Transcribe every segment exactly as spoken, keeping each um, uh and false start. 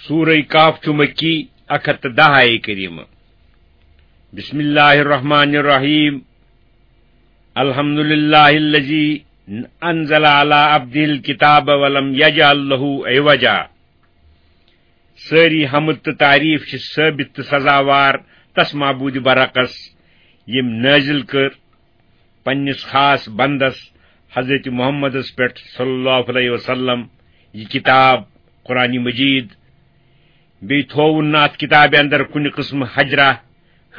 سورہ کہف چھُ مکی، اکھ ہتھ تہٕ دَہ آیہِ کریمہ۔ بسم اللہ الرحمن الرحیم۔ الحمد للہ الذی انزل علی عبدہ الکتاب ولم یجعل لہ عوجا۔ سٲری حمد تہٕ تعریف چھِ ثٲبت تہٕ سزاوار تس معبود برحقس، ییٚمۍ نٲزِل کٔر پننِس خاص بندس حضرت محمدس پٮ۪ٹھ صلی اللہ علیہ وسلم یہِ کتاب، قرآن مجید۔ بیٚیہِ تھووُن نہٕ اتھ کتابہِ اندر کُنہِ قٕسمہٕ حجرہ،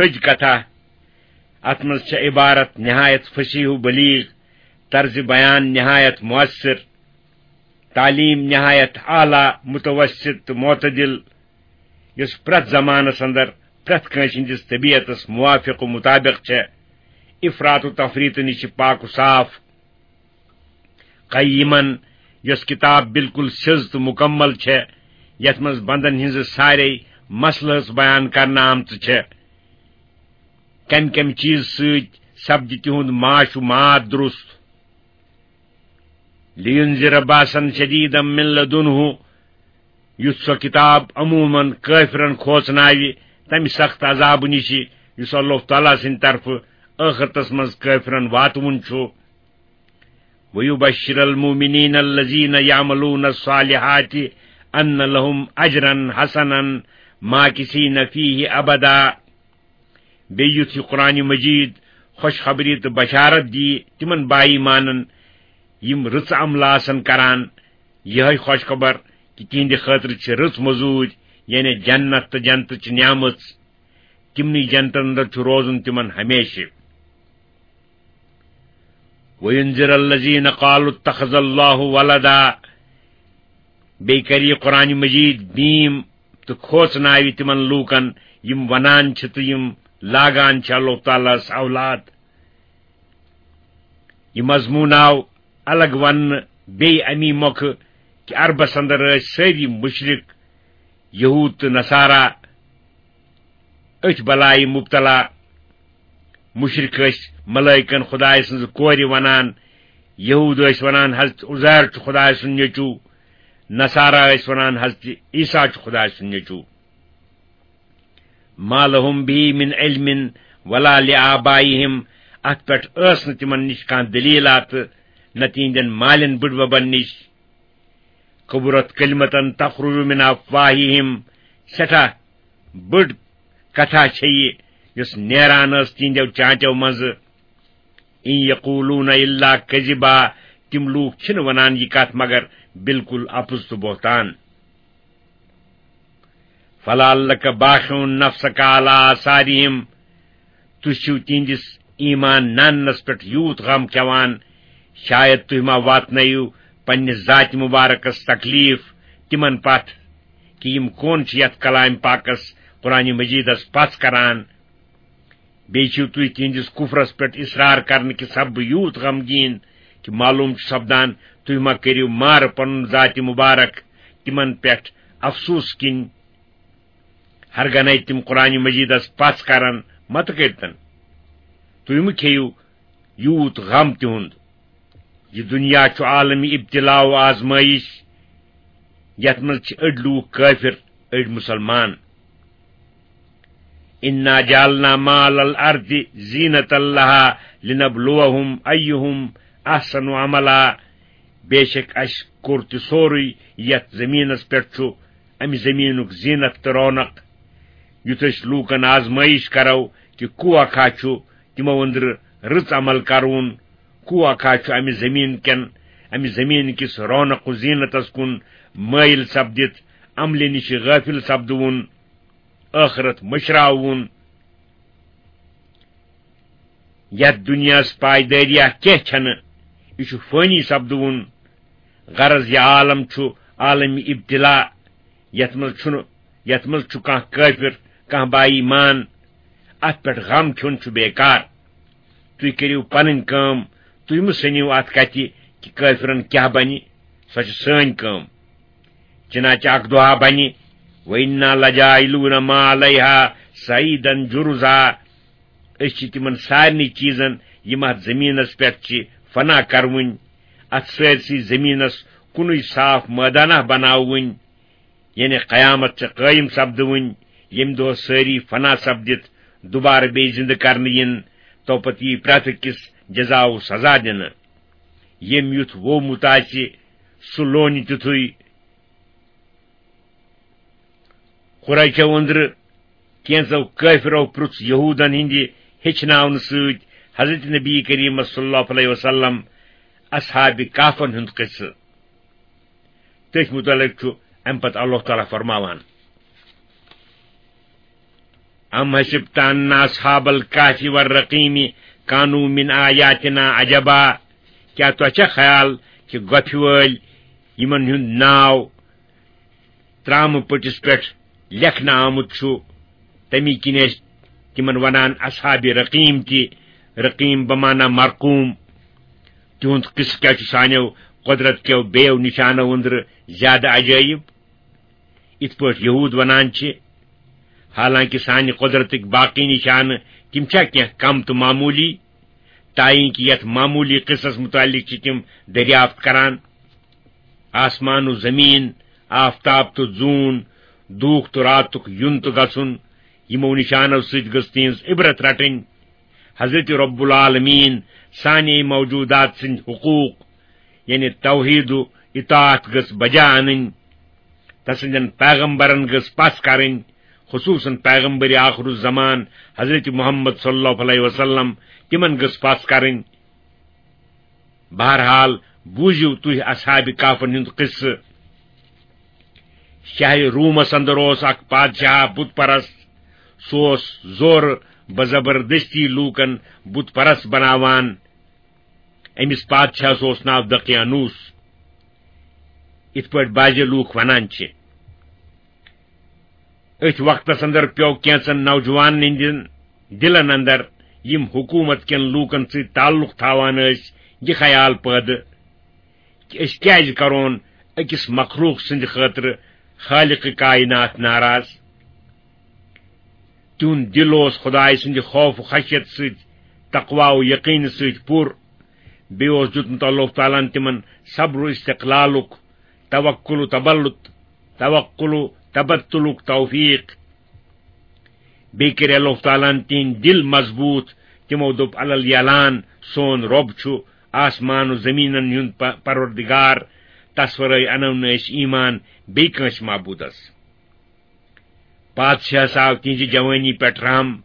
حج کتھا۔ اتھ منٛز چھےٚ عبارت نہایت فصیح و بلیغ، طرز بیان نہایت مؤثر، تعلیم نہایت اعلیٰ، متوسط تہٕ معتدل، یۄس پرٛٮ۪تھ زمانس اندر پرٛٮ۪تھ کٲنٛسہِ ہٕنٛدِس طبیعتس موافق و مطابق چھےٚ، افراط و تفریط نِش چھِ پاک و صاف۔ قیمن، یۄس کتاب بالکل سیٚز تہٕ مکمل چھےٚ، یتھ منٛز بندن ہٕنٛزٕ سارے مسلہٕ بیان کرنہٕ آمژٕ چھےٚ، کمہِ کمہِ چیز سۭتۍ سپدِ تِہُنٛد معاش و معاد درست۔ لینذر باسا شدیدا من لدنہ، یُتھ سۄ کتاب عموماً کٲفرن کھوژناوِ تمہِ سخت عذابہٕ نِش، یُس اللہ تعالیٰ سٕنٛدِ طرفہٕ ٲخرتس منٛز کٲفرن واتوُن چھُ۔ ویبشر المؤمنین الذین یعملون الصالحات ان لهم اجرا حسنا ماکثین فیہ ابدا۔ بیٚیہِ یُتھ یہِ قرآن مجید خوشخبری تہٕ بشارت دِیہِ تِمن با ایمانن، یِم رٕژ عملہٕ آسن کران، یِہے خوشخبر کہِ تِہنٛدِ خٲطرٕ چھِ رٕژ مٔزوٗرۍ، یعنی جنت تہٕ جنتٕچ نعمژ۔ تِمنٕے جنتن اندر چھُ روزُن تِمن ہمیشہِ۔ وینذر الذین قالوا اتخذ اللہ ولدا۔ بیٚیہِ کرِ یہِ قرآن مجید بیٖم تہٕ کھوژناوِ تِمن لوٗکن، یِم ونان چھِ تہٕ یِم لاگان چھِ اللہ تعالیٰ ہس اولاد۔ یہِ مضموٗن آو الگ وننہٕ بیٚیہِ امی مۄکھٕ کہِ عربس اندر ٲسۍ سٲری مشرک، یہود تہٕ نصارا، أتھۍ بلایہِ مبتلا۔ مشرک ٲسۍ ملائکن خدایہِ سٕنٛزٕ کورِ ونان، یہود ٲسۍ ونان حضرت عزیر چھُ خدایہِ سُنٛد نیٚچوٗ، نصارا ٲسۍ ونان حضرت عیسیٰ چھُ خدایہِ سُنٛد نیٚچوٗ۔ ما لهم به من علم ولا لآبائهم، اتھ پٮ۪ٹھ ٲس نہٕ تِمن نِش کانٛہہ دلیٖل تہٕ نہ تِہنٛدٮ۪ن مالٮ۪ن بٕڈببن نِش۔ کبرت کلمة تخرج من افواہہم، سٮ۪ٹھاہ بٔڑ کتھا چھےٚ یہِ، یۄس نیران ٲس تِہنٛدیو چانٹیو منٛزٕ۔ ان یقولون الا کذبا، تِم لوٗکھ چھِنہٕ ونان یہِ کتھ مگر بالکل اپُز تہٕ بہتان۔ فلعلک باخع نفسک علی آثارہم، تُہۍ چھِو تِہنٛدِس ایمان ناننس پٮ۪ٹھ یوٗت غم کھٮ۪وان، شاید تُہۍ ما واتنٲیِو پننِس ذاتِ مبارکس تکلیف تِمن پتھ، کہِ یِم کون چھِ یتھ کلام پاکس قرآن مجیدس پژھ کران۔ بیٚیہِ چھِو تُہۍ تِہنٛدِس کفرس پٮ۪ٹھ اصرار کرنہٕ کہِ سببہٕ یوٗت غمگیٖن کہِ معلوم چھُ سپدان، تُہۍ ما کٔرِو مارٕ پنُن ذاتِ مبارک تِمن پٮ۪ٹھ افسوس کِنۍ۔ ہرگنے تِم قرآن مجیدس پژھ کرن، متہٕ کٔرتن۔ تُہۍ مہٕ کھیٚیِو یوٗت غم تِہُنٛد۔ یہِ دُنیا چھُ عالمِ ابتلا و آزمٲیِش، یتھ منٛز چھِ أڑۍ لوٗکھ کٲفِر، أڑۍ مُسلمان۔ انا جعلنا ما علی الارض زینة لها لنبلوهم ایہم احسن عملا۔ بے شک اسہِ کوٚر تہِ سورُے یتھ زمینس پٮ۪ٹھ چھُ، امہِ زمینُک زینت تہٕ رونق، یُتھ أسۍ لوٗکن آزمٲیِش کرو کہِ کُوا کھا چھُ تِمو أنٛدرٕ رٕژ عمل کرون، کُوا کھا چھُ امہِ زمین کٮ۪ن، امہِ زمین کِس رونق و زینتس کُن مٲیِل سپدِتھ عملہِ نِش غٲفِل سپدوُن، ٲخرت مٔشراوُن۔ یتھ دُنیاہس پایدٲریہ کینٛہہ چھنہٕ، یہِ چھُ فٲنی سپدوُن۔ غرض، یہِ عالم چھُ عالمِ ابتلا، یتھ منٛز چھُنہٕ، یتھ منٛز چھُ کانٛہہ کٲفِر، کانٛہہ با ایمان۔ اتھ پٮ۪ٹھ غم کھیوٚن چھُ بیکار۔ تُہۍ کٔرِو پنٕنۍ کٲم، تُہۍ مہٕ سٔنِو اتھ کتھِ کہِ کٲفرن کیٛاہ بنہِ، سۄ چھِ سٲنۍ کٲم۔ چنانچہ اکھ دۄہا بنہِ، وَإِنَّا لَجَاعِلُونَ مَا عَلَيْهَا صَعِيدًا جُرُزًا۔ أسۍ چھِ تِمن سارنٕے چیٖزن، یِم اتھ زٔمیٖنس پٮ۪ٹھ چھِ، فنا کرٕوٕنۍ، اتھ سٲرسٕے زٔمیٖنس کُنُے صاف مٲدانہ بناوٕنۍ۔ یعنی قیامت چھِ قٲیِم سپدٕوٕنۍ، ییٚمہِ دۄہ سٲری فنا سپدِتھ دوبارٕ بیٚیہِ زِندٕ کرنہٕ یِن، تو پتہٕ یی پرٛٮ۪تھ أکِس جزا و سزا دِنہٕ۔ ییٚمۍ یُتھ وومُت آسہِ، سُہ لونہِ تیُتھُے۔ قریشو أنٛدرٕ کینٛژو کٲفرو پرُژھ یہوٗدن ہٕنٛدِ ہیٚچھناونہٕ سۭتۍ حضرت نبی کریم صلی اللہ علیہ وسلم اصحاب کہفن ہُنٛد قصہٕ۔ تٔتھۍ متعلق چھُ اَمہِ پتہٕ اللہ تعالیٰ فرماوان، "ام حسبت ان اصحاب الکہف والرقیم کانوا من آیاتنا عجبا"، کیٛاہ تۄہہِ چھا خیال کہِ گۄپھِ وٲلۍ، یِمن ہُنٛد ناو ترامہٕ پٔٹِس پٮ۪ٹھ لیکھنہٕ آمُت چھُ، تَمی کِنۍ ٲسۍ تِمن ونان اصحاب رقیم تہِ، رقیم بمعنی مرقوم۔ تِہُنٛد قصہٕ کیٛاہ چھُ سانیو قۄدرت کیو بیٚیو نِشانو أنٛدرٕ زیادٕ عجٲیب؟ یِتھ پٲٹھۍ یہوٗد ونان چھِ، حالانکہِ سانہِ قۄدرتٕکۍ باقٕے نِشانہٕ تِم چھا کینٛہہ کم تہٕ معموٗلی؟ تاں کہِ یتھ معموٗلی قصس متعلق چھِ تِم دریافت کران۔ آسمان و زمین، آفتاب تہٕ زوٗن، دھوٗکھ تہٕ راتُک یُن تہٕ گژھُن، یِمو نِشانو سۭتۍ گٔژھ تِہنٛز عبرت رٹٕنۍ۔ حضرت رب العالمین سانے موجودات سٕنٛدۍ حقوٗق، یعنی توحید و اطاعت گٔژھ بجا انٕنۍ۔ تسٕنٛدٮ۪ن پیغمبرن گٔژھ پژھ کرٕنۍ، خصوٗصاً پیغمبر آخر الزمان حضرت محمد صلی اللہ علیہ وسلم، تِمن گٔژھ پژھ کرٕنۍ۔ بہرحال، بوٗزِو تُہۍ اصحاب کہفن ہُنٛد قصہٕ۔ شہرِ رومس اندر اوس اکھ پادشاہ بت پرست۔ سُہ اوس زورٕ بزبردستی لوٗکن بت پرست بناوان۔ أمِس پادشاہس اوس ناو دقیانوس، یِتھ پٲٹھۍ بعضِ لوٗکھ ونان چھِ۔ أتھۍ وقتس اندر پیوٚو کینٛژن نوجوانن ہٕنٛدٮ۪ن دِلن اندر، یِم حکوٗمت کٮ۪ن لوٗکن سۭتۍ تعلق تھاوان ٲسۍ، یہِ خیال پٲدٕ کہِ أسۍ کیازِ کرون أکِس مخلوق سٕنٛدِ خٲطرٕ خالق کائنات ناراض؟ تِہُنٛد دِل اوس خدایہِ سٕنٛدِ خوف و خشیت سۭتۍ، تقوی و یقین سۭتۍ پُر۔ بیٚیہِ اوس دیُتمُت اللہ تعالیٰ ہن تِمن صبر و استقلالُک، توکل و تبلت، توکل و تبتلُک توفیق۔ بیٚیہِ کٔرۍ اللہ تعالیٰ ہن تِہنٛدۍ دِل مضبوٗط۔ تِمو دوٚپ الل یلان، "سون رۄب چھُ آسمان و زمینن ہُنٛد پ-، پروردگار، تس ورٲے انو نہٕ أسۍ ایمان بیٚیہِ کٲنٛسہِ معبوٗدس۔" پادشاہس آو تِہنٛزِ جوٲنی پٮ۪ٹھ رحم۔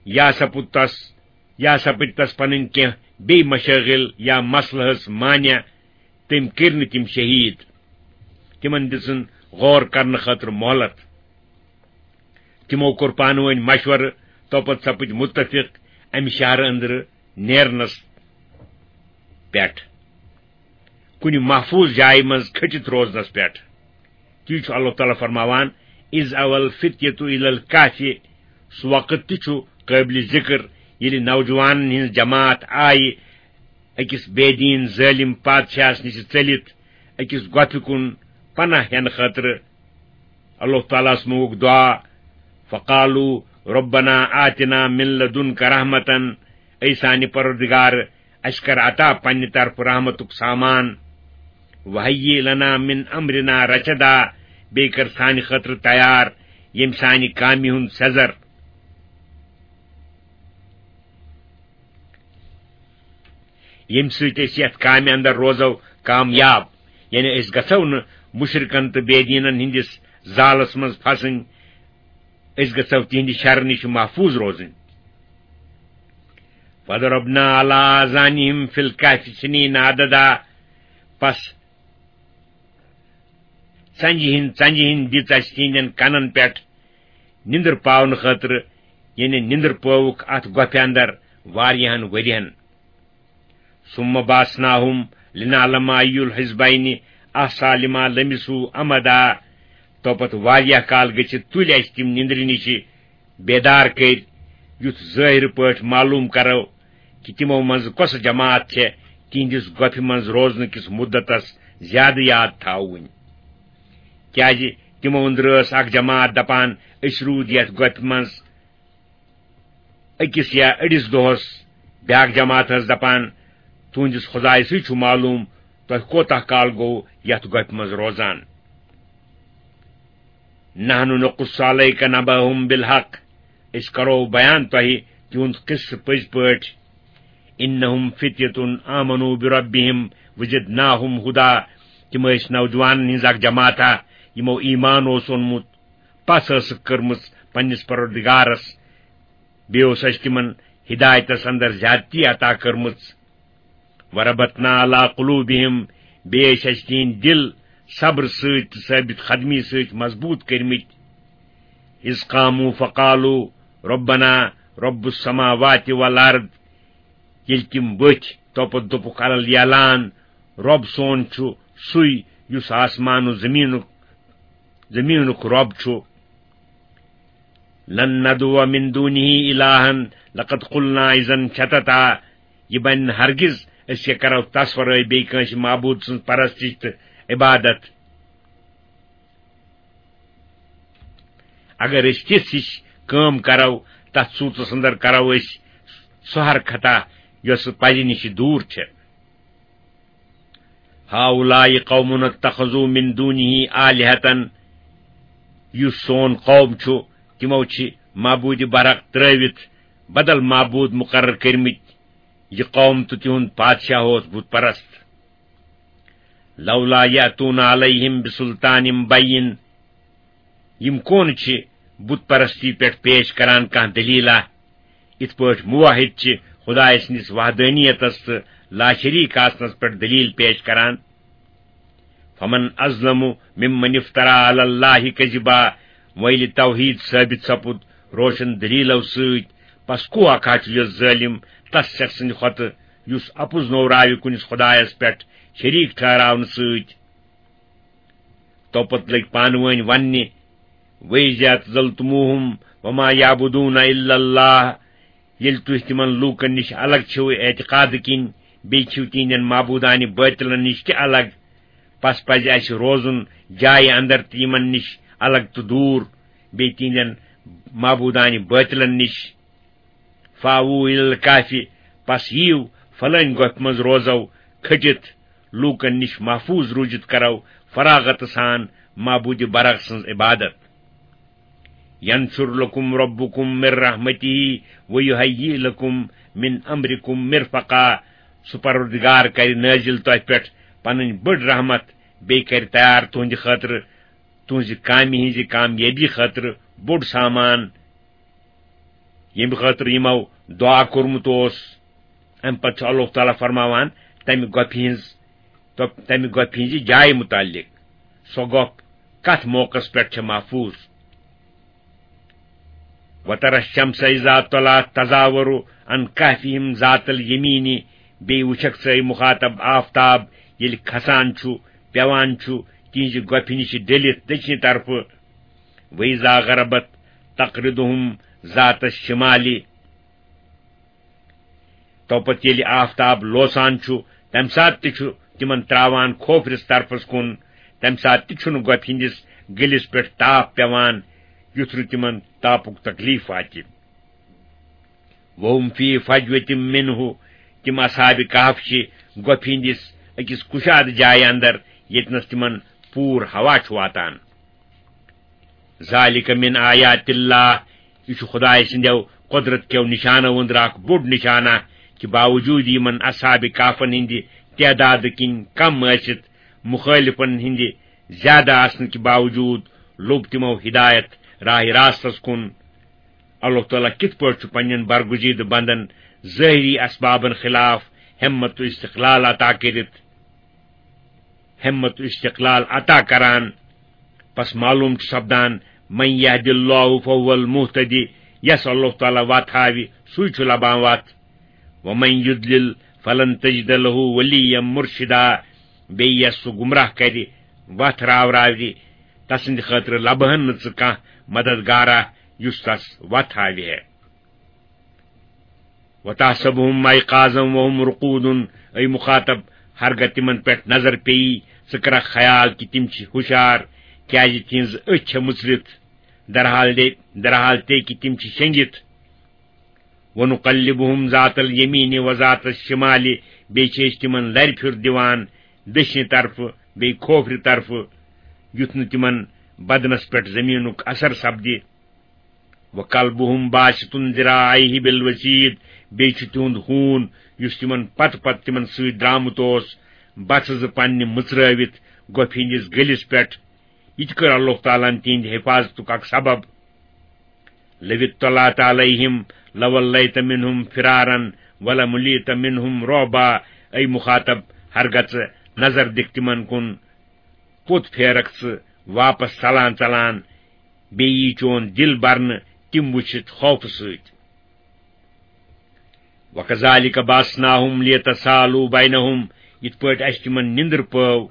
یا سپُد تس، یا سپٕدۍ تس پنٕنۍ کینٛہہ بیٚیہِ مشٲغل یا مسلہٕ ہس مانع، تٔمۍ کٔرۍ نہٕ تِم شہیٖد۔ تِمن دِژٕن غور کرنہٕ خٲطرٕ مۄہلت۔ تِمو کوٚر پانہٕ وٲنۍ مشورٕ، توپتہٕ سپٕدۍ مُتفق امہِ شہرٕ أنٛدرٕ نیرنس پٮ۪ٹھ، کُنہِ محفوٗظ جایہِ منٛز کھٔٹِتھ روزنس پٮ۪ٹھ۔ تی چھُ اللہ تعالیٰ فرماوان، "اذ اول فتیت الی الکہف"، سُہ وقت تہِ چھُ قٲبلِ ذِکر، ییٚلہِ نوجوانن ہٕنٛز جماعت آیہِ أکِس بے دیٖن ظٲلِم پادشاہس نِش ژٔلِتھ أکِس گۄپھِ کُن پناہ ہٮ۪نہٕ خٲطرٕ۔ اللہ تعالیٰ ہس منٛگُکھ دعا، "فقالوا ربنا آتنا من لدنک رحمتن"، اے سانہِ پروردگار، اسہِ کر عطا پننہِ طرفہٕ رحمتُک سامان۔ "وہیئ لنا من امرنا رشدا"، بیٚیہِ کر سانہِ خٲطرٕ تیار ییٚمہِ سانہِ کامہِ ہُنٛد سیزر۔ ییٚمہِ سۭتۍ أسۍ یتھ کامہِ اندر روزو کامیاب، یعنی أسۍ گژھو نہٕ مشرکن تہٕ بے دیٖنن ہٕنٛدِس زالس منٛز پھسٕنۍ، أسۍ گژھو تِہنٛدِ شرٕ نِش محفوٗظ روزٕنۍ۔ "فضربنا علی آذانہم فی الکہف سنین عددا"، پس ژنجہِ ہٕنٛدۍ، ژنجہِ ہٕنٛدۍ دِژ اَسہِ تِہنٛدٮ۪ن کنن پٮ۪ٹھ نِندٕر پاونہٕ خٲطرٕ، یعنی نِندٕر پٲوُکھ اَتھ گۄپھِ اندر واریاہن ؤرین۔ "ثم بعثناہم لنعلم ای الحزبین احصی لما لبثوا امدا"، تو پتہٕ واریاہ کال گٔژھِتھ تُلۍ اَسہِ تِم نِندرِ نِشہِ بیدار کٔرۍ، یُتھ ظٲہِر پٲٹھۍ معلوم کرو کہِ تِمو منٛزٕ کۄسہٕ جماعت چھےٚ تِہنٛدِس گۄپھِ منٛز روزنہٕ کِس مُدتس زیادٕ یاد تھاوٕنۍ۔ کیازِ تِمو أنٛدرٕ ٲس اکھ جماعت دپان، "أسۍ روٗدۍ یتھ گۄپھِ منٛز أکِس یا أڑِس دۄہس"، بیاکھ جماعت ٲس دپان، "تُہنٛدِس خدایہِ سٕے چھُ معلوم تۄہہِ کوتاہ کال گوٚو یتھ گۄپھِ منٛز روزان۔" نحن نقص عليك نبأهم بالحق، أسۍ کرو بیان تۄہہِ تِہُنٛد قصہٕ پٔزۍ پٲٹھۍ۔ إنهم فتية آمنوا بربهم وزدناهم هدى، تِم ٲسۍ نوجوانن ہٕنٛز اکھ جماعتہ، یِمو ایمان اوس اوٚنمُت، پژھ ٲسٕکھ کٔرمٕژ پننِس پروردگارس، بیٚیہِ اوس اَسہِ تِمن ہدایتس اندر زیادتی عطا کٔرمٕژ۔ وربطنا على قلوبهم، بیٚیہِ ٲسۍ اَسہِ تِہنٛدۍ دِل صبر سۭتۍ تہٕ ثٲبت قدمی سۭتۍ مضبوٗط کٔرمٕتۍ۔ إذ قاموا فقالوا ربنا رب السماوات والأرض، ییٚلہِ تِم ؤتھۍ، توپتہٕ دوٚپُکھ علل اعلان، رۄب سون چھُ سُے یُس آسمان و زمینُک، زمینُک رۄب چھُ۔ لن ندعو من دونه إلها لقد قلنا إذا شططا، یہِ بنہِ نہٕ ہرگز أسۍ یہِ کرو تس ورٲے بیٚیہِ کٲنٛسہِ معبوٗد سٕنٛز پرستش تہٕ عبادت۔ اگر أسۍ تِژھ ہِش کٲم کرو، تتھ صوٗرتس اندر کرو أسۍ سۄ حرکتہ یۄس پزِ نِش دوٗر چھِ۔ هؤلاء قوم اتخذوا من دونه آلهة، یُس سون قوم چھُ، تِمو چھِ معبوٗدِ برحق ترٲوِتھ بدل معبوٗد مقرر کٔرمٕتۍ۔ یہِ قوم تہٕ تِہُنٛد پادشاہ اوس بت پرست۔ لولا يأتون عليهم بسلطان بين، یِم کون چھِ بت پرستی پٮ۪ٹھ پیش کران کانٛہہ دٔلیٖلہ؟ یِتھ پٲٹھۍ موحد چھِ خدایہِ سٕنٛدِس وحدانیتس تہٕ لاشریٖک آسنس پٮ۪ٹھ دٔلیٖل پیش کران۔ فمن أظلم ممن افترى على الله كذبا، وۄنۍ ییٚلہِ توحیٖد ثٲبت سپُد روشن دٔلیٖلو سۭتۍ، پس کُس اکھ ہا چھُ یُس ظٲلِم تس شخص سٕنٛدِ کھۄتہٕ، یُس اپُز نوراوِ کُنِس خدایس پٮ۪ٹھ شریٖک ٹھہراونہٕ سۭتۍ؟ توپتہٕ لٔگۍ پانہٕ وٲنۍ وننہِ، وَإِذَا اعْتَزَلْتُمُوهُمْ وَمَا يَعْبُدُونَ إِلَّا اللَّهَ، ییٚلہِ تُہۍ تِمن لوٗکن نِش الگ چھِو اعتقاد کِنۍ، بیٚیہِ چھِو تِہنٛدٮ۪ن معبوٗدانہِ بٲطلن نِش تہِ الگ، پس پزِ اسہِ روزُن جایہِ اندر تہٕ یِمن نِش الگ تہٕ دوٗر، بیٚیہِ تِہنٛدٮ۪ن معبوٗدانہِ بٲطلن نِش۔ فاوو اِلَى الکہفِ، پس یِیِو فلٲنۍ گۄپھِ منٛز روزو کھٔٹِتھ، لوٗکن نِش محفوٗظ روٗزِتھ کرو فراغت سان معبوٗدِ برحق سٕنٛز عبادت۔ ینشر لکم ربکم من رحمتہ ویہیئ لکم من امرکم مرفقا، سُہ پروردگار کرِ نٲزِل تۄہہِ پٮ۪ٹھ پنٕنۍ بٔڑ رحمت، بیٚیہِ کرِ تیار تُہنٛدِ خٲطرٕ، تُہنٛزِ کامہِ ہٕنٛزِ کامیٲبی خٲطرٕ بوٚڑ سامان۔ ییٚمہِ خٲطرٕ یِمو دُعا کوٚرمُت اوس۔ اَمہِ پتہٕ چھُ اللہ تعالیٰ فرماوان تَمہِ گۄپھِ ہٕنٛز، تہٕ تَمہِ گۄپھِ ہٕنٛزِ جایہِ مُتعلِق، سۄ گۄپھ کَتھ موقعس پٮ۪ٹھ چھےٚ محفوٗظ۔ وَتَرَى الشَّمْسَ إِذَا طَلَعَتْ تَزَاوَرُ عَنْ كَهْفِهِمْ ذَاتَ الْيَمِينِ، بیٚیہِ وٕچھکھ ژٕ، اے مُخاطب، آفتاب ییٚلہِ کھسان چھُ، پٮ۪وان چھُ، تِہنٛزِ گۄپھِ نِش ڈٔلِتھ دٔچھنہِ طرفہٕ۔ وَإِذَا غَرَبَتْ تَقْرِضُهُمْ ذَاتَ الشِّمَالِ۔ توپتہٕ ییٚلہِ آفتاب لوسان چھُ، تَمہِ ساتہٕ تہِ چھُ تِمن تراوان کھوفرِس طرفس کُن۔ تَمہِ ساتہٕ تہِ چھُنہٕ گۄپھِ ہٕنٛدِس گٔلِس پٮ۪ٹھ تاپھ پٮ۪وان، یُتھ نہٕ تِمن تاپُک تکلیف واتہِ۔ وَهُمْ فِي فَجْوَةٍ مِّنْهُ، تِم اصحابِ کہف چھِ گۄپھِ ہٕنٛدِس أکِس کُشادٕ جایہِ اندر، ییٚتنس تِمن پوٗر ہوا چھُ واتان۔ ذَلِكَ مِنْ آيَاتِ اللَّهِ، یہِ چھُ خدایہِ سٕنٛدیو قۄدرت کیو نِشانو أنٛدرٕ اکھ بوٚڑ نِشانہ، کہِ باوجوٗد یِمن اصحابِ کہفن ہٕنٛدِ تعدادٕ کِنۍ کم ٲسِتھ، مُخٲلِفن ہٕنٛدِ زیادٕ آسنہٕ کہِ باوجوٗد لوٚب تِمو ہدایت راہِ راستس کُن۔ اللہ تعالیٰ کِتھ پٲٹھۍ چھُ پننٮ۪ن برگزیدٕ بندن ظٲہری اسبابن خلاف ہمت و استقلال عطا کٔرِتھ، ہمت و استقلال عطا کران؟ پس معلوم چھُ سپدان، من یہد اللہ فہو المہتدی، یس اللہ تعالیٰ وتھ ہاوِ، سُے چھُ لبان وتھ۔ ومن یضلل فلن تجد له ولیا مرشدا، بیٚیہِ یس سُہ گمراہ کرِ، وتھ راوراوِ، تسٕنٛدِ خٲطرٕ لبہن نہٕ ژٕ کانٛہہ مددگارا یُس تس وتھ ہاوِ ہے۔ وتحسبهم ایقاظا وهم رقود، اے مخاطب، ہرگاہ تِمن پٮ۪ٹھ نظر پیٚیی، ژٕ کرکھ خیال کہِ تِم چھِ ہُشار، کیازِ تِہنٛز أچھ چھےٚ مُژرِتھ، درحال دے، درحال تے کہِ تِم چھِ شٔنگِتھ۔ ونقلبهم ذات الیمین و ذات الشمال، بیٚیہِ چھِ أسۍ تِمن لرِ پھیُر دِوان، دٔچھنہِ طرفہٕ بیٚیہِ کھوفرِ طرفہٕ، یُتھ نہٕ تِمن بدنس پٮ۪ٹھ زٔمیٖنُک اثر سپدِ۔ وَقَلْبُهُمْ بَاسِطٌ ذِرَاعَيْهِ بِالْوَصِيدِ، بیٚیہِ چھُ تِہُنٛد ہوٗن، یُس تِمن پتہٕ پتہٕ تِمن سۭتۍ درٛامُت اوس، بژھٕ زٕ پننہِ مٕژرٲوِتھ گۄپھِ ہٕنٛدِس گٔلِس پٮ۪ٹھ۔ یہِ تہِ کٔر اللہ تعالیٰ ہن تِہنٛدِ حفاظتُک اکھ سبب۔ لَوِ اطَّلَعْتَ عَلَيْهِمْ لَوَلَّيْتَ مِنْهُمْ فِرَارًا وَلَمُلِئْتَ مِنْهُمْ رُعْبًا۔ اے مُخاطب، ہرگژٕ نظر دِکھ تِمن کُن، پوٚت پھیرکھ ژٕ واپس ژلان ژلان، بیٚیہِ یی چون دِل برنہٕ تِم وٕچھِتھ خوفہٕ سۭتۍ۔ وَكَذَلِكَ بَعَثْنَاهُمْ لِيَتَسَاءَلُوا بَيْنَهُمْ، یِتھ پٲٹھۍ اَسہِ تِمن نِندٕر پٲو،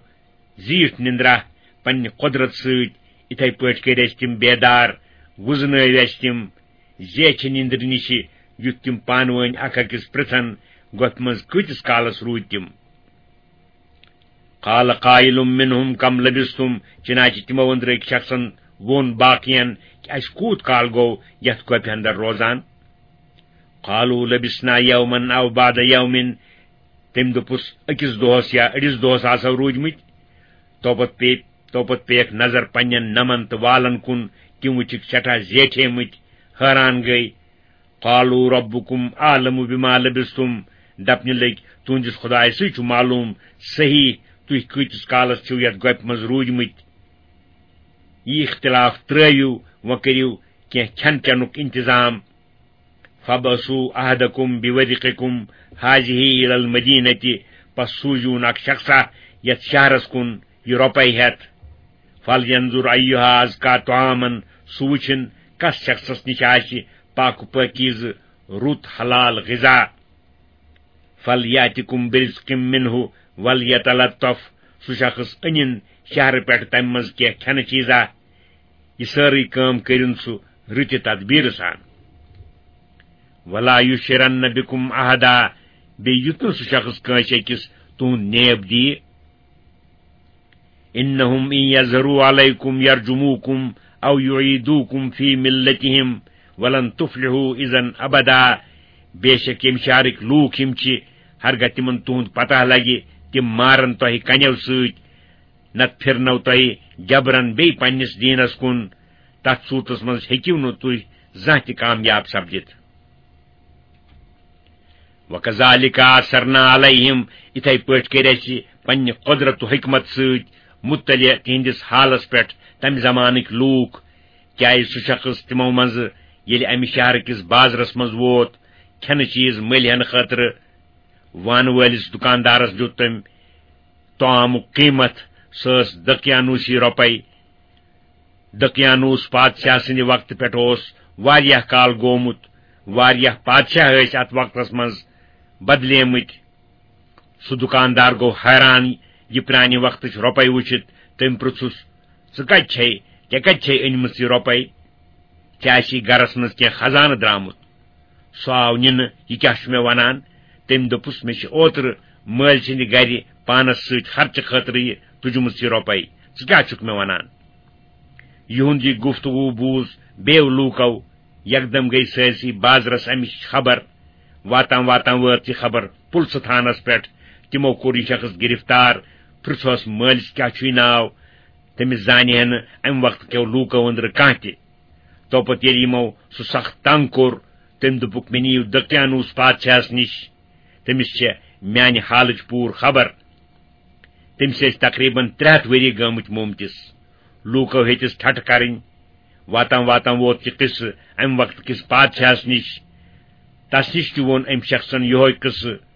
زیٖٹھ نِندرا پننہِ قۄدرت سۭتۍ، یِتھے پٲٹھۍ کٔرۍ اَسہِ تِم بیدار، وُزنٲوۍ اَسہِ تِم زیچھِ نِندرِ نِشہِ، یُتھ تِم پانہٕ وٲنۍ اکھ أکِس پرژھن، گۄپھِ منٛز کۭتِس کالس روٗدۍ تِم؟ قَالَ قَائِلٌ مِنْهُمْ كَمْ لَبِثْتُمْ، چنانچہ تِمو أنٛدرٕ أکۍ شخصن ووٚن باقین کہِ اَسہِ کوٗت کال گوٚو یتھ گۄپھِ اندر روزان؟ قَالُوا لَبِثْنَا يَوْمًا أَوْ بَعْضَ يَوْمٍ، تٔمۍ دوٚپُس، أکِس دۄہس یا أڑِس دۄہس آسو روٗدۍمٕتۍ۔ توپت پیٚیہِ، توپت پیٚیَکھ نظر پننٮ۪ن نمن تہٕ والن کُن، تِم وٕچھِکھ سٮ۪ٹھاہ زیٹھیمٕتۍ، حٲران گٔے۔ قَالُوا رَبُّكُمْ أَعْلَمُ بِمَا لَبِثْتُمْ، دپنہِ لٔگۍ، تُہنٛدِس خۄدایسٕے چھُ معلوم صحیح تُہۍ کۭتِس کالس چھِو یتھ گۄپھِ منٛز روٗدۍمٕتۍ۔ یہِ اختلاف ترٲوِو، وۄنۍ کٔرِو کینٛہہ کھٮ۪ن چٮ۪نُک انتظام۔ فَابْعَثُوا أَحَدَكُمْ بِوَرِقِكُمْ هَٰذِهِ إِلَى الْمَدِينَةِ، پس سوٗزِوُن اکھ شخصا یتھ شہرس کُن یہِ رۄپے ہٮ۪تھ۔ فَلْيَنْظُرْ أَيُّهَا أَزْكَىٰ طَعَامًا، سُہ وٕچھِن کس شخصس نِش آسہِ پاک و پٲکیٖزٕ رُت حلال غذا۔ فَلْيَأْتِكُمْ بِرِزْقٍ مِّنْهُ وَلْيَتَلَطَّفْ، سُہ شخص أنِن شہرٕ پٮ۪ٹھ تمہِ منٛز کینٛہہ کھٮ۪نہٕ چیٖزا۔ یہِ سٲرٕے کٲم کٔرِن سُہ رٕتہِ تدبیٖرٕ سان۔ وَلَا يُشْعِرَنَّ بِكُمْ أَحَدًا، بیٚیہِ یُتھ نہٕ سُہ شخص کٲنٛسہِ أکِس تُہُنٛد نیب دِیہِ۔ إِنَّهُمْ إِنْ يَظْهَرُوا عَلَيْكُمْ يَرْجُمُوكُمْ أَوْ يُعِيدُوكُمْ فِي مِلَّتِهِمْ وَلَنْ تُفْلِحُوا إِذًا أَبَدًا۔ بے شک ییٚمہِ شہرٕکۍ لوٗکھ یِم چھِ، ہرگاہ تِمن تُہُنٛد پتہ لگہِ، تِم مارن تۄہہِ کنیو سۭتۍ، نتہٕ پھِرنو تۄہہِ جبرن بیٚیہِ پننِس دیٖنس کُن۔ تتھ صوٗرتس منٛز ہیٚکِو نہٕ تُہۍ زانٛہہ تہِ کامیاب سپدِتھ۔ وَكَذَٰلِكَ أَثَرْنَا عَلَيْهِمْ، یِتھے پٲٹھۍ کٔرۍ اَسہِ پننہِ قۄدرت و حکمت سۭتۍ مطلع تِہنٛدِس حالس پٮ۪ٹھ تمہِ زمانٕکۍ لوٗکھ، کیازِ سُہ شخص تِمو منٛزٕ ییٚلہِ امہِ شہرٕ کِس بازرس منٛز ووت کھٮ۪نہٕ چیٖز مٔلۍ ہٮ۪نہٕ خٲطرٕ، وانہٕ وٲلِس دُکاندارس دیُت تٔمۍ طعامُک قۭمتھ، سۄ ٲس دقیانوسی رۄپے۔ دقیانوس پادشاہ سٕنٛدِ وقتہٕ پٮ۪ٹھ اوس واریاہ کال گوٚمُت، واریاہ پادشاہ ٲسۍ اتھ وقتس منٛز بدلیمٕتۍ۔ سُہ دُکاندار گوٚو حٲران یہِ پرٛانہِ وقتٕچ رۄپے وٕچھِتھ۔ تٔمۍ پرٛژھُس، "ژٕ کتہِ چھے؟ ژےٚ کتہِ چھے أنمٕژ یہِ رۄپے؟ ژےٚ آسی گرس منٛز کینٛہہ خزانہٕ درٛامُت؟" سُہ آو نِنہٕ، "یہِ کیٛاہ چھُ مےٚ ونان؟" تٔمۍ دوٚپُس، "مےٚ چھِ اوترٕ مٲلۍ سٕنٛدِ گرِ پانس سۭتۍ خرچہٕ خٲطرٕ یہِ تُجمٕژ یہِ رۄپے۔ ژٕ کیٛاہ چھُکھ مےٚ ونان؟" یِہُنٛد یہِ گفتگو بوٗز بیٚیو لوٗکو۔ یکدم گٔیہِ سٲرسٕے بازرس امِچ خبر۔ واتان واتان وٲژ یہِ خبر پُلسہٕ تھانس پٮ۪ٹھ۔ تِمو کوٚر یہِ شخص گرفتار، پرٛژھہوس مٲلِس کیٛاہ چھُے ناو، تٔمِس زانہِ ہے نہٕ امہِ وقتہٕ کٮ۪و لوٗکو أنٛدرٕ کانٛہہ تہِ۔ توپتہٕ ییٚلہِ یِمو سُہ سخ تنگ کوٚر، تٔمۍ دوٚپُکھ، "مےٚ نِیِو دقیانوس پادشاہس نِش، تٔمِس چھےٚ میانہِ حالٕچ پوٗرٕ خبر۔" تٔمِس ٲسۍ تقریباً ترٛےٚ ہتھ ؤری گٲمٕتۍ مومتِس۔ لوٗکو ہیٚتِس ٹھٹھٕ کرٕنۍ۔ واتان واتان ووت یہِ قصہٕ امہِ وقتہٕ کِس پادشاہس نِش۔ تس نِش تہِ ووٚن أمۍ شخصن یِہوے قصہٕ۔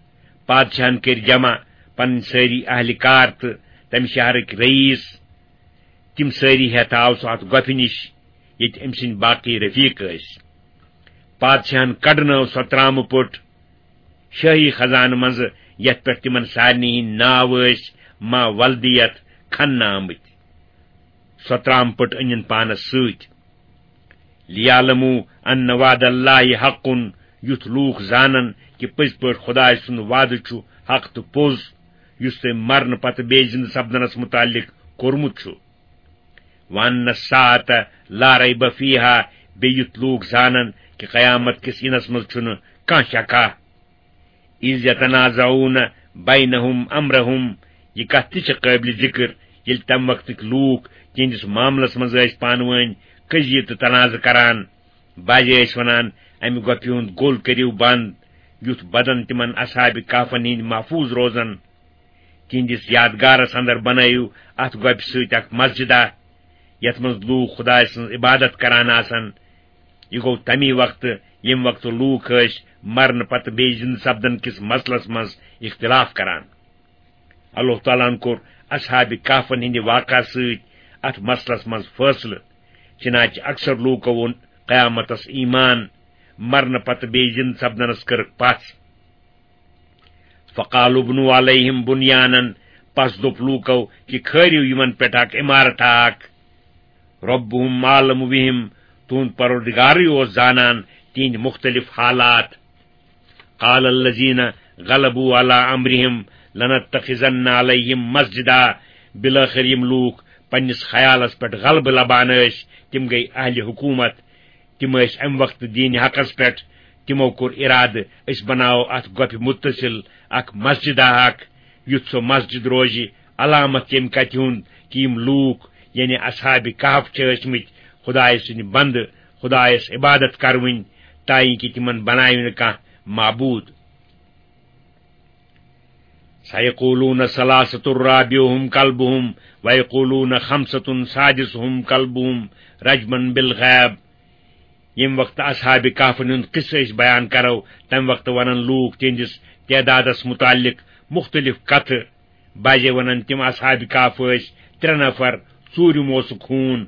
پادشاہن کٔرۍ جمع پنٕنۍ سٲری اہلِ کار تہٕ تمہِ شہرٕکۍ رئیس۔ تِم سٲری ہٮ۪تھ آو سُہ اتھ گۄپھِ نِش، ییٚتہِ أمۍ سٕنٛدۍ باقٕے رفیق ٲسۍ۔ پادشاہن کڈنٲو سۄ ترامہٕ پٔٹ شٲہی خزانہٕ منٛزٕ، یتھ پٮ۪ٹھ تِمن سارنٕے ہٕنٛدۍ ناو ٲسۍ ما ولدیت کھننہٕ آمٕتۍ۔ سۄ ترامہٕ پٔٹ أنِن پانس سۭتۍ۔ "لِيَعْلَمُوا أَنَّ وَعْدَ اللَّهِ حَقٌّ"، یُتھ لوٗکھ زانن کہِ پٔزۍ پٲٹھۍ خۄداے سُنٛد وعدٕ چھُ حق تہٕ پوٚز، یُس تٔمۍ مرنہٕ پتہٕ بیٚیہِ زِنٛدٕ سپدنس مُتعلق کوٚرمُت چھُ۔ "وَأَنَّ السَّاعَةَ لَا رَيْبَ فِيهَا"، بیٚیہِ یُتھ لوٗکھ زانن کہِ قیامت کِس یِنس منٛز چھُنہٕ کانٛہہ شکا۔ "إِذْ يَتَنَازَعُونَ بَيْنَهُمْ أَمْرَهُمْ"، یہِ کتھ تہِ چھِ قٲبلِ ذِکر، ییٚلہِ تَمہِ وقتٕکۍ لوٗکھ تِہنٛدِس معاملس منٛز ٲسۍ پانہٕ وٲنۍ قضیہِ تہٕ تنازٕ کران، بعضے ٲسۍ ونان، "امہِ گۄپھِ ہُنٛد گوٚل کٔرِو بنٛد، یُتھ بدن تِمن اصحاب کہفن ہٕنٛدۍ محفوظ روزن۔ تِہنٛدِس یادگارس اندر بنٲیِو اتھ گۄپھِ سۭتۍ اکھ مسجدہ، یتھ منٛز لوٗکھ خدایہِ سٕنٛز عبادت کران آسن۔" یہِ گوٚو تمی وقتہٕ، ییٚمہِ وقتہٕ لوٗکھ ٲسۍ مرنہٕ پتہٕ بیٚیہِ زِندٕ سپدن کِس مسلس منٛز اختلاف کران۔ اللہ تعالیٰ ہن کوٚر اصحاب کہفن ہٕنٛدِ واقعہ سۭتۍ اتھ مسلس منٛز فٲصلہٕ، چنانچہ اکثر لوٗکو ووٚن قیامتس ایمان، مرنہٕ پتہٕ بیٚیہِ زِندٕ سپدنس کٔرٕکھ پژھ۔ فقالوا ابنوا علیہم بنیانا، پس دوٚپ لوٗکو کہِ کھٲرِو یِمن پٮ۪ٹھ اکھ عمارت اکھ۔ ربہم اعلم بہم، تُہُنٛد پروردگارٕے اوس زانان تِہنٛدۍ مختلف حالات۔ قال الذین غلبوا علی امرہم لنتخذن علیہم مسجدا، بالآخر یِم لوٗکھ پننِس خیالس پٮ۪ٹھ غلبہٕ لبان ٲسۍ، تِم گٔے اہلِ حکومت۔ تِم ٲسۍ امہِ وقتہٕ دیٖنِ حقس پٮ۪ٹھ۔ تِمو کوٚر ارادٕ، أسۍ بناوو اتھ گۄپھِ متصل اکھ مسجدہ اکھ، یُتھ سۄ مسجد روزِ علامت ییٚمہِ کتھِ ہُنٛد کہِ یِم لوٗکھ، یعنی اصحاب کہف، چھِ ٲسۍ مٕتۍ خدایہِ سٕنٛدۍ بندٕ، خدایس عبادت کرونۍ، تاکہ تِمن بناوِ نہٕ کانٛہہ معبوٗد۔ سیقولون ثلاثة رابعهم کلبهم ویقولون خمسة سادسهم کلبهم رجما بالغیب۔ ییٚمہِ وقتہٕ اصحاب کہفن ہُنٛد قصہٕ أسۍ بیان کرو، تمہِ وقتہٕ ونن لوٗکھ تِہنٛدِس تعدادس متعلق مختلف کتھٕ۔ بعضے ونن تِم اصحاب کہف ٲسۍ ترٛےٚ نفر، ژوٗرِم اوسُکھ ہوٗن۔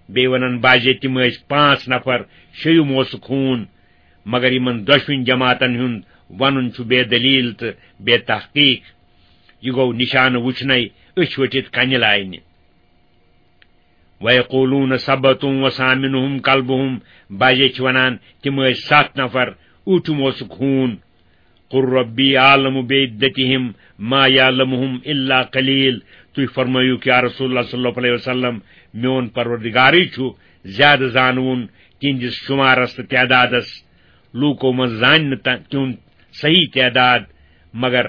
بیٚیہِ ونن بعضے تِم ٲسۍ پانٛژھ نفر، شیٚیِم اوسُکھ ہوٗن۔ مگر یِمن دۄشوٕنۍ جماعتن ہُنٛد ونُن چھُ بے دلیل تہٕ بے تحقیق۔ یہِ گوٚو نشانہٕ وُچھنَے أچھ ؤٹھِتھ کنہِ لاینہِ۔ ویقولون سبعة وثامنهم کلبهم، بعضے چھِ ونان تِم ٲسۍ ستھ نفر، ٲٹھِم اوسُکھ ہوٗن۔ قل ربی اعلم بعدتهم ما یعلمهم الا قلیل۔ تُہۍ فرمٲیِو کہ یا رسول اللہ صلی اللہ علیہ وسلم، میون پروردگارٕے چھُ زیادٕ زانوُن تِہنٛدِس شُمارس تہٕ تعدادس۔ لوٗکو منٛز زانہِ نہٕ تہ-، تِہُنٛد صحیح تعداد مگر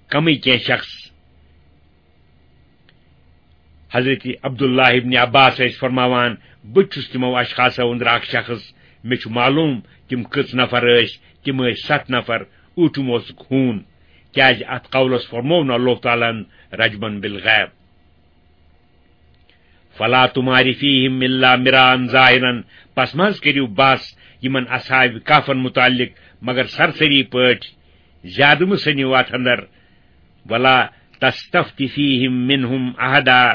کمٕے کینٛہہ شخص۔ حضرت عبداللہ ابن عباس ٲسۍ فرماوان، بہٕ تہِ چھُس تِمو اشخاصو أنٛدرٕ اکھ شخص، مےٚ چھُ معلوم تِم کٔژ نفر ٲسۍ، تِم ٲسۍ ستھ نفر، ٲٹھِم اوسُکھ ہوٗن، کیازِ اتھ قولس فرموو نہٕ اللہ تعالیٰ ہن رجمن بالغیب۔ فلا تمار فیہم الا مراء ظاہرا، پس مہ حظ کٔرِو بحث یِمن اصحاب کہفن متعلق مگر سرسری پٲٹھۍ، زیادٕ مہ سٔنِو اتھ اندر۔ ولا تستفت فیہم منہم احدا،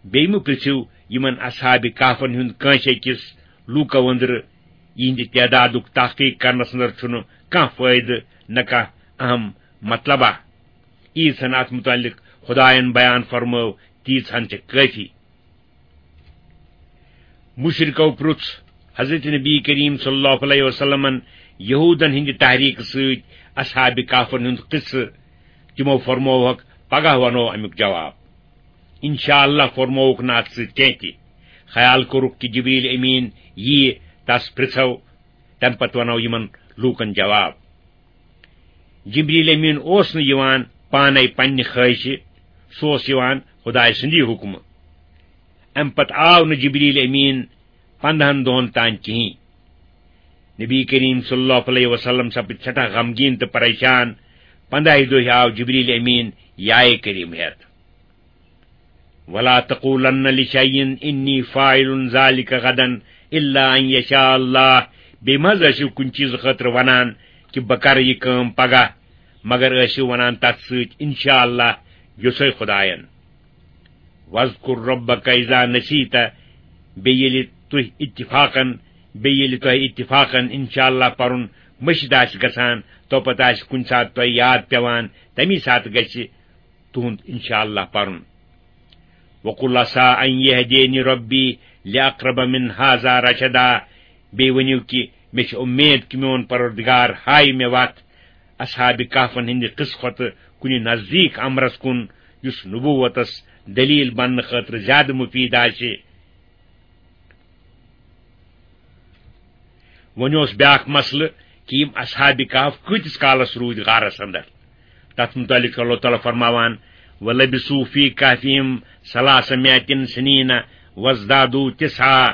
بیٚیہِ مہ پرژھِو یِمن اصحاب کہفن ہُنٛد کٲنٛسہِ أکِس لوٗکو أنٛدرٕ، یِہنٛدِ تعدادُک تحقیق کرنس اندر چھُنہٕ کانٛہہ فٲیدٕ نہ کانٛہہ اہم مطلبہ۔ ییٖژ ہن اتھ متعلق خدایَن بیان فرمٲو، تیٖژ ہن چھِ کٲفی۔ مشرکو پرُژھ حضرت نبی کریم صلی اللہ علیہ وسلمن یہودن ہٕنٛدِ تحریک سۭتۍ اصحاب کہفن ہُنٛد قصہٕ۔ تِمو فرمووہکھ، پگاہ ونو امیُک جواب۔ انشاءاللہ فرمووُکھ نہٕ اتھ سۭتۍ کینٛہہ تہِ۔ خیال کوٚرُکھ کہِ جبریل امین ییہِ، تس پرژھو، تمہِ پتہٕ ونو یِمن لوٗکن جواب۔ جبریل امین اوس نہٕ یِوان پانے پننہِ خٲہشہِ، سُہ اوس یِوان خدایہِ سٕنٛدی حُکمہٕ۔ امہِ پتہٕ آو نہٕ جبریل امین پندہن دۄہن تام کِہیٖنۍ۔ نبی کریم صلی اللہ علیہ وسلم سپٕدۍ سٮ۪ٹھاہ غمگیٖن تہٕ پریشان۔ پندہہِ دۄہہِ آو جبریل امین یائے کریم ہٮ۪تھ۔ ولا تقولن لشیء انی فاعل ذلک غدا الا ان یشاء اللہ۔ بیٚیہِ مہ حظ ٲسِو کُنہِ چیٖزٕ خٲطرٕ ونان کہِ بہٕ کرٕ یہِ کٲم پگاہ، مگر ٲسِو ونان تتھ سۭتۍ انشاء اللہ، یوٚژھے خدایَن۔ واذکر ربک اذا نسیت، بیٚیہِ ییٚلہِ تُہۍ اتفاقن، بیٚیہِ ییٚلہِ تۄہہِ اتفاقن انشاء اللہ پرُن مٔشِتھ آسہِ گژھان، تو پتہٕ آسہِ کُنہِ ساتہٕ تۄہہِ یاد پٮ۪وان، تمی ساتہٕ گژھِ تُہُنٛد انشاء اللہ پرُن۔ وقل عسى ان يهديني ربي لاقرب من هذا رشدا۔ بیٚیہِ ؤنِو کہِ مےٚ چھِ اُمید کہِ میون پروردگار ہایہِ مےٚ وتھ اصحاب کہفن ہٕنٛدِ قصہٕ کھۄتہٕ کُنہِ نزدیٖک امرس کُن، یُس نبوتس دلیل بننہٕ خٲطرٕ زیادٕ مفید آسہِ۔ وۄنۍ اوس بیاکھ مسلہٕ کہِ یِم اصحاب کہف کۭتِس کالس روٗدۍ غارس اندر۔ تتھ متعلق چھُ اللہ تعالیٰ فرماوان، ولبثوا فی کہفہم ثلاثمائة سنین وازدادوا تسعا۔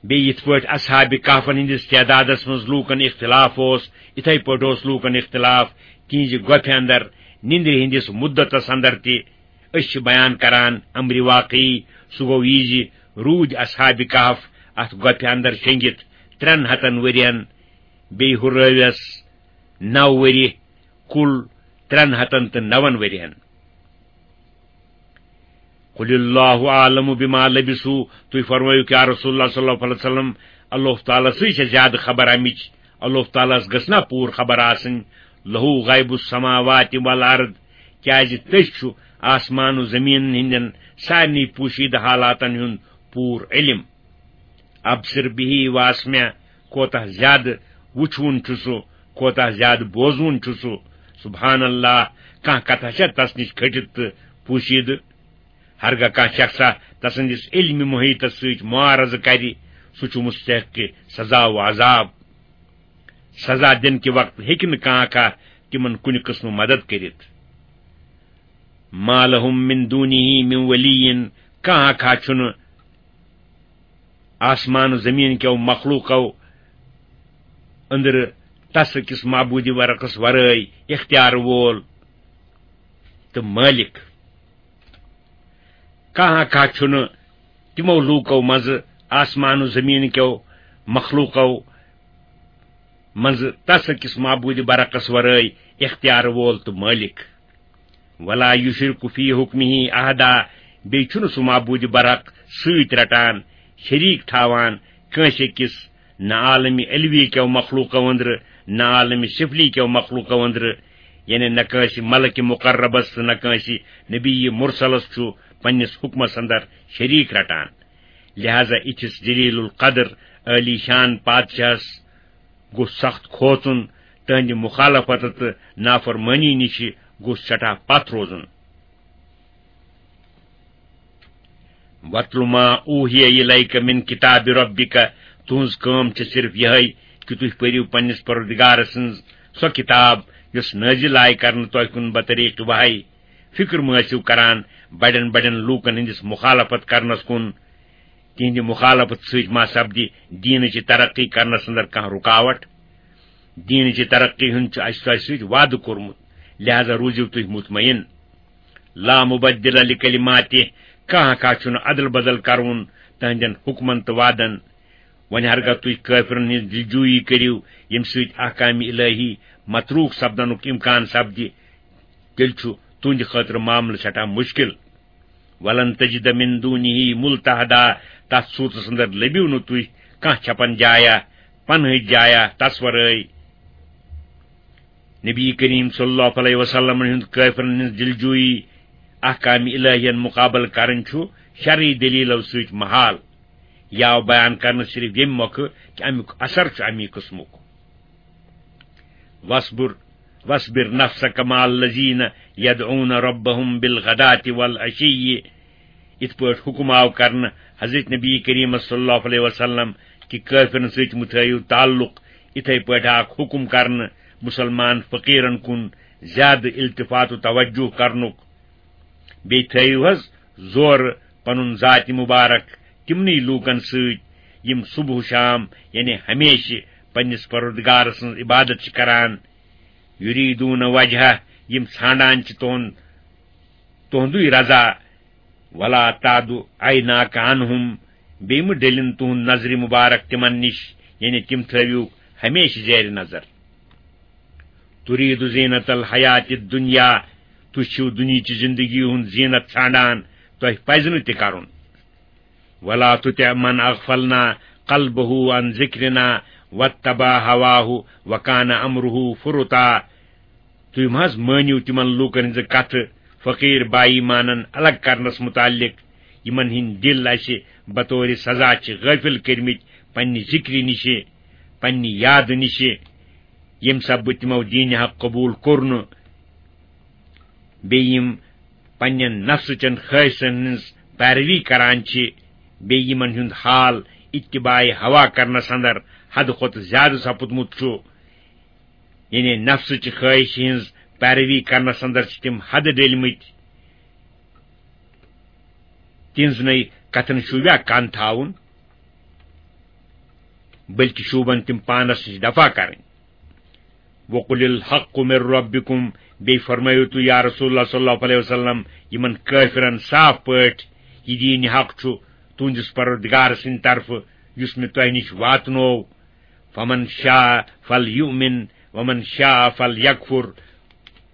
بیٚیہِ یِتھ پٲٹھۍ اصحاب کہفن ہٕنٛدِس تعدادس منٛز لوٗکن اختلاف اوس، یِتھے پٲٹھۍ اوس لوٗکن اختلاف تِہنٛزِ گۄپھِ اندر نِندرِ ہٕنٛدِس مُدتس اندر تہِ۔ أسۍ چھِ بیان کران امرِ واقعی، سُہ گوٚو یہِ زِ روٗدۍ اصحاب کہف اتھ گۄپھِ اندر شیٚنگِتھ ترٛٮ۪ن ہتن ؤرین، بیٚیہِ ہُرٲوٮ۪س نو ؤری، کُل ترٛٮ۪ن ہتن تہٕ نون ؤرین۔ قل اللہ اعلم بما لبثوا، تُہۍ فرمٲیِو کیا رسول اللہ صلی اللہ علیہ وسلم، اللہ تعالیٰ سٕے چھےٚ زیادٕ خبر امِچ، اللہ تعالیٰ ہس گٔژھ نا پوٗرٕ خبر آسٕنۍ، لہو غیب السماوات والارض، کیازِ تٔمِس چھُ آسمان و زمین ہٕنٛدٮ۪ن سارنٕے پوشیدٕ حالاتن ہُنٛد پوٗرٕ علم۔ ابصر بہ واسمع، کوتاہ زیادٕ وُچھوُن چھُ سُہ، کوتاہ زیادٕ بوزوُن چھُ سُہ۔ سبحان اللہ، کانٛہہ کتھا چھا تس نِش کھٔٹِتھ تہٕ پوشیدٕ؟ ہرگاہ کانٛہہ شخصا تسٕنٛدِس علمِ محیطس سۭتۍ معارضہٕ کرِ، سُہ چھُ مستحق سزا و عذاب۔ سزا دِنہٕ کہِ وقتہٕ ہیٚکہِ نہٕ کانٛہہ کانٛہہ تِمن کُنہِ قٕسمہٕ مدد کٔرِتھ۔ ما لهم من دونه من ولی، کانٛہہ کانٛہہ چھُنہٕ آسمان و زمین کیو مخلوقو أنٛدرٕ تس أکِس معبوٗدِ برحقس ورٲے اختیار وول تہٕ مٲلِک۔ کانٛہہ کانٛہہ چھُنہٕ تِمو لوٗکو منٛزٕ، آسمان و زمین کیو مخلوقو منٛزٕ تس أکِس معبوٗدِ برحقس ورٲے اختیار وول تہٕ مٲلِک۔ ولا یشرک فی حکمہ احدا، بیٚیہِ چھُنہٕ سُہ معبوٗدِ برحق سۭتۍ رٹان، شریٖک تھاوان کٲنٛسہِ أکِس، نہ عالمِ علوی کیو مخلوقو أنٛدرٕ، نہ عالمِ سفلی کیو مخلوقو أنٛدرٕ، یعنی نہ کٲنٛسہِ ملکِ مقربس تہٕ نہ کٲنٛسہِ نبی مرسلس چھُ پننِس حکمس اندر شریٖک رٹان۔ لہذا اِتھِس جلیل القدر، عالی شان پادشاہس گوٚژھ سخت کھوژُن، تہنٛدِ مخالفت تہٕ نافرمٲنی نِش گوٚژھ سٮ۪ٹھاہ پتھ روزُن۔ وَاتْلُ مَا أُوحِيَ إِلَيْكَ مِنْ كِتَابِ رَبِّكَ، تُہٕنٛز کٲم چھِ صرف یِہے کہِ تُہۍ پٔرِو پننِس پروردگار سٕنٛز سۄ کِتاب یۄس نٲزِل آیہِ کرنہٕ تۄہہِ کُن بطریق وحی۔ فکر مہٕ ٲسِو کران بڑٮ۪ن بڑٮ۪ن لوٗکن ہٕنٛدِس مخالفت کرنس کُن، تِہنٛدِ مخالفت سۭتۍ ما سپدِ دیٖنٕچ ترقی کرنس اندر کانٛہہ رکاوٹ۔ دیٖنٕچ ترقی ہُنٛد چھُ اسہِ تۄہہِ سۭتۍ وعدٕ کوٚرمُت، لہذا روٗزِو تُہۍ مطمئن۔ لا مبدل لکلماتہ، کانٛہہ کانٛہہ چھُنہٕ ادل بدل کرُن تہنٛدٮ۪ن حکمن تہٕ وعدن۔ وۄنۍ ہرگاہ تُہۍ کٲفرن ہٕنٛز دلجویی کٔرِو، ییٚمہِ سۭتۍ احکام الہی متروک سپدنُک امکان سپدِ، تیٚلہِ چھُ تُہنٛدِ خٲطرٕ معاملہٕ سٮ۪ٹھاہ مُشکِل۔ ولن تجد من دونہ ملتحدا، تتھ صورتس اندر لٔبِو نہٕ تُہۍ کانٛہہ چھپن جایا، پنہٕچ جایا تس ورٲے۔ نبی کریم صلی اللہ علیہ وسلم ہُنٛد کٲفرن ہٕنٛز دلجویی احکام الہین مقابل کرٕنۍ چھُ شرعی دلیلو سۭتۍ محال۔ یہِ آو بیان کرنہٕ صرف ییٚمہِ مۄکھٕ کہِ امیُک اثر چھُ امی قٕسمُک۔ واصبر، واصبر نفسك مع الذين يدعون ربهم بالغداة والعشي۔ یِتھ پٲٹھۍ حکم آو کرنہٕ حضرت نبی کریم صلی اللہ علیہ وسلم کہِ کٲفرن سۭتۍ مہٕ تھٲیِو تعلق، یِتھے پٲٹھۍ آکھ حکم کرنہٕ مسلمان فقیرن کُن زیادٕ التفات و توجہ کرنُک۔ بیٚیہِ تھٲیِو حض زورٕ پنُن ذاتِ مبارک تِمنٕے لوٗکن سۭتۍ، یِم صبح و شام، یعنی ہمیشہِ، پننِس پروردگار سٕنٛز عبادت چھِ کران۔ یریدون وجہہ، یِم ژھانڈان چھِ تُہُنٛد، تُہُنٛدُے رضا۔ ولا تعد عیناک عنہم، بیٚیہِ مہٕ ڈٔلِن تُہُنٛد نظرِ مبارک تِمن نِش، یعنی تِم تھٲوِو ہمیشہِ زیرِ نظر۔ ترید زینت الحیات الدنیا، تُہۍ چھِو دُنیاہچہِ زندگی ہُنٛد زینت ژھانڈان، تۄہہِ پزِ نہٕ تہِ کرُن۔ ولا تطع من اغفلنا قلبه عن ذکرنا واتبع هواه وكان امره فرطا۔ تُہۍ مہ حض مٲنِو تِمن لوٗکن ہٕنٛزٕ کتھٕ فقیٖر با ایمانن الگ کرنس متعلق، یِمن ہٕنٛدۍ دِل اسہِ بطورِ سزا چھِ غٲفِل کٔرمٕتۍ پننہِ ذِکرِ نِشہِ، پننہِ یادٕ نِشہِ، ییٚمہِ سببہٕ تِمو دیٖنِ حق قبوٗل کوٚر نہٕ، بیٚیہِ یِم پننٮ۪ن نفسہٕ چٮ۪ن خٲہِشن ہٕنٛز پیروی کران چھِ، بیٚیہِ یِمن ہُنٛد حال اتباع ہوا کرنس اندر حدٕ کھۄتہٕ زیادٕ سپُدمُت چھُ، یعنی نفسٕچہِ خٲہِشہِ ہٕنٛز پیروی کرنس اندر چھِ تِم حد ڈٔلمٕتۍ۔ تِہنٛزنٕے کتھن شوٗبیا کن تھاوُن، بلکہِ شوٗبن تِم پانس نِش دفع کرٕنۍ۔ وَقُلِ الْحَقُّ مِنْ رَبِّكُمْ، بیٚیہِ فرمٲیِو تُہۍ یا رسول اللہ صلی اللہ علیہ وسلم یِمن کٲفرن صاف پٲٹھۍ، یہِ دیٖنِ حق چھُ تُہنٛدِس پروردگار سٕنٛدِ طرفہٕ، یُس مےٚ تۄہہِ نِش واتنوو۔ فَمَنْ شَاءَ فَلْيُؤْمِنْ وَمَنْ شَاءَ فَلْيَكْفُرْ۔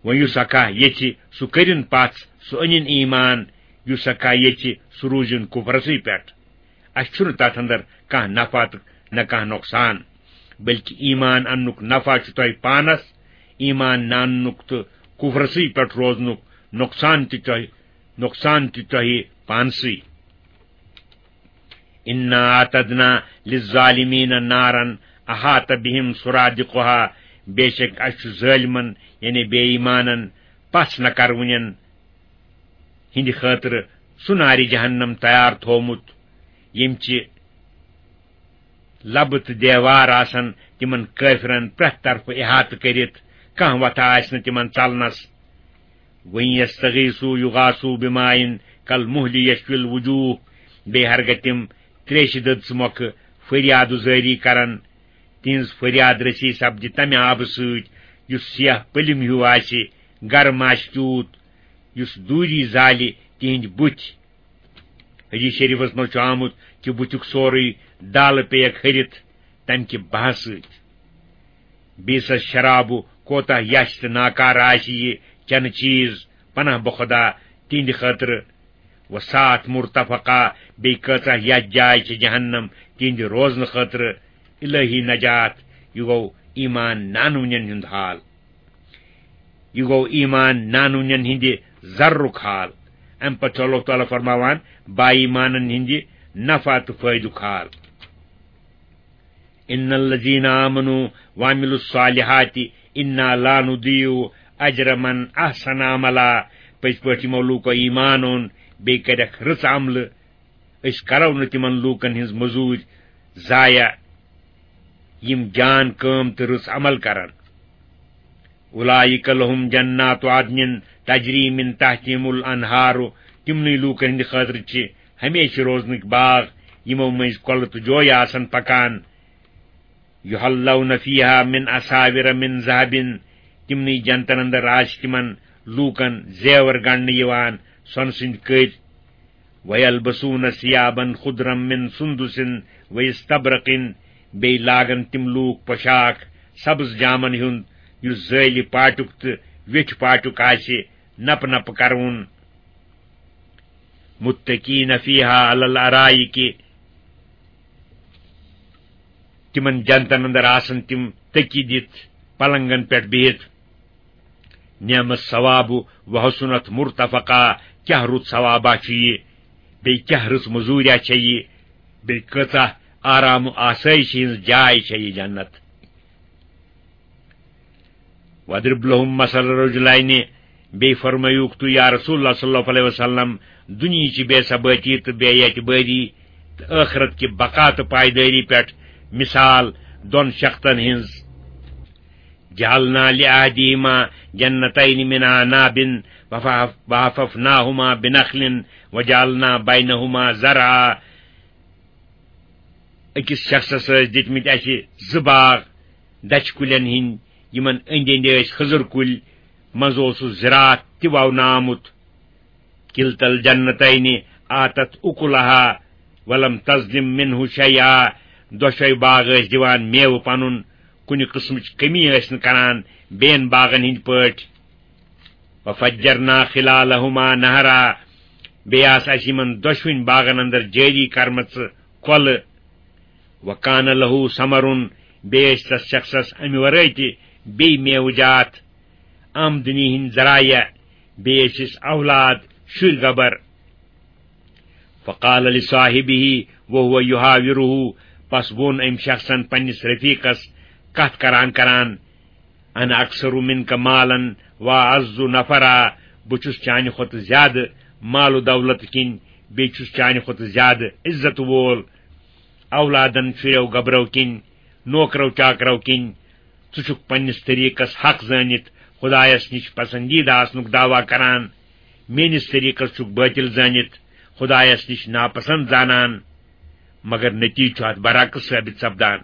وۄنۍ یُس ہا کانٛہہ یژھِ، سُہ کٔرِن پژھ، سُہ أنِن ایمان، یُس ہا کانٛہہ یژھِ، سُہ روٗزِن کُفرسٕے پٮ۪ٹھ۔ اسہِ چھُنہٕ تتھ اندر کانٛہہ نفع تہٕ نہ کانٛہہ نۄقصان، بلکہِ ایمان اننُک نفع چھُ تۄہہِ پانس، ایمان نہ اننُک تہٕ کُفرسٕے پٮ۪ٹھ روزنُک نۄقصان تہِ تۄہہِ، نۄقصان تہِ تۄہہِ پانسٕے۔ اِنَّا اَعْتَدْنَا لِلظَّالِمِينَ نَارًا أَحَاطَ بِهِمْ سُرَادِقُهَا، بے شک اسہِ چھُ ظٲلمن، یعنی بے ایمانن، پژھ نہ کرونٮ۪ن ہٕنٛدِ خٲطرٕ سُہ نارِ جہنم تیار تھوومُت، ییٚمہِ چہِ لبہٕ تہٕ دیوار آسن تِمن کٲفرن پرٛٮ۪تھ طرفہٕ احاطہٕ کٔرِتھ، کانٛہہ وتھا آسہِ نہٕ تِمن ژلنس۔ وَإِنْ يَسْتَغِيثُوا يُغَاثُوا بِمَاءٍ كَالْمُهْلِ يَشْوِي الْوُجُوهَ، بیٚیہِ ہرگاہ تِم تریشہِ دٔدژٕ مۄکھٕ فریاد زٲری کرن، تِہنٛز فریاد رسی سپدِ تمہِ آبہٕ سۭتۍ یُس سیاہ پٔلِم ہیوٗ آسہِ، گرم آسہِ تیوٗت، یُس دوٗری زالہِ تِہنٛدۍ بُتھۍ۔ حدیث شریفس منٛز چھُ آمُت کہِ بُتھیُک سورُے دالہٕ پیک ۂرِتھ تمہِ کہِ بہہ سۭتۍ۔ بیٚیہِ سا شرابہٕ کوتاہ یَچھ تہٕ ناکارٕ آسہِ یہِ چنہٕ چیٖز، پناہ بخدا تِہنٛدِ خٲطرٕ۔ وَسَاعَتْ مُرْتَفَقًا، بیٚیہِ کۭژاہ یَتھ جاے چھِ جہنم تِہنٛدِ روزنہٕ خٲطرٕ۔ الہی نجات، یہِ گوٚو ایمان نانوٕنٮ۪ن ہُنٛد حال۔ یہِ گوٚو ایمان نانوٕنٮ۪ن ہٕنٛدِ ضررُک حال۔ اَمہِ پتہٕ چھُ اللہ تعالیٰ فرماوان با ایمانن ہٕنٛدِ نفع تہٕ فٲیدُک حال۔ إِنَّ الَّذِينَ آمَنُوا وَعَمِلُوا الصَّالِحَاتِ إِنَّا لَا نُضِيعُ أَجْرَ مَنْ أَحْسَنَ عَمَلًا۔ پٔزۍ پٲٹھۍ یِمو لوٗکو ایمان اوٚن، بیٚیہِ کٔرکھ رٕژ عملہٕ، أسۍ کرو نہٕ تِمن لوٗکن ہٕنٛز مٔزوٗرۍ ضایع، یِم جان کٲم تہٕ رٕژ عمل کرن۔ أُولَٰئِکَ لَهُمْ جَنَّاتُ عَدْنٍ تَجْرِي مِنْ تَحْتِهِمُ الْأَنْهَارُ، تِمنٕے لوٗکن ہٕنٛدِ خٲطرٕ چھِ ہمیشہِ روزنٕکۍ باغ، یِمو مٔنٛزۍ کۄلہٕ تہٕ جویہِ آسن پکان۔ يُحَلَّوْنَ فِيهَا مِنْ أَسَاوِرَ مِنْ ذَهَبٍ، تِمنٕے جنتن اندر آسہِ تِمن لوٗکن زیور گنٛڈنہٕ یِوان سۄنہٕ سٕنٛدۍ کٔرۍ۔ وَيَلْبَسُونَ ثِيَابًا خُضْرًا مِنْ سُنْدُسٍ وَإِسْتَبْرَقٍ، بیٚیہِ لاگن تِم لوٗکھ پۄشاکھ سبز جامن ہُنٛد، یُس زٲلہِ پاٹُک تہٕ ویٚٹھِ پاٹُک آسہِ نپہٕ نپہٕ کرٕوُن۔ مُتَّكِئِينَ فِيهَا عَلَى الْأَرَائِكِ، تِمن جنتن اندر آسن تِم تٔکی دِتھ پلنگن پٮ۪ٹھ بِہِتھ۔ نعم الثواب وحسنت مرتفقا، کیٛاہ رُت ثوابا چھُ یہِ، بیٚیہِ کیٛاہ رٕژ مٔزوٗریا چھےٚ یہِ، بیٚیہِ کۭژاہ آرام و آسٲیشہِ ہٕنٛز جاے چھےٚ یہِ جنت۔ وَاضْرِبْ لَهُمْ مَثَلَ رَجُلَيْنِ، بیٚیہِ فرمٲیوُکھ تُہۍ یا رسول اللہ صلی اللہ علیہ وسلم دُنیہٕچہِ بے ثبٲتی تہٕ بے اعتبٲری تہٕ ٲخرت کہِ بقا تہٕ پایدٲری پٮ۪ٹھ مثال دۄن شخصن ہٕنٛز۔ جَعَلْنَا لِأَحَدِهِمَا جَنَّتَيْنِ مِنْ أَعْنَابٍ وَحَفَفْنَاهُمَا بِنَخْلٍ وَجَعَلْنَا بَيْنَهُمَا زَرْعًا۔ أکِس شخصس ٲسۍ دِتمٕتۍ اَسہِ زٕ باغ دَچھِ کُلٮ۪ن ہٕنٛدۍ، یِمن أنٛدۍ أنٛدۍ ٲسۍ خٔزٕر کُلۍ، منٛزٕ اوسُس زِراعت تہِ وَونہٕ آمُت۔ كِلْتَا الْجَنَّتَيْنِ آتَتْ أُكُلَهَا وَلَمْ تَظْلِمْ مِنْهُ شَيْئًا، دۄشوے باغ ٲسۍ دِوان میوٕ پنُن، کُنہِ قٕسمٕچ کٔمی ٲسۍ نہٕ کران بیٚین باغن ہٕنٛدۍ پٲٹھۍ۔ وَفَجَّرْنَا خِلَالَهُمَا نَهَرًا، بیٚیہِ آسہٕ اَسہِ یِمن دۄشوٕنۍ باغن اندر جٲری کرمژٕ کۄلہٕ۔ وَكَانَ لَهُ ثَمَرٌ، بیٚیہِ ٲسۍ تس شخصس امہِ ورٲے تہِ بیٚیہِ میوٕ جات، آمدنی ہٕنٛدۍ ذرایع، بیٚیہِ ٲسِس اولاد، شُرۍ گبر۔ فَقَالَ لِصَاحِبِهِ وَهُوَ يُحَاوِرُهُ، پس ووٚن أمۍ شخصن پننِس رفیقس کتھ کران کران، أَنَا أَكْثَرُ مِنْكَ مَالًا وَأَعَزُّ نَفَرًا، بہٕ چھُس چانہِ کھۄتہٕ زیادٕ مال و دولت کِنۍ، بیٚیہِ چھُس چانہِ کھۄتہٕ زیادٕ عزت وول، اولادن، شُرٮ۪و گبرو کِنۍ، نوکرو چاکرو کِنۍ۔ ژٕ چھُکھ پننِس طریٖقس حق زٲنِتھ، خدایس نِش پسندیدٕ آسنُک دعویٰ کران، میٲنِس طریقس چھُکھ بٲطِل زٲنِتھ خدایس نِش ناپسند زانان، مگر نتیجہٕ چھُ اتھ برعکس ثٲبت سپدان،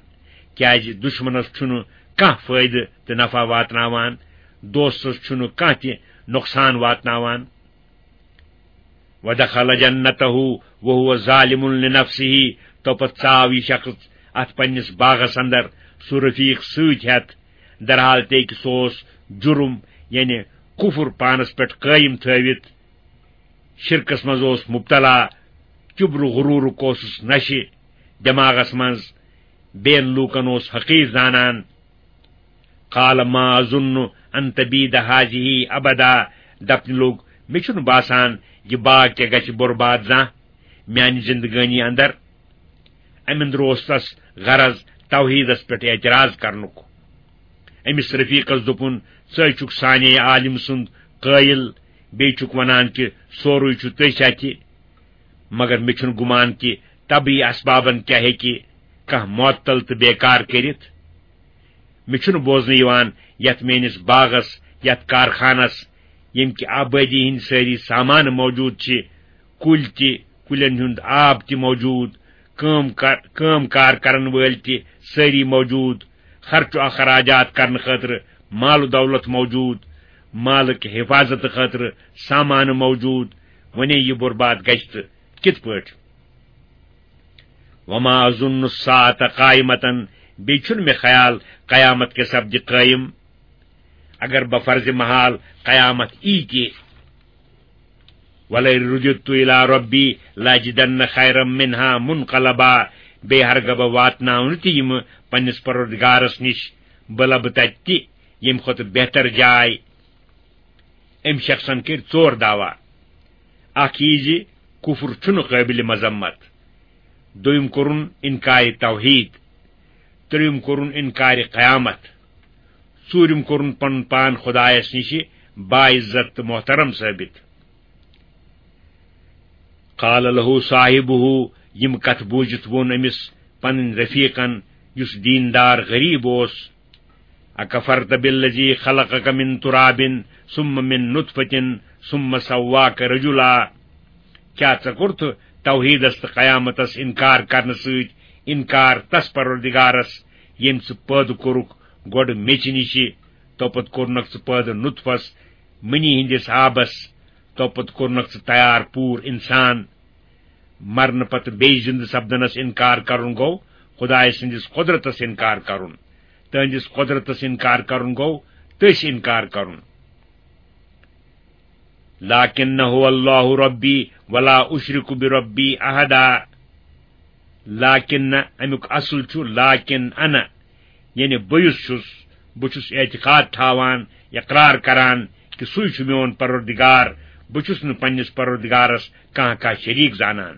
کیازِ دشمنس چھُنہٕ کانٛہہ فٲیدٕ تہٕ نفع واتناوان، دوستس چھُنہٕ کانٛہہ تہِ نۄقصان واتناوان۔ ودخل جنته وهو ظالم لنفسه، تو پتہٕ ژاو یہِ شخص اتھ پننِس باغس اندر سُہ رفیق سۭتۍ ہٮ۪تھ، درحال تہِ کہِ سُہ اوس جُرم، یعنی کفر پانس پٮ۪ٹھ قٲیِم تھٲوِتھ، شرکس منٛز اوس مبتلا، کبر و غرورُک اوسُس نشہِ دٮ۪ماغس منٛز، بین لوٗکن اوس حقیر زانان۔ قال ما اظن ان تبید هذه ابدا، دپنہِ لوٚگ، مےٚ چھُنہٕ باسان یہِ باغ کیٛاہ گژھِ برباد زانٛہہ میانہِ زندگٲنی اندر۔ امہِ اندرٕ اوس تس غرض توحیدس پٮ۪ٹھ اعتراض کرنُک۔ أمِس رفیقس دوٚپُن، ژٕ چھُکھ سانے عالم سُنٛد قٲیل، بیٚیہِ چھُکھ ونان کہِ سورُے چھُ تٔتھۍ اَتھِ، مگر مےٚ چھُنہٕ گُمان کہِ طبعی اسبابن کیٛاہ ہیٚکہِ کانٛہہ معطل تہٕ بیکار کٔرِتھ۔ مےٚ چھُنہٕ بوزنہٕ یِوان یتھ میٲنِس باغس، یتھ کارخانس، ییٚمہِ کہِ آبٲدی ہٕنٛدۍ سٲری سامان موجود چھِ، کُلۍ تہِ، کُلٮ۪ن ہُنٛد آب تہِ موجود، کٲم کار، کٲم کار کرن وٲلۍ تہِ سٲری موجود، خرچہٕ اخراجات کرنہٕ خٲطرٕ مال و دولت موجود، مالٕکۍ حفاظت خٲطرٕ سامان موجود، وۄنۍ یہِ برباد گژھِ تہٕ کِتھ پٲٹھۍ؟ وما اظن الساعة قائمة، بیٚیہِ چھُنہٕ مےٚ خیال قیامت کیٛاہ سپدِ قٲیِم۔ اگر بفرض محال قیامت یی تہِ، ولئن رددت الی ربی لاجدن خیرا منها منقلبا، بیٚیہِ ہرگاہ بہٕ واتناونہٕ تہِ یِمہٕ پننِس پروردگارس نِش، بہٕ لبہٕ تتہِ تہِ ییٚمہِ کھۄتہٕ بہتر جاے۔ أمۍ شخصن کٔرۍ ژور دعویٰ۔ اکھ یہِ زِ کفر چھُنہٕ قٲبلِ مذمت، دوٚیِم کوٚرُن انکارِ توحید، ترٛیٚیِم کوٚرُن انکارِ قیامت، ژوٗرِم کوٚرُن پنُن پان خدایس نِش باعزت تہٕ محترم ثٲبت۔ قال له صاحبه، یِم کتھ بوٗزِتھ ووٚن أمِس پنٕنۍ رفیقن، یُس دیندار غریب اوس، اکفرت بالذی خلقک من تراب ثم من نطفة ثم سواک رجلا، کیٛاہ ژےٚ کوٚرتھ توحیدس تہٕ قیامتس انکار کرنہٕ سۭتۍ انکار تس پروردگارس، ییٚمۍ ژٕ پٲدٕ کوٚرُکھ گۄڈٕ میٚژِ نِشہِ، تو پتہٕ کوٚرنکھ ژٕ پٲدٕ نطفس، منی ہٕنٛدِس آبس، تو پتہٕ کوٚرنکھ ژٕ تیار پوٗر انسان؟ مرنہٕ پتہٕ بیٚیہِ زِندٕ سپدنس انکار کرُن گوٚو خدایہِ سٕنٛدِس قۄدرتس انکار کرُن۔ تہنٛدِس قۄدرتس انکار کرُن گوٚو تٔسۍ انکار کرُن۔ لکنہ اللہ ربی ولا اشرک بربی احدا۔ لکن نہ، امیُک اصل چھُ لکن انا، یعنی بہٕ یُس چھُس، بہٕ چھُس اعتقاد تھاوان، اقرار کران کہِ سُے چھُ میون پروردگار، بہٕ چھُس نہٕ پننِس پروردگارس کانٛہہ کانٛہہ شریک زانان۔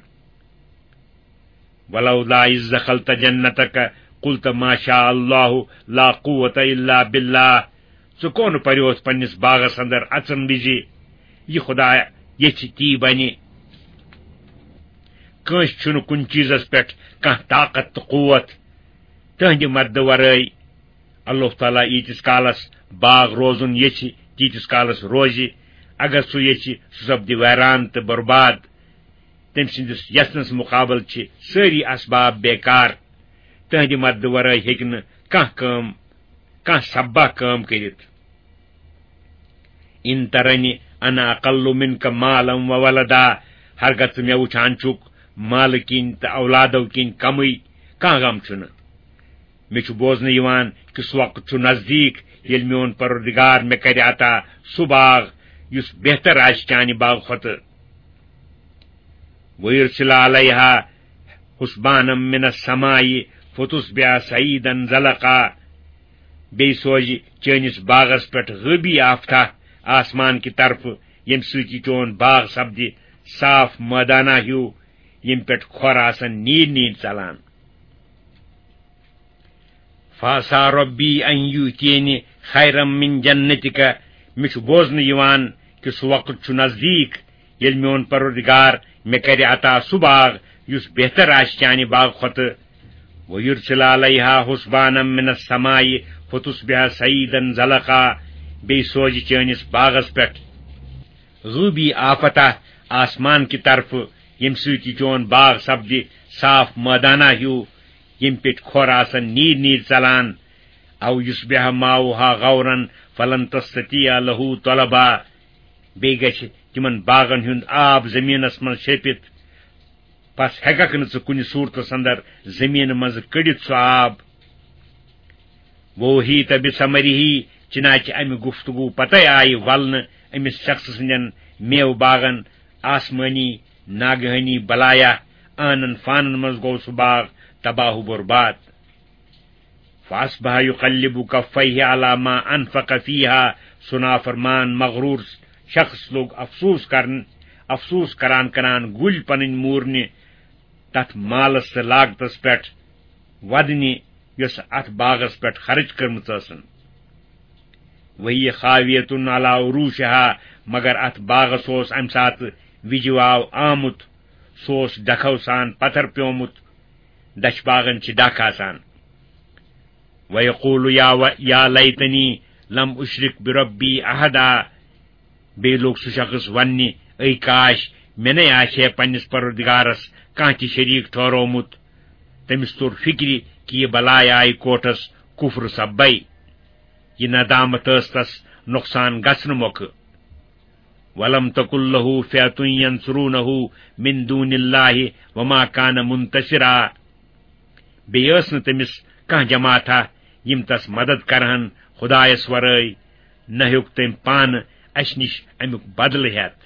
ولولا اذ دخلت جنتک قلت ما شاء اللہ لا قوة الا باللہ۔ ژٕ کون پریوتھ پننِس باغس اندر اژن وِزِ، یہِ خدا یژھِ تی بنہِ۔ کٲنٛسہِ چھُنہٕ کُنہِ چیٖزس پٮ۪ٹھ کانٛہہ طاقت تہٕ قوت تہنٛدِ مددٕ ورٲے۔ اللہ تعالیٰ ییٖتِس کالس باغ روزُن یژھِ، تیٖتِس کالس روزِ۔ اگر سُہ یژھِ، سُہ سپدِ ویران تہٕ برباد۔ تٔمۍ سٕنٛدِس یژھنس مقابل چھِ سٲری اسباب بیکار۔ تہنٛدِ مددٕ ورٲے ہیٚکہِ نہٕ کانٛہہ کٲم، کانٛہہ سببہ کٲم کٔرِتھ۔ ان ترنی انا اقل منک مالا و ولدا، ہرگاہ ژٕ مےٚ وٕچھان چھُکھ مالہٕ کِنۍ تہٕ اولادو کِنۍ کمٕے، کانٛہہ غم چھُنہٕ۔ مےٚ چھُ بوزنہٕ یِوان کہِ سُہ وقت چھُ نزدیٖک، ییٚلہِ میون پروردگار مےٚ کرِ عطا سُہ باغ یُس بہتر آسہِ چانہِ باغہٕ کھۄتہٕ۔ وَيُرْسِلَ عَلَيْهَا حُسْبَانًا مِّنَ السَّمَاءِ فَتُصْبِحَ صَعِيدًا زَلَقًا۔ بیٚیہِ سوزِ چٲنِس باغس پٮ۪ٹھ غٲبی آفتاب آسمان کہِ طرفہٕ، ییٚمہِ سۭتۍ یہِ چون باغ سپدِ صاف مٲدانہ ہیوٗ، ییٚمہِ پٮ۪ٹھ کھۄر آسن نیٖرۍ نیٖرۍ ژلان۔ فَعَسَىٰ رَبِّي أَن يُؤْتِيَنِ خَيْرًا مِّن جَنَّتِكَ۔ مےٚ چھُ بوزنہٕ یِوان کہِ سُہ وقت چھُ نزدیٖک، ییٚلہِ میون پروردگار مےٚ کرِ عطا سُہ باغ یُس بہتر آسہِ چانہِ باغہٕ کھۄتہٕ۔ وَيُرْسِلَ عَلَيْهَا حُسْبَانًا مِّنَ السَّمَاءِ فَتُصْبِحَ صَعِيدًا زَلَقًا۔ بیٚیہِ سوزِ چٲنِس باغس پٮ۪ٹھ غٲبی آفتہ آسمان کہِ طرفہٕ، ییٚمہِ سۭتۍ یہِ چون باغ سپدِ صاف مٲدانہ ہیوٗ، ییٚمہِ پیٚٹھۍ کھۄر آسن نیٖرۍ نیٖرۍ ژلان۔ او یصبح ماؤها غورا فلن تستطيع له طلبا۔ بیٚیہِ گژھِ تِمن باغن ہُنٛد آب زٔمیٖنس منٛز شیٚپِتھ، پس ہیٚککھ نہٕ ژٕ کُنہِ صوٗرتس اندر زٔمیٖنہٕ منٛزٕ کٔڑِتھ سُہ آب۔ وأحيط بثمره، چنانچہ امہِ گفتگو پتے آیہِ ولنہٕ أمِس شخص سٕنٛدٮ۪ن میوٕ باغن آسمٲنی ناگہٲنی بلایا، عٲنن فانن منٛز گوٚو سُہ باغ تباہ و برباد۔ فأصبح يقلب كفيه على ما أنفق فيها، سُہ نافرمان مغرور شخص لوٚگ افسوس کرن، افسوس کران کران گُلۍ پنٕنۍ موٗرنہِ تتھ مالس تہٕ لاگتس پٮ۪ٹھ ودنہِ، یۄس اتھ باغس پٮ۪ٹھ خرٕچ کٔرمٕژ ٲسٕن۔ وهي خاوية على عروشها، مگر اتھ باغس اوس امہِ ساتہٕ وِجہِ واو آمُت، سُہ اوس ڈکھو سان پتھر پیومُت، دچھِ باغن چھِ ڈکھ آسان۔ ويقول يا و-، يا ليتني لم أشرك بربي أحدا، بیٚیہِ لوٚگ سُہ شخص وننہِ، اے کاش، مےٚ نے آسہِ ہے پننِس پروردگارس کانٛہہ تہِ شریٖک ٹھہرومُت۔ تٔمِس توٚر فِکرِ کہِ یہِ بلاے آیہِ کوٹھس کُفرٕ سببے۔ یہِ ندامت ٲس تس نۄقصان گژھنہٕ مۄکھٕ۔ ولم تكن له فئة ينصرونه من دون الله وما كان منتصرا۔ بیٚیہِ ٲس نہٕ تٔمِس کانٛہہ جماعتھا یِم تس مدد کرہن خدایس ورٲے، نہ ہیوٚک تٔمۍ پانہٕ اسہِ نِش امیُک بدلہٕ ہٮ۪تھ۔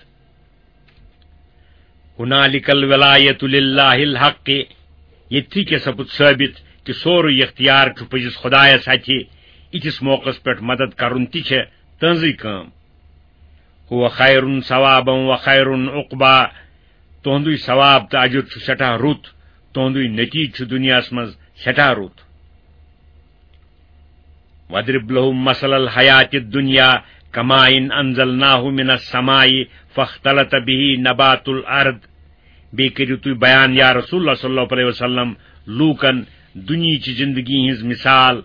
هنالك الولاية لله الحق، ییٚتھی کیٛاہ سپُد ثٲبت کہِ سورُے اختیار چھُ پٔزِس خدایس اتھِ، یِتھِس موقعس پٮ۪ٹھ مدد کرُن تہِ چھےٚ تٕہنٛزٕے کٲم۔ هو خير ثوابا وخير عقبا، تُہنٛدُے ثواب تہٕ اجر چھُ سٮ۪ٹھاہ رُت، تُہنٛدُے نتیجہٕ چھُ دُنیاہس منٛز سٮ۪ٹھاہ رُت۔ واضرب لهم مثل الحياة الدنيا كماء أنزلناه من السماء فاختلط به نبات الأرض۔ بیٚیہِ کٔرِو تُہۍ بیان، یا رسول اللہ صلی اللہ علیہ وسلم، لوٗکن دُنیہٕچہِ زندگی ہٕنٛز مثال۔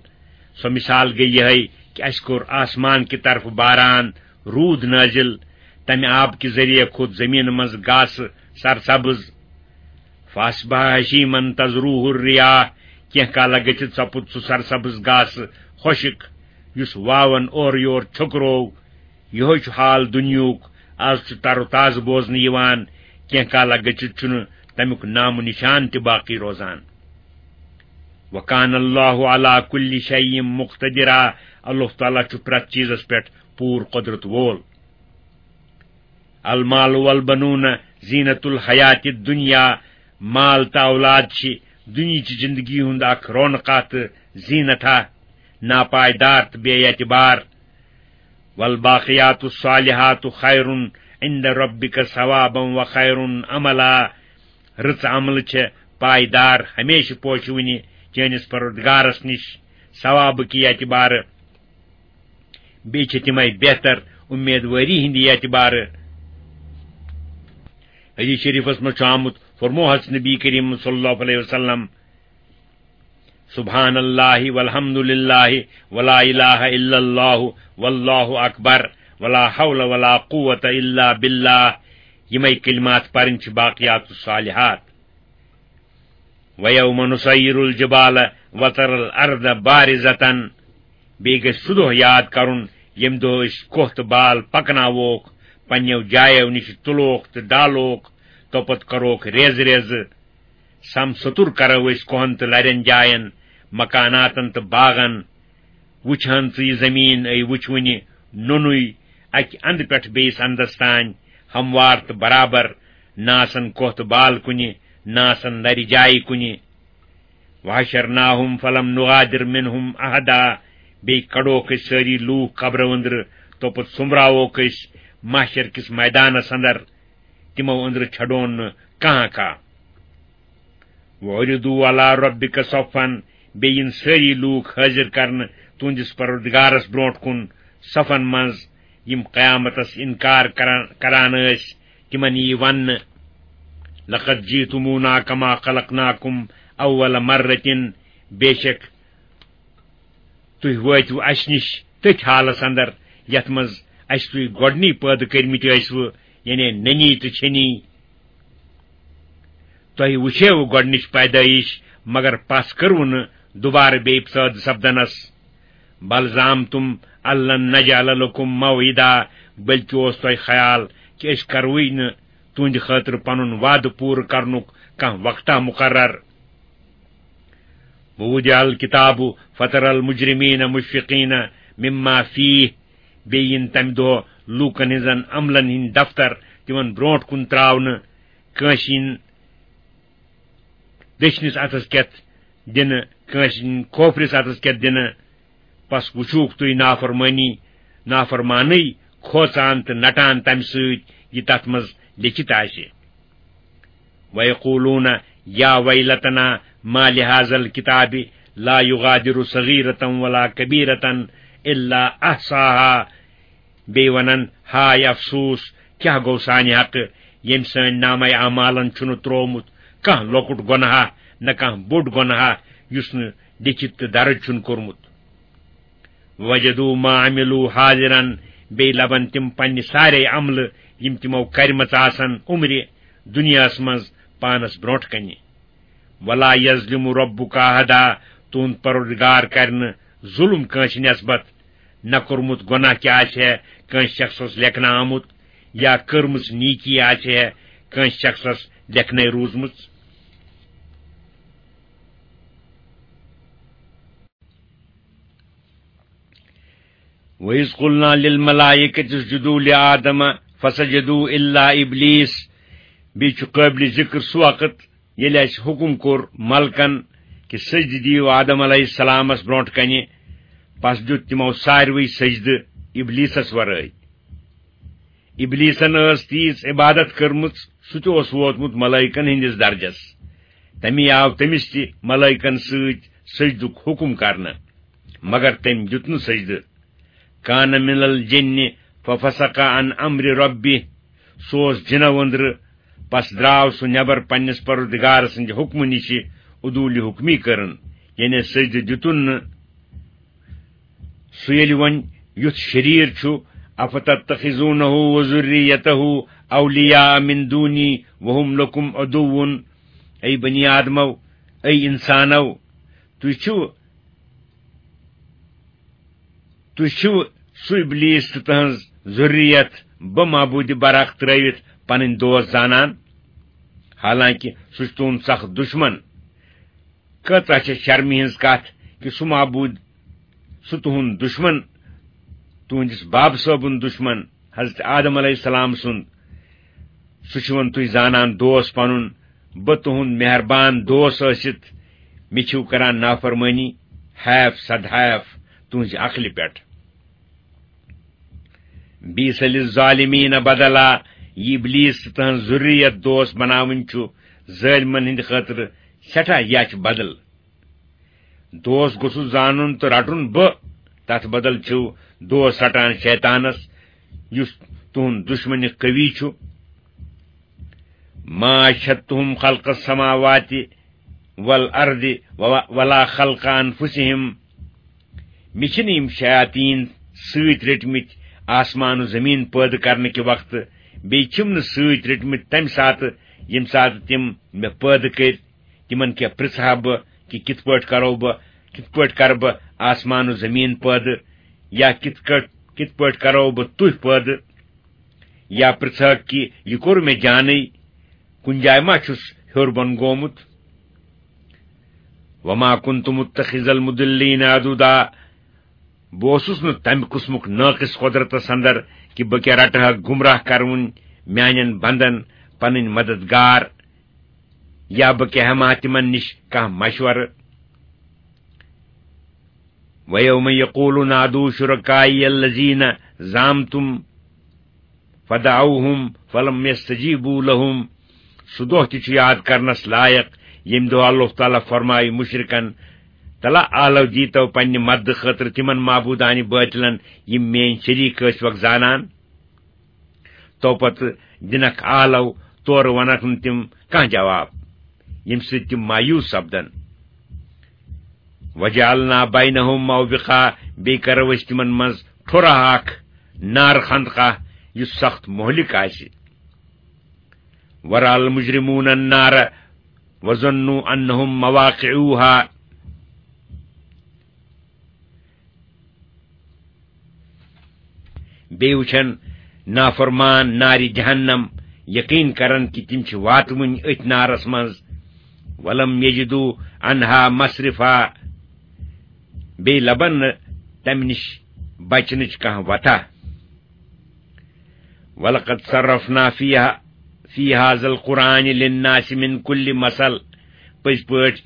سۄ مثال گٔے یِہے کہِ اَسہِ کوٚر آسمان کہِ طرفہٕ باران، روٗد نٲزِل، تَمہِ آبہٕ کہِ ذٔریعہٕ کھوٚت زٔمیٖنہٕ منٛز گاسہٕ سرسبز۔ فاصبح ہشیمن تذروہ الریاح، کینٛہہ کالہ گٔژھِتھ سپُد سُہ سرسبز گاسہٕ خۄشک، یُس واون اورٕ یور چھوٚکروو۔ یِہوے چھُ حال دُنیہُک، از چھُ تر و تازٕ بوزنہٕ یِوان، کینٛہہ کالہ گٔژھِتھ چھُنہٕ تَمیُک نام و نشان تہِ باقی روزان۔ وکان اللہ علی کل شیء مقتدرا، اللہ تعالیٰ چھُ پرٛٮ۪تھ چیٖزس پٮ۪ٹھ پوٗرٕ قۄدرت وول۔ المال والبنون زینت الحیات الدنیا، مال تہٕ اولاد چھِ دُنیہٕچہِ زندگی ہُنٛد اکھ رونقا تہٕ زینتھا، ناپائیدار تہٕ بے اعتبار۔ والباقیات الصالحات خیر عند ربک ثوابا وخیر املا، رٕژ عملہٕ چھےٚ پائیدار، ہمیشہٕ پوشوٕنہِ چٲنِس پروردگارس نِش ثوابہٕ کہِ اعتبارٕ۔ بیٚیہِ چھِ تِمے بہتر اُمیدوٲری ہٕنٛدِ اعتبارٕ۔ حدیث شریفس منٛز چھُ آمُت، فرموو حضرت نبی کریم صلی اللہ علیہ وسلم، سبحان اللہ والحمد للہ ولا الہ الا اللہ واللہ اکبر ولا حول ولا قوة الا باللہ۔ یِمے کلمات پرٕنۍ چھِ باقیات الصالحات۔ وَيَوْمَ نُسَيِّرُ الْجِبَالَ وَتَرَى الْأَرْضَ بَارِزَةً، بیٚیہِ گژھِ سُہ دۄہ یاد کرُن، ییٚمہِ دۄہ أسۍ کۄہ تہٕ بال پکناووکھ، پننیو جایو نِش تُلوکھ تہٕ ڈالوکھ، توپتہٕ کروکھ ریزٕ ریزٕ۔ سم سُتُر کرو أسۍ کۄہن تہٕ لرٮ۪ن جاین، مکاناتن تہٕ باغن۔ وُچھ ہن ژٕ یہِ زمیٖن، اے وُچھ وُنہِ نوٚنُے، اکہِ اندٕ پٮ۪ٹھ بیٚیِس اندس تام، ہموار تہٕ برابر، نہ آسن کۄہ تہٕ بال کُنہِ، نہ آسن لرِ جایہِ کُنہِ۔ وحشرناہم فلم نغادر منہم احدا، بیٚیہِ کڑوکھ أسۍ سٲری لوٗکھ قبرو أنٛدرٕ، توپتہٕ سوٚمبراووکھ أسۍ محشر کِس میدانس اندر، تِمو أنٛدرٕ چھڑون نہٕ کانٛہہ کانٛہہ۔ وعرضوا علی ربک صفا، بیٚیہِ یِن سٲری لوٗکھ حٲضِر کرنہٕ تُہنٛدِس پروردگارس برونٛٹھ کُن صفن منٛز، یِم قیامتس انکار کران، کران ٲسۍ، تِمن یی وننہٕ، لقد جئتمونا کما خلقناکم اول مرة، بے شک تُہۍ وٲتِو اسہِ نِش تٔتھۍ حالس اندر، یَتھ منٛز اَسہِ تُہۍ گۄڈٕنی پٲدٕ کٔرمٕتۍ ٲسوٕ، یعنی نٔنی تہٕ چھٔنی۔ تۄہہِ وُچھیوٕ گۄڈٕنِچ پیدٲیِش، مگر پَس کٔروٕ نہٕ دُبارٕ بیٚیہِ پٲدٕ سپدنَس۔ بل زعمتم ان لن نجعل لکم موعدا، بلکہِ اوس تۄہہِ خیال کہِ أسۍ کروٕے نہٕ تُہنٛدِ خٲطرٕ پنُن وعدٕ پوٗرٕ کرنُک کانٛہہ وقتہ مقرر۔ ووضع الکتاب فتر المجرمین مشفقین مما فیہ، بیٚیہِ یِن تمہِ دۄہ لوٗکن ہٕنٛزن عملن ہٕنٛدۍ دفتر تِمن برونٛٹھ کُن تراونہٕ، کٲنٛسہِ یِن دٔچھنِس اَتھس کٮ۪تھ دِنہٕ، کٲنٛسہِ کھوفرِس اَتھس کٮ۪تھ دِنہٕ۔ پس وٕچھوکھ تُہۍ نافرمٲنی، نافرمانٕے کھوژان تہٕ نٹان تَمہِ سۭتۍ، یہِ تَتھ منٛز لیٚکھِتھ آسہِ۔ وَيَقُولُونَ يَا وَيْلَتَنَا مَا لِهَذَا الْكِتَابِ لَا يُغَادِرُ صَغِيرَةً وَلَا كَبِيرَةً إِلَّا أَحْصَاهَا۔ بیٚیہِ وَنَن، ہاے افسوس، کیٛاہ گوٚو سانہِ حقہٕ، ییٚمۍ سٲنۍ نامہ اعمالن چھُنہٕ ترٛوومُت کانٛہہ لۄکُٹ گۄناہ، نہ کانٛہہ بوٚڑ گۄناہ، یُس نہٕ لیٚکھِتھ تہٕ درٕج چھُنہٕ کوٚرمُت۔ وَوَجَدُوا مَا عَمِلُوا حَاضِرًا، بیٚیہِ لَبَن تِم پننہِ سارے عملہٕ، یِم تِمو کَرِمَژٕ آسَن عُمرِ دُنیاہَس منٛز پانَس برونٛٹھ کَنہِ۔ وَلَا يَظْلِمُ رَبُّكَ أَحَدًا، تُہُنٛد پروردگار کَرِ نہٕ ظُلُم کٲنٛسہِ نٮ۪سبَت، نہ کوٚرمُت گۄناہ کیٛاہ آسہِ ہے کٲنٛسہِ شخصَس لیکھنہٕ آمُت، یا کٔرمٕژ نیٖکی آسہِ ہے کٲنٛسہِ شخصَس لیکھنَے روٗزمٕژ۔ وَإِذْ قُلْنَا لِلْمَلَائِكَةِ اسْجُدُوا لِآدَمَ فَسَجَدُوا إِلَّا إِبْلِيسَ۔ بیٚیہِ چھُ قٲبلِ ذِکر سُہ وقت، ییٚلہِ اَسہِ حُکُم کوٚر ملکن کہِ سجدٕ دِیِو آدم علیہ السلامس برونٛٹھ کنہِ، پس دیُت تِمو ساروٕے سجدٕ ابلیسس ورٲے۔ ابلیسن ٲس تیٖژ عبادت کٔرمٕژ، سُہ تہِ اوس ووتمُت ملائکن ہٕنٛدِس درجس۔ تمی آو تٔمِس تہِ ملائکن سۭتۍ سجدُک حُکم کرنہٕ، مگر تٔمۍ دیُت نہٕ سجدٕ۔ کان من الجن ففسق عن امر ربہ، سُہ اوس جِنو أنٛدرٕ، پس درٛاو سُہ نٮ۪بر پننِس پروردگار سٕنٛدِ حُکمہٕ نِشہِ، عدوٗلہِ حُکمی کٔرٕن، یعنی سجدٕ دیُتُن نہٕ۔ سُہ ییٚلہِ وۄنۍ یُتھ شریٖر چھُ، افتتخذونہ وذریتہ اولیاء من دونی وہم لکم عدو، اے بنی آدمو، اے انسانو، تُہۍ چھِو تُہۍ چھِو سُہ ابلیس تہٕ تہنٛز ذُریت بہٕ معبوٗدِ برحق ترٲوِتھ پنٕنۍ دوست زانان؟ حالانکہِ سُہ چھُ تُہُنٛد سخت دُشمن۔ کۭژاہ چھےٚ شرمہِ ہٕنٛز کتھ کہِ سُہ معبوٗد، سُہ تُہُنٛد دُشمن، تُہنٛدِس باب صٲبُن دُشمن، حضرت آدم علیہ السلام سُنٛد، سُہ چھُ وۄنۍ تُہۍ زانان دوست پنُن، بہٕ تُہُنٛد مہربان دوست ٲسِتھ، مےٚ چھِو کران نافرمٲنی، حیف صد حیف تُہنٛزِ عقلہِ پٮ۪ٹھ۔ بیس للظالمین بدلا، یہِ ابلیس تہٕ تہنٛز ذُریت دوست بناوٕنۍ چھُ ظٲلمن ہٕنٛدِ خٲطرٕ سٮ۪ٹھاہ یچھ بدل۔ دوست گوٚژھُس زانُن تہٕ رٹُن بہٕ، تتھ بدل چھِو دوست رٹان شیطانس، یُس تُہُنٛد دُشمنِ قوی چھُ۔ ما اشہدتہم خلق السماوات والارض ولا خلق انفسہم۔ مےٚ چھِنہٕ یِم شیاطیٖن سۭتۍ رٔٹمٕتۍ آسمان و زمیٖن پٲدٕ کرنہٕ کہِ وقتہٕ، بیٚیہِ چھِم نہٕ سۭتۍ رٔٹمٕتۍ تمہِ ساتہٕ، ییٚمہِ ساتہٕ تِم مےٚ پٲدٕ کٔرۍ۔ تِمن کیٛاہ پرژھٕ ہا بہٕ کہِ کِتھ پٲٹھۍ کرو بہٕ، کِتھ پٲٹھۍ کرٕ بہٕ آسمان و زمیٖن پٲدٕ، یا کِتھ کٲٹھۍ، کِتھ پٲٹھۍ کرو بہٕ تُہۍ پٲدٕ؟ یا پرژھٕ ہا کہِ یہِ کوٚر مےٚ جانٕے، کُنہِ جایہِ ما چھُس ہیوٚر بۄن گومُت؟ وما كنت متخذ المضلين عضدا، بہٕ اوسُس نہٕ تمہِ قٕسمُک نٲقص قۄدرتس اندر کہِ بہٕ کیٛاہ رٹہٕ ہا گمراہ کرٕوُن میانٮ۪ن بندن پنٕنۍ مددگار، یا بہٕ کیٛاہ ہٮ۪مہٕ ہا تِمن نِش کانٛہہ مشورٕ۔ وَيَوْمَ يَقُولُ نَادُوا شُرَكَائِيَ الَّذِينَ زَعَمْتُمْ فَدَعَوْهُمْ فَلَمْ يَسْتَجِيبُوا لَهُمْ۔ سُہ دۄہ تہِ چھُ یاد کرنس لایق، ییٚمہِ دۄہ اللہ تعالیٰ فرمایہِ مُشرِکن، تلا آلو دیٖتو پننہِ مددٕ خٲطرٕ تِمن معبوٗدانہِ بٲطلن، یِم میٲنۍ شریٖک ٲسۍ وکھ زانان۔ تو پتہٕ دِنکھ آلو، تورٕ ونکھ نہٕ تِم کانٛہہ جواب، ییٚمہِ سۭتۍ تِم مایوس سپدن۔ وجعلنا بینہم موبقا، بیٚیہِ کرو أسۍ تِمن منٛز ٹھوٚرا اکھ، نار خندقہ، یُس سخت مہلک آسہِ۔ ورأى المجرمون النار وظنوا أنهم مواقعها۔ بیٚیہِ وٕچھن نافرمان نارِ جہنم، یقین کرن کہِ تِم چھِ واتوٕنۍ أتھۍ نارس منٛز۔ ولم یجدوا عنها مصرفا، بیٚیہِ لبن نہٕ تمہِ نِش بچنٕچ کانٛہہ وتھا۔ ولقد صرفنا فيها في هذا القرآن للناس من كل مثل۔ پٔزۍ پٲٹھۍ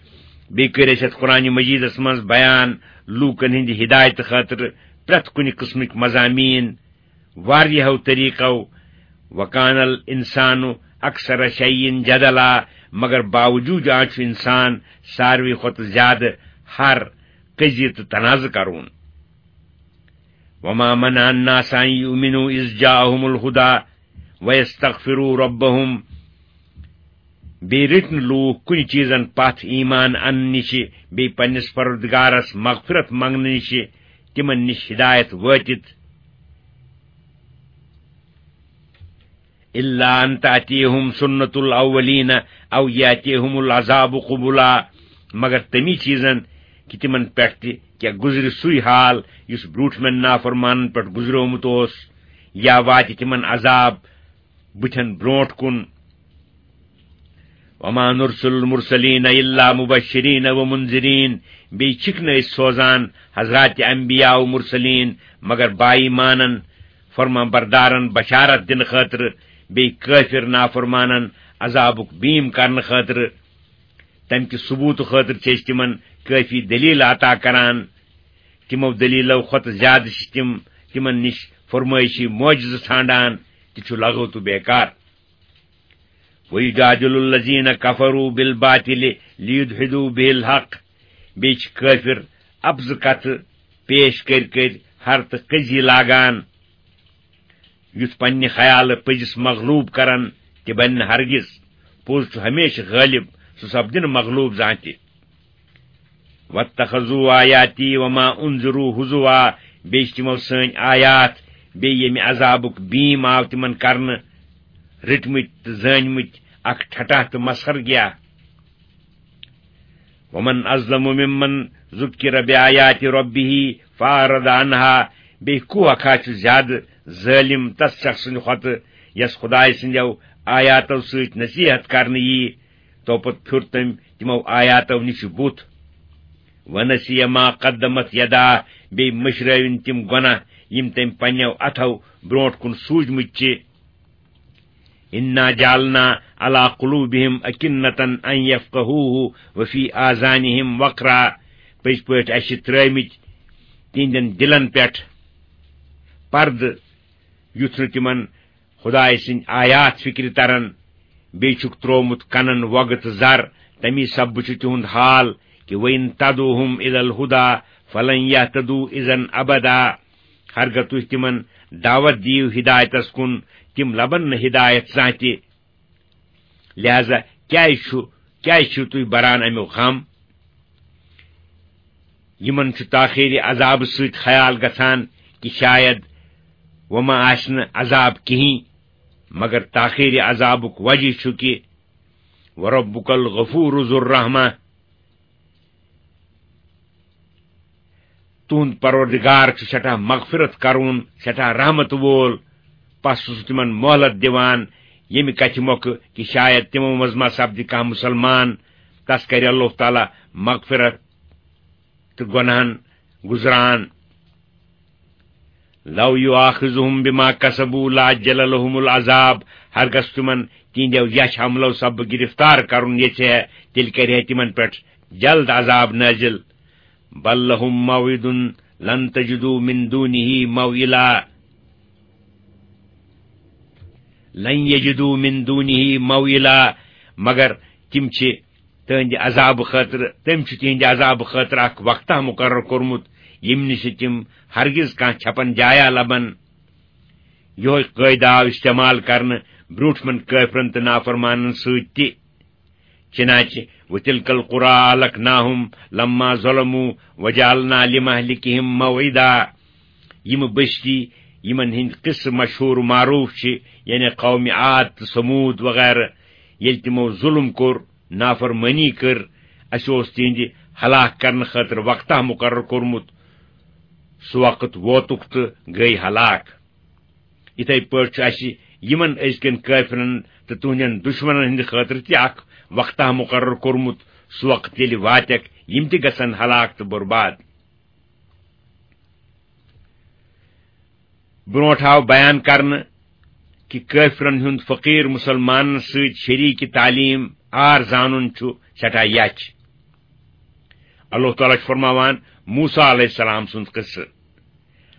بیٚیہِ کٔرۍ اَسہِ یَتھ قرآن مجیدس منٛز بیان لوٗکن ہٕنٛدِ ہدایتہٕ خٲطرٕ پرٛٮ۪تھ کُنہِ قٕسمٕکۍ مضامین واریاہو طریقو۔ وكان الإنسان أكثر شيء جدلا، مگر باوجود آز چھُ انسان ساروی کھۄتہٕ زیادٕ ہر کٔزی تہٕ تنازٕ کرون۔ وما منع الناس أن يؤمنوا إذ جاءهم الهدى ويستغفروا ربهم۔ بیٚیہِ رٔٹۍ نہٕ لوٗکھ کُنہِ چیٖزن پتھ ایمان اننہٕ نِشہِ، بیٚیہِ پننِس پروردگارس مغفرت منگنہٕ نِشہِ، تِمن نِش ہدایت وٲتِتھ۔ إلا أن تأتيهم سنة الأولين أو يأتيهم العذاب قبلا، مگر تمی چیزن کہِ تِمن پٮ۪ٹھ تہِ کیٛاہ گُزرِ سُے حال یُس برٛوٗٹھمٮ۪ن نافرمانن پٮ۪ٹھ گُزریومُت اوس، یا واتہِ تِمن عذاب بٕتھٮ۪ن برٛونٛٹھ کُن۔ وما نرسل المرسلين إلا مبشرين ومنذرين، بیٚیہِ چھِکھ نہٕ أسۍ سوزان حضرات انبیاء و مرسلین مگر با ایمانن، فرمان بردارن بشارت دِنہٕ خٲطرٕ، بیٚیہِ کٲفر نافرمانن عذابُک بیٖم کرنہٕ خٲطرٕ۔ تمہِ کہِ ثبوٗتہٕ خٲطرٕ چھِ أسۍ تِمن کٲفی دلیل عطا کران۔ تِمو دلیلو کھۄتہٕ زیادٕ چھِ تِم تِمن نِش فرمٲیشی معجزٕ ژھانڈان، تہِ چھُ لغو تہٕ بیکار۔ وَيُجَادِلُ الَّذِينَ كَفَرُوا بِالْبَاطِلِ لِيُدْحِضُوا بِهِ الْحَقَّ۔ بیٚیہِ چھِ کٲفِر اَپزٕ کَتھٕ پیش کٔرۍ کٔرۍ ہر تہٕ کٔزی لاگان، یُتھ پننہِ خیالہٕ پٔزِس مغلوٗب کرن، تہِ بنہِ نہٕ ہرگز۔ پوٚز چھُ ہمیشہِ غٲلِب، سُہ سپدِ نہٕ مغلوٗب زانٛہہ تہِ۔ وَاتَّخَذُوا آيَاتِي وَمَا أُنذِرُوا هُزُوًا، بیٚیہِ چھِ تِمو سٲنۍ آیات، بیٚیہِ ییٚمہِ عذابُک بیٖم آو تِمن کرنہٕ، رٔٹمٕتۍ تہٕ زٲنۍمٕتۍ اکھ ٹھٹھہ تہٕ مسخرگیہ۔ وَمَنْ أَظْلَمُ مِمَّنْ ذُكِّرَ بِآيَاتِ رَبِّهِ فَأَعْرَضَ عَنْهَا، بیٚیہِ کُس اکھا چھُ زیادٕ ظٲلِم تس شخص سٕنٛدِ کھۄتہٕ یس خدایہِ سٕنٛدیو آیاتو سۭتۍ نصیحت کرنہٕ یی، تو پتہٕ پھیُر تٔمۍ تِمو آیاتو نِش بُتھ۔ وَنَسِيَ مَا قَدَّمَتْ يَدَاهُ، بیٚیہِ مٔشرٲوِن تِم گۄناہ یِم تٔمۍ پننیو اتھو برونٹھ کُن سوٗزمٕتۍ چھِ۔ إِنَّا جَعَلْنَا عَلَىٰ قُلُوبِهِمْ أَكِنَّةً أَن يَفْقَهُوهُ وَفِي آذَانِهِمْ وَقْرًا، پٔزۍ پٲٹھۍ اَسہِ چھِ ترٲومٕتۍ تِہنٛدٮ۪ن دِلن پٮ۪ٹھ پردٕ، یُتھ نہٕ تِمن خدایہِ سٕنٛدۍ آیات فِکرِ ترن۔ بیٚیہِ چھُکھ تروومُت کنن وۄگہٕ تہٕ زر، تمی سببہٕ چھُ تِہُنٛد حال کہِ وَإِن تَدْعُوهُمْ إِلَى الْهُدَىٰ فَلَن يَهْتَدُوا إِذًا أَبَدًا۔ ہرگاہ تُہۍ تِمن دعوت دِیِو ہدایتس کُن، تِم لبن نہٕ ہدایت زانٛہہ تہِ۔ لہذا کیازِ چھُ، کیازِ چھِو تُہۍ بران امیُک غم؟ یِمن چھُ تاخیری عذابہٕ سۭتۍ خیال گژھان کہِ شاید وۄنۍ ما آسہِ نہٕ عذاب کِہیٖنۍ، مگر تاخیری عذابُک وجہ چھُ کہِ وَرَبُّكَ الْغَفُورُ ذُو الرَّحْمَةِ، تُہُنٛد پروردگار چھُ سٮ۪ٹھاہ مغفرت کرون، سٮ۪ٹھاہ رحمت وول۔ پس چھُ سُہ تِمن مۄہلت دِوان، ییٚمہِ کتھِ مۄکھٕ کہِ شاید تِمو منٛز ما سپدِ کانٛہہ مُسلمان، تس کرِ اللہ تعالیٰ مغفرت تہٕ گۄناہن گُزران۔ لو یؤاخذہم بما کسبوا لعجل لہم العذاب، ہرگز تِمن تِہنٛدیو یچھ عملو سببہٕ گرفتار کرُن یژھِ ہے، تیٚلہِ کرِ ہے تِمن پٮ۪ٹھ جلد عذاب نٲزِل۔ بل لہم موعد لن تجدوا من دونہ موئلا، لن یجدوا من دونہ موئلا، مگر تِم چھِ تِہنٛدِ عذابہٕ خٲطرٕ، تٔمۍ چھُ تِہنٛدِ عذابہٕ خٲطرٕ اکھ وقتہ مُقرر کوٚرمُت، ییٚمہِ نِش تِم ہرگز کانٛہہ چھپن جایا لبن۔ یِہوٚے قٲعدٕ آو استعمال کرنہٕ برٛونٛٹھمٮ۪ن کٲفرن تہٕ نافرمانن سۭتۍ تہِ۔ چنانچہ وتلک القری اہلکناہم لما ظلموا وجعلنا لمہلکہم موعدا۔ یِم بستی، یِمن ہٕنٛدۍ قصہٕ مشہوٗر و معروٗف چھِ، یعنی قوم عاد تہٕ ثمود وغیرہ، ییٚلہِ تِمو ظُلم کوٚر، نافرمٲنی کٔر، اَسہِ اوس تِہنٛدِ ہلاک کرنہٕ خٲطرٕ وقتہ مُقرر کوٚرمُت۔ سُہ وقت ووتُکھ تہٕ گٔے ہلاک۔ یِتھے پٲٹھۍ چھُ اَسہِ یِمن أزکٮ۪ن کٲفرن تہٕ تُہنٛدٮ۪ن دُشمنن ہٕنٛدِ خٲطرٕ تہِ اکھ وقتہ مُقرر کوٚرمُت، سُہ وقت ییٚلہِ واتٮ۪کھ، یِم تہِ گژھن ہلاک تہٕ برباد۔ برونٛٹھ آو بیان کرنہٕ کہِ کٲفرن ہُنٛد فقیٖر مُسلمانن سۭتۍ شریٖک تعلیٖم آر زانُن چھُ سٮ۪ٹھاہ یَچھ۔ اللہ تعالیٰ چھُ فرماوان موسیٰ علیہ السلام سُنٛد قصہٕ۔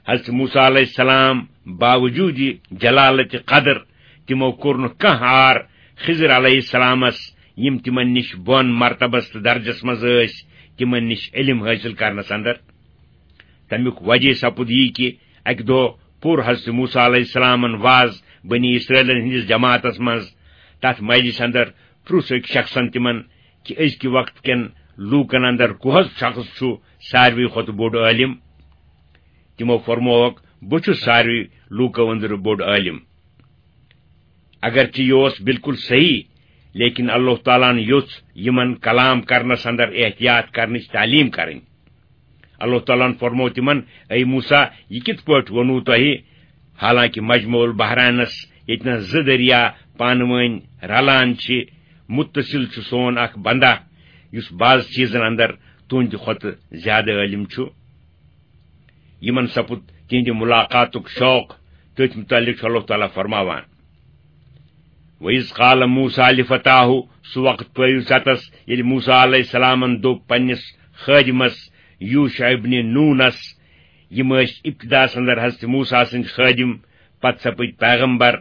حضرت موسیٰ علیہ السلام باوجوٗد جلالت قدر، تِمو کوٚر نہٕ کانٛہہ آر خضر علیہ السلامس، یِم تِمن نِش بۄن مرتبس تہٕ درجس منٛز ٲسۍ، تِمن نِش علم حٲصِل کرنس اندر۔ تمیُک وجہ سپُد یی کہِ اکہِ دۄہ پوٚر حضرت موسیٰ علیہ السلامن واز بنی اسرائیلن ہٕنٛدِس جماعتس منٛز۔ تتھ مجلس اندر پرُژھ أکۍ شخصن تِمن کہِ أزکہِ وقت کٮ۪ن لوٗکن اندر کُس شخص چھُ ساروی کھۄتہٕ بوٚڑ عٲلِم؟ تِمو فرمووکھ، "بہٕ چھُس ساروی لوٗکو أنٛدرٕ بوٚڑ عٲلِم۔" اگرچہِ یہِ اوس بالکل صحیح، لیکن اللہ تعالیٰ ہن یوٚژھ یِمن کلام کرنس اندر احتیاط کرنٕچ تعلیٖم کرٕنۍ۔ اللہ تعالیٰ ہن فرموو تِمن، "اے موسیٰ، یہِ کِتھ پٲٹھۍ ووٚنوٕ تۄہہِ؟ حالانکہِ مجمع البحرینس، ییٚتہِ نس زٕ دریا پانہٕ وٲنۍ رلان چھِ، متصل چھُ سون اکھ بندہ، یُس بعض چیٖزن اندر تُہنٛدِ کھۄتہٕ زیادٕ عٲلِم چھُ۔" یِمن سپُد تِہنٛدِ مُلاقاتُک شوق۔ تٔتھۍ مُتعلِق چھُ اللہ تعالیٰ فرماوان، "وَإِذْ قَالَ مُوسَىٰ لِفَتَاهُ"، سُہ وقت پٲوِو ژَتَس، ییٚلہِ موسیٰ علیہ السلامن دوٚپ پننِس خٲدِمس یوشع ابن نونس، یِم ٲسۍ ابتداہس اندر حضرت موسیٰ سٕنٛدۍ خٲدِم، پتہٕ سپٕدۍ پیغمبر،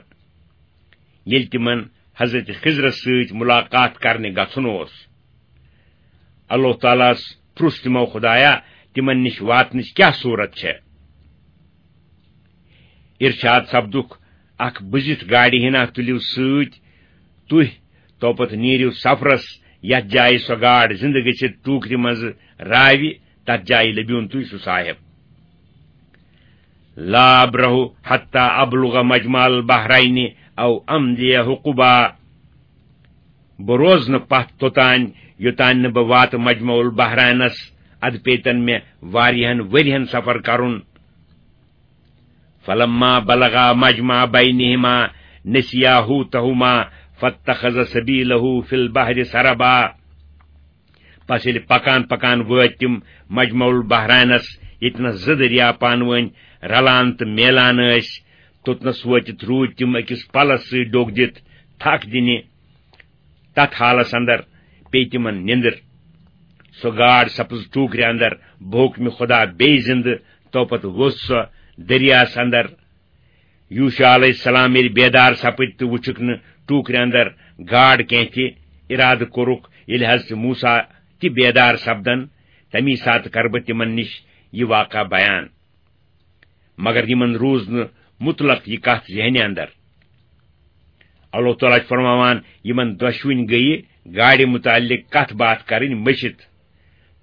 ییٚلہِ تِمن حضرت خضرس سۭتۍ مُلاقات کرنہِ گژھُن اوس۔ اللہ تعالیٰ ہس پرُژھ تِمو، "خدایا، تِمن نِش واتنٕچ کیٛاہ صوٗرت چھےٚ؟" ارشاد سپدُکھ، "اکھ بُزِتھ گاڑِ ہنا تُلِو سۭتۍ تُہۍ، توپتہٕ نیٖرِو سفرس، یتھ جایہِ سۄ گاڈ زِندٕ گٔژھِتھ ٹوٗکرِ منٛزٕ راوِ، تتھ جایہِ لٔبِوُن تُہۍ سُہ صاحب۔" "لا أبرح حتى أبلغ مجمع البحرين أو أمضي حقبا"، بہٕ روزٕ نہٕ پتھ توٚتام، یوٚتام نہٕ بہٕ واتہٕ مجمع البحرینس، ادٕ پیتن مےٚ واریاہن ؤرین سفر کرُن۔ "فلما بلغا مجمع بينهما نسيا حوتهما فاتخذ سبيله في البحر سربا"۔ پس ییٚلہِ پکان پکان وٲتۍ تِم مجمع البحرینس، ییٚتہِ نس زٕ دریا پانہٕ وٲنۍ رلان تہٕ میلان ٲسۍ، توٚتنس وٲتِتھ روٗدۍ تِم أکِس پلس سۭتۍ ڈوٚکھ دِتھ تھکھ دِنہِ۔ تتھ حالس اندر پیٚیہِ تِمن نِندٕر۔ سۄ گاڈ سپٕز ٹوٗکرِ اندر بحکمِ خدا بیٚیہِ زِندٕ۔ توپتہٕ ووٚژھ سۄ دٔریاہس اندر۔ یوشع علیہ السلام ییٚلہِ بیدار سپٕدۍ تہٕ وُچھُکھ نہٕ ٹوٗکرِ اندر گاڈ کینٛہہ تہِ، ارادٕ کوٚرُکھ، ییٚلہِ حضرت موسیٰ تہِ بیدار سپدن، تمی ساتہٕ کرٕ بہٕ تِمن نِش یہِ واقعہ بیان۔ مگر یِمن روٗز نہٕ مطلق یہِ کتھ ذہنہِ اندر۔ اللہ تعالیٰ چھُ فرماوان، یِمن دۄشوٕنۍ گٔیہِ گاڑِ متعلق کتھ باتھ کرٕنۍ مٔشِتھ۔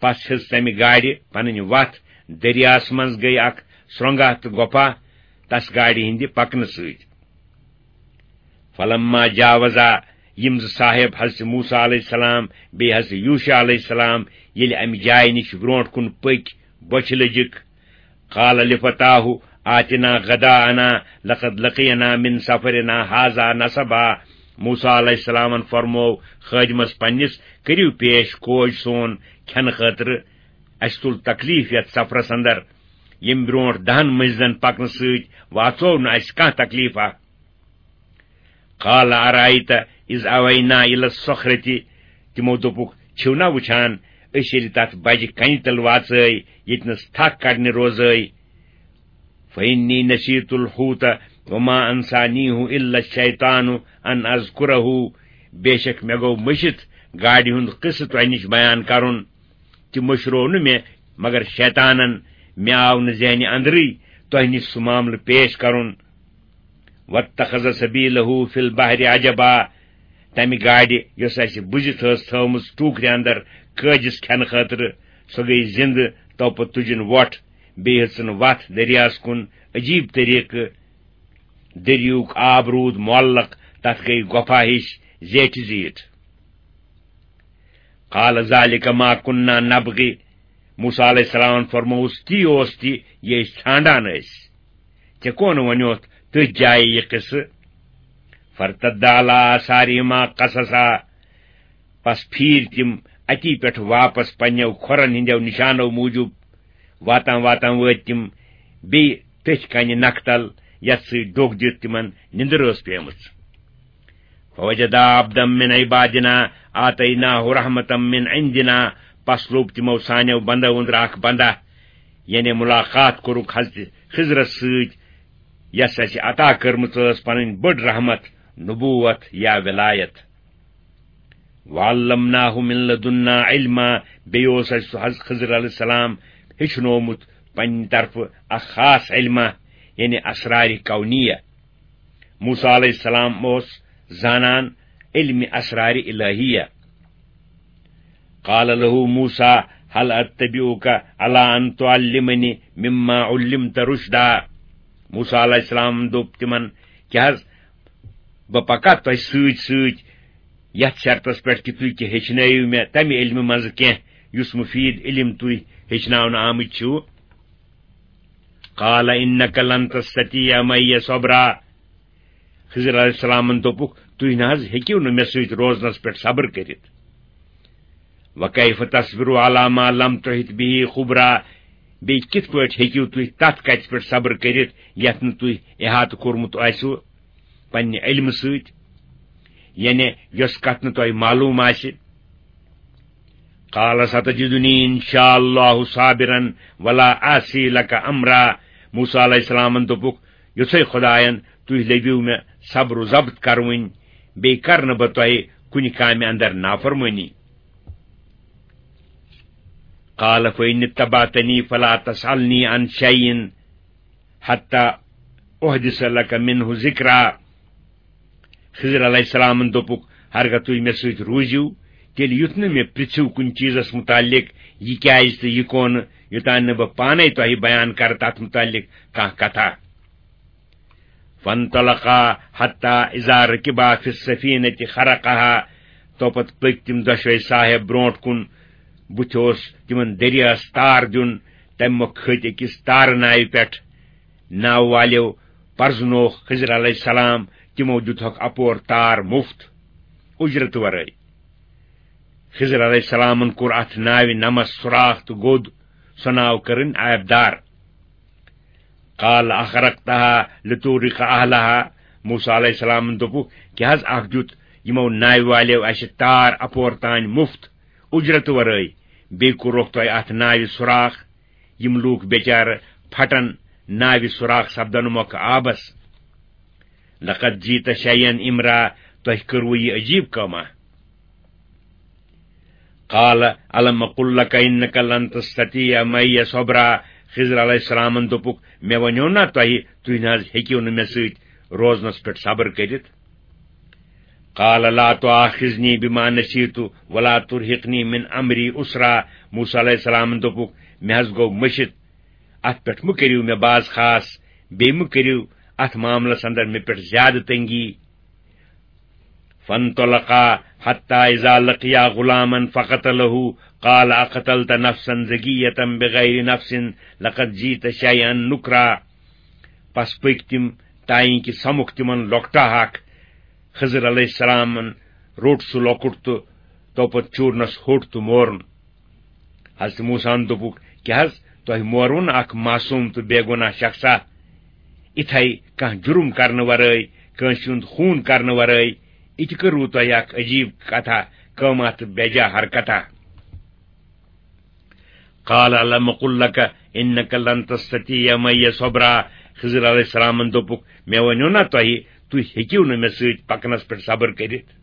پس ہیٚژ تمہِ گاڑِ پنٕنۍ وتھ۔ دٔریاہس منٛز گٔیہِ اکھ سرٛنٛگاہ تہٕ گۄپھا تس گاڑِ ہٕنٛدِ پکنہٕ سۭتۍ۔ فلما جاوزا، یِم زٕ صاحب حضرت موسیٰ علیہ السلام بیٚیہِ حضرت یوشع علیہ السلام ییٚلہِ امہِ جایہِ نِش برونٛٹھ کُن پٔکۍ، بۄچھِ لٔجِکھ، قال لفتاه آتنا غداءنا لقد لقينا من سفرنا هذا نصبا۔ موسیٰ علیہ السلامن فرموو خٲدمس پننِس، "کٔرِو پیش کوج سون کھٮ۪نہٕ خٲطرٕ، اسہِ تُل تکلیف یتھ سفرس اندر۔ ییٚمہِ برونٛٹھ دہن مٔنزلن پکنہٕ سۭتۍ واتژو نہٕ اسہِ کانٛہہ تکلیفا۔" قال أرأيت إذ أوينا إلى الصخرة، تِمو دوٚپُکھ، "چھِو نا وُچھان، أسۍ ییٚلہِ تتھ بجہِ کنہِ تل واژے، ییٚتہِ نس تھکھ کڑنہِ روزے؟" فإني نسيت الحوت وما أنسانيه إلا الشيطان أن أذكره، بے شک مےٚ گوٚو مٔشِتھ گاڑِ ہُنٛد قصہٕ تۄہہِ نِش بیان کرُن، تہِ مٔشرو نہٕ مےٚ مگر شیطانن، مےٚ آو نہٕ ذہنہِ اندرٕے تۄہہِ نِش سُہ معاملہٕ پیش کرُن۔ واتخذ سبيله في البحر عجبا، تمہِ گاڑِ یۄس اسہِ بُزِتھ ٲس تھٲومٕژ ٹوٗکرِ اندر قٲدِس کھٮ۪نہٕ خٲطرٕ، سۄ گٔیہِ زِندٕ، توپتہٕ تُجِن وۄٹھ، بیٚیہِ ہیٚژٕن وتھ دٔریاہس کُن۔ عجیب طریقہٕ۔ دٔریاہُک آب روٗد معلق، تتھ گٔیہِ گۄپھا ہِش زیٹھِ زیٖٹھ۔ قال ذلك ما كنا نبغي۔ موسیٰ علیہ السلامن فرمووُس، تی اوس تہِ، یہِ أسۍ ژھانڈان ٲسۍ۔ ژےٚ کون ونیوتھ تٔتھۍ جایہِ یہِ قصہٕ؟ فارتدا على آثارهما قصصا۔ پس پھیٖرۍ تِم اتی پٮ۪ٹھ واپس پننیو کھۄرن ہٕنٛدیو نشانو موٗجوٗب۔ واتان واتان وٲتۍ تِم بیٚیہِ تٔتھۍ کنہِ نکھٕ تل، یتھ سۭتۍ ڈوٚکھ دِتھ تِمن نِندٕر ٲس پیمٕژ۔ فوجدا عبدا من عبادنا آتيناه رحمة من عندنا۔ پس لوٚب تِمو سانیو بندو أنٛدرٕ اکھ بندہ، یعنی ملاقات کوٚرُکھ حضرت خضرس سۭتۍ، یس اسہِ عطا کٔرمٕژ ٲس پنٕنۍ بٔڑ رحمت، نبوت یا ولایت۔ وعلمناه من لدنا علما۔ بیٚیہِ اوس اَسہِ سُہ حض-، خضر علیہ السلام ہیٚچھنومُت پننہِ طرفہٕ اکھ خاص علمہ، یعنی اسرارِ کونیہ۔ موسیٰ علیہ السلام اوس زانان علمِ اسرارِ الہیہ۔ قال له موسیٰ هل اتبعك على ان تعلمني مما علمت رشدا۔ موسیٰ علیہ السلام دوٚپ تِمن، کیٛاہ حض بہٕ پکا تۄہہِ سۭتۍ سۭتۍ یتھ شرطس پٮ۪ٹھ کہِ تُہۍ تہِ ہیٚچھنٲیِو مےٚ تمہِ علمہِ منٛزٕ کینٛہہ یُس مفید علم تُہۍ ہیٚچھناونہٕ آمٕتۍ چھِو؟ قال انك لن تستطيع معي صبرا۔ خضر علیہ السلامن دوٚپُکھ، تُہۍ نہ حض ہیٚکِو نہٕ مےٚ سۭتۍ روزنس پٮ۪ٹھ صبر کٔرِتھ۔ وكيف تصبر على ما لم تحط به خبرا؟ بیٚیہِ کِتھ پٲٹھۍ ہیٚکِو تُہۍ تتھ کتھِ پٮ۪ٹھ صبر کٔرِتھ یتھ نہٕ تُہۍ احاطہٕ کوٚرمُت آسِوٕ پننہِ علمہٕ سۭتۍ، یعنی یۄس کتھ نہٕ تۄہہِ معلوم آسہِ؟ قال ستجدني ان شاء الله صابرا ولا اعصي لك امرا۔ موسیٰ علیہ السلامن دوٚپُکھ، یُتھے خداین تُہۍ لٔبِو مےٚ صبر و ضبط کرٕوٕنۍ، بیٚیہِ کرٕ نہٕ بہٕ تۄہہِ کُنہِ کامہِ اندر نافرمٲنی۔ قال فإن اتبعتني فلا تسألني عن شيء حتى أحدث لك منه ذكرا۔ خضر علیہ السلامن دوٚپُکھ، ہرگاہ تُہۍ مےٚ سۭتۍ روٗزِو، تیٚلہِ یُتھ نہٕ مےٚ پرٛژھِو کُنہِ چیٖزس مُتعلق، یہِ کیازِ تہٕ یہِ کون، یوٚتام نہٕ بہٕ پانے تۄہہِ بیان کرٕ تتھ مُتعلق کانٛہہ کتھا۔ فانطلقا حتى إذا ركبا في السفينة خرقها۔ تو پتہٕ پٔکۍ تِم دۄشوے صاحب برونٛٹھ کُن۔ بُتھِ اوس تِمن دٔریاہس تار دیُن۔ تمہِ مۄکھٕ کھٔتۍ أکِس تارٕ ناوِ پٮ۪ٹھ۔ ناوٕ والیو پرزنووُکھ خضر علیہ السلام، تِمو دیُتہکھ اپور تار مُفت، اُجرت ورٲے۔ خضر علیہ السلامن کوٚر اتھ ناوِ نمس سوراخ تہٕ گوٚد۔ سۄ ناو کٔرٕن آبدار۔ قال أخرقتها لتغرق أهلها۔ موسیٰ علیہ السلامن دوٚپُکھ، کیٛاہ حض اکھ دیُت یِمو ناوِ والیو اسہِ تار اپور تام مُفت، اُجرت ورٲے، بیٚیہِ کوٚرُکھ تۄہہِ اتھ ناوِ سوراخ؟ یِم لوٗکھ بیچارٕ پھٹن ناوِ سوراخ سپدن مۄکھٕ آبس۔ لقد جئت شيئا إمرا، تۄہہِ کٔروٕ یہِ عجیب کٲمہ۔ قال ألم أقل لك إنك لن تستطيع معي صبرا۔ خضر علیہ السلامن دوٚپُکھ، مےٚ ونیو نا تۄہہِ، تُہۍ نہ حض ہیٚکِو نہٕ مےٚ سۭتۍ روزنس پٮ۪ٹھ صبر کٔرِتھ۔ قال لا تؤاخذني بما نسيت ولا ترهقني من أمري عسرا۔ موسیٰ علیہ السلامن دوٚپُکھ، مےٚ حض گوٚو مٔشِتھ، اتھ پٮ۪ٹھ مہٕ کٔرِو مےٚ باز خاص، بیٚیہِ مہٕ کٔرِو اتھ معاملس اندر مےٚ پٮ۪ٹھ زیادٕ تنگی۔ فانطلقا حتى إذا لقيا غلاما فقتله قال أقتلت نفسا زكية بغير نفس لقد جئت شيئا نكرا۔ پس پٔکۍ تِم، تائیں کہِ سمُکھ تِمن لۄکٹا اکھ۔ خضر علیہ السلامن روٚٹ سُہ لۄکُٹ تہٕ توپت چوٗرنس ہوٚٹ تہٕ مورُن۔ حضرت موسیٰ ہن دوٚپُکھ، کیٛاہ حض تۄہہِ مورُن اکھ معصوم تہٕ بے گۄناہ شخصا؟ اِتھے کانٛہہ جُرم کرنہٕ ورٲے، کٲنٛسہِ ہُنٛد خوٗن کرنہٕ ورٲے، یہِ تہِ کٔروٕ تۄہہِ اکھ عجیب کتھا، قۭمتھ تہٕ بے جا حرکتا؟ قال ألم أقل لك إنك لن تستطيع معي صبرا۔ خضر علیہ السلامن دوٚپُکھ، مےٚ ونیو نا تۄہہِ، تُہۍ ہیٚکِو نہٕ مےٚ سۭتۍ پکنس پٮ۪ٹھ صبر کٔرِتھ۔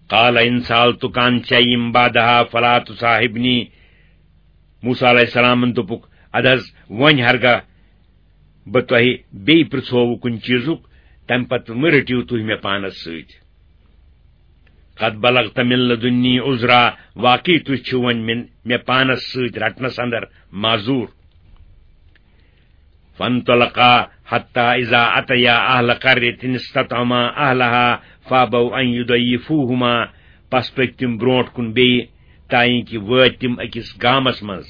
قال إن سألتك عن شيء بعدها فلا تصاحبني۔ موسیٰ علیہ السلامن دوٚپُکھ، ادٕ حض وۄنۍ ہرگاہ بہٕ تۄہہِ بیٚیہِ پرژھووٕ کُنہِ چیٖزُک، تمہِ پتہٕ مہٕ رٔٹِو تُہۍ مےٚ پانس سۭتۍ۔ قد بلغت من لدني عذرا، واقعی تُہۍ چھِو وۄنۍ مےٚ، مےٚ پانس سۭتۍ رٹنس اندر معذور۔ فانطلقا حتى إذا أتيا أهل قرية استطعما أهلها فأبوا أن يضيفوهما۔ پس پٔکۍ تِم برونٛٹھ کُن بیٚیہِ، تانۍ کہِ وٲتۍ تِم أکِس گامس منٛز،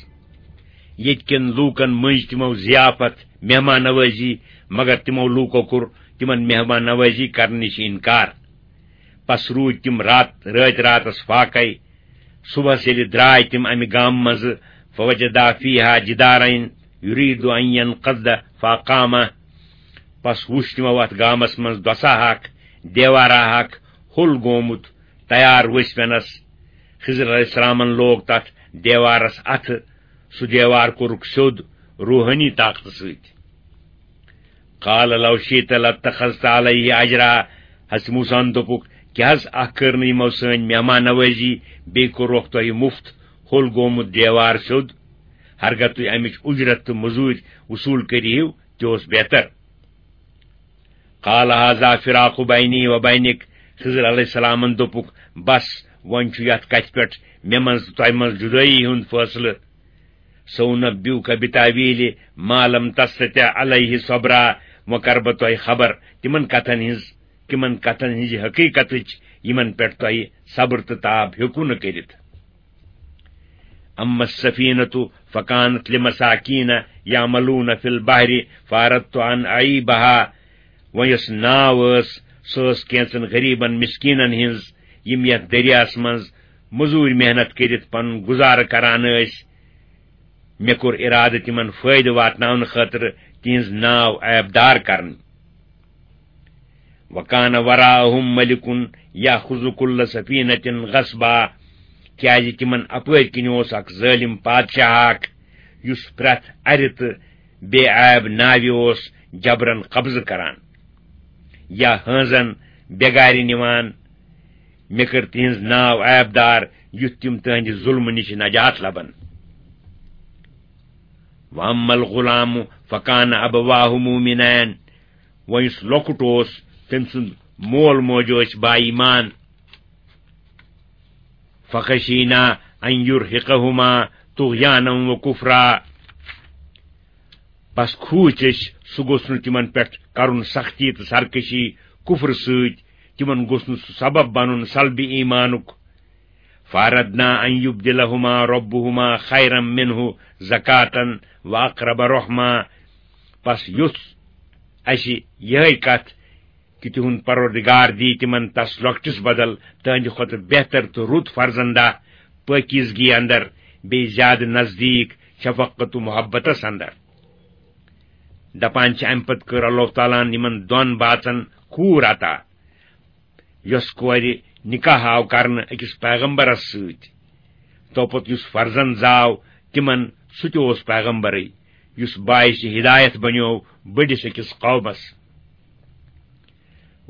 ییٚتہِ کٮ۪ن لوٗکن مٔنٛزۍ تِمو ضیافت، مہمان نوٲزی، مگر تِمو لوٗکو کوٚر تِمن مہمان نوٲزی کرنہٕ نِش انکار۔ پس روٗدۍ تِم رات، رٲتۍ راتس فاقے۔ صبحس ییٚلہِ درٛاے تِم امہِ گامہٕ منٛزٕ، فوجدا فیہا جدارین یرید ان ینقض فاقامہ۔ پس وُچھ تِمو اتھ گامس منٛز دۄسا اکھ، دیوارا اکھ، ہوٚل گومُت، تیار ؤسۍ پٮ۪نس۔ خضر علیہ السلامن لوگ تتھ دیوارس اتھٕ۔ سُہ دیوار کوٚرُکھ سیوٚد روحٲنی طاقتہٕ سۭتۍ۔ قال لو شئت لاتخذت علیہ اجرا۔ حضرت موسیٰ ہن دوٚپُکھ، کیٛاہ حض اکھ کٔر نہٕ یِمو سٲنۍ مہمان نوٲزی، بیٚیہِ کوٚرُکھ تۄہہِ مُفت ہوٚل گومُت دیوار سیوٚد؟ ہرگاہ تُہۍ امِچ اُجرت تہٕ مٔزوٗرۍ وصوٗل کٔرِہِو، تہِ اوس بہتر۔ قال هذا فراق بینی و بینک۔ خضر علیہ السلامن دوٚپُکھ، بس، وۄنۍ چھُ یتھ کتھِ پٮ۪ٹھ مےٚ منٛز تہٕ تۄہہِ منٛز جُدٲیی ہُنٛد فٲصلہٕ۔ سأنبئک بتأویل ما لم تستطع علیہ صبرا۔ وۄنۍ کرٕ بہٕ تۄہہِ خبر تِمن کتھن ہٕنٛز، تِمن کتھن ہٕنٛزِ حقیقتٕچ، یِمن پٮ۪ٹھ تۄہہِ صبر تہٕ تاب ہیوٚکوٕ نہٕ کٔرِتھ۔ اما السفینۃ فکانت لمساکین یعملون فی البحر فاردت ان اعیبها۔ وۄنۍ یۄس ناو ٲس، سۄ ٲس کینٛژن غریبن مسکینن ہٕنٛز، یِم یتھ دٔریاہس منٛز مٔزوٗرۍ محنت کٔرِتھ پنُن گُزارٕ کران ٲسۍ۔ مےٚ کوٚر ارادٕ تِمن فٲیدٕ واتناونہٕ خٲطرٕ تِہنٛز ناو عیبدار کرٕنۍ۔ وکان وراءہم ملک یاخذ کل سفینۃ غصبا۔ کیازِ تِمن اپٲرۍ کِنۍ اوس اکھ ظٲلم پادشاہ اکھ، یُس پرٛٮ۪تھ اَرِ تہٕ بے عیب ناوِ اوس جبرن قبضہٕ کران یا ہٲنزن بے گارِ نِوان۔ مےٚ کٔر تِہنٛز ناو عیبدار، یُتھ تِم تُہنٛدِ ظلمہٕ نِش نجات لبن۔ واما الغلام فکان ابواہ مومنین۔ وۄنۍ یُس لۄکُٹ اوس، تٔمۍ سُنٛد مول موج ٲسۍ با ایمان۔ فخشینا ان یرہقہما طغیانا و کفرا۔ پس کھوٗژ أسۍ، سُہ گوٚژھ نہٕ تِمن پٮ۪ٹھ کرُن سختی تہٕ سرکشی کفرٕ سۭتۍ، تِمن گوٚژھ نہٕ سُہ سبب بنُن سلبہِ ایمانُک۔ فاردنا ان یبدلہما ربہما خیرا منہ زکاة و اقرب رحما۔ پس یُژھ اسہِ یِہے کتھ کہِ تِہُنٛد پروردگار دی تِمن تس لۄکٹِس بدل تہنٛدِ کھۄتہٕ بہتر تہٕ رُت فرزندہ، پٲکیزگی اندر، بیٚیہِ زیادٕ نزدیٖک شفقت و محبتس اندر۔ دپان چھِ، امہِ پتہٕ کٔر اللہ تعالیٰ ہن یِمن دۄن باژن کوٗر عطا، یۄس کورِ نکاح آو کرنہٕ أکِس پیغمبرس سۭتۍ۔ توپتہٕ یُس فرزند زاو تِمن، سُہ تہِ اوس پیغمبرٕے، یُس باعث ہدایت بنیو بٔڑِس أکِس قومس۔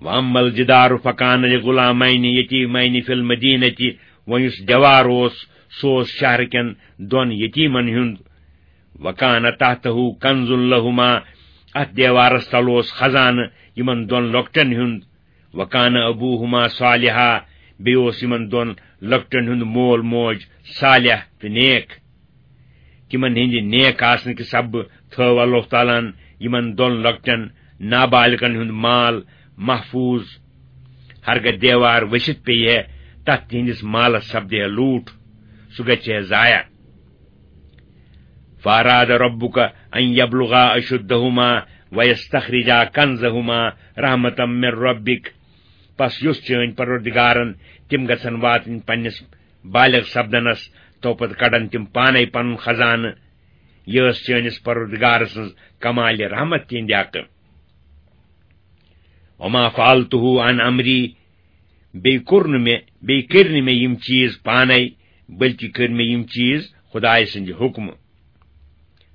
واما الجدار فکان لغلامین یتیمین فی المدینۃ۔ وۄنۍ یُس دیوار اوس، سُہ اوس شہرٕ کٮ۪ن دۄن یتیمن ہُنٛد۔ وکان تحتہ کنز لہما۔ اتھ دیوارس تل اوس خزانہٕ یِمن دۄن لۄکٹٮ۪ن ہُنٛد۔ وکان ابوہما صالحا۔ بیٚیہِ اوس یِمن دۄن لۄکٹٮ۪ن ہُنٛد مول موج صالح تہٕ نیک۔ تِمن ہٕنٛدِ نیک آسنہٕ کہِ سببہٕ تھٲو اللہ تعالیٰ ہن یِمن دۄن لۄکٹٮ۪ن نابالغن ہُنٛد مال محفوظ۔ ہرگاہ دیوار ؤسِتھ پیٚیہِ ہے، تتھ تِہنٛدِس مالس سپدِ ہے لوٗٹھ، سُہ گژھِ ہے ضایع۔ فاراد ربک ان یبلغا اشدہما ویستخرجا کنزہما رحمتا من ربک۔ پس یوٚژھ چٲنۍ پروردگارن تِم گژھن واتٕنۍ پننِس بالغ سپدنس، تو پتہٕ کڑن تِم پانے پنُن خزانہٕ۔ یہِ ٲس چٲنِس پروردگار سٕنٛز کمالِ رحمت تِہنٛدِ حقہٕ۔ وما فعلتہ عن امری۔ بیٚیہِ کوٚر نہٕ مےٚ، بیٚیہِ کٔرۍ نہٕ مےٚ یِم چیٖز پانے، بلکہِ کٔرۍ مےٚ یِم چیٖز خدایہِ سٕنٛدِ حُکمہٕ۔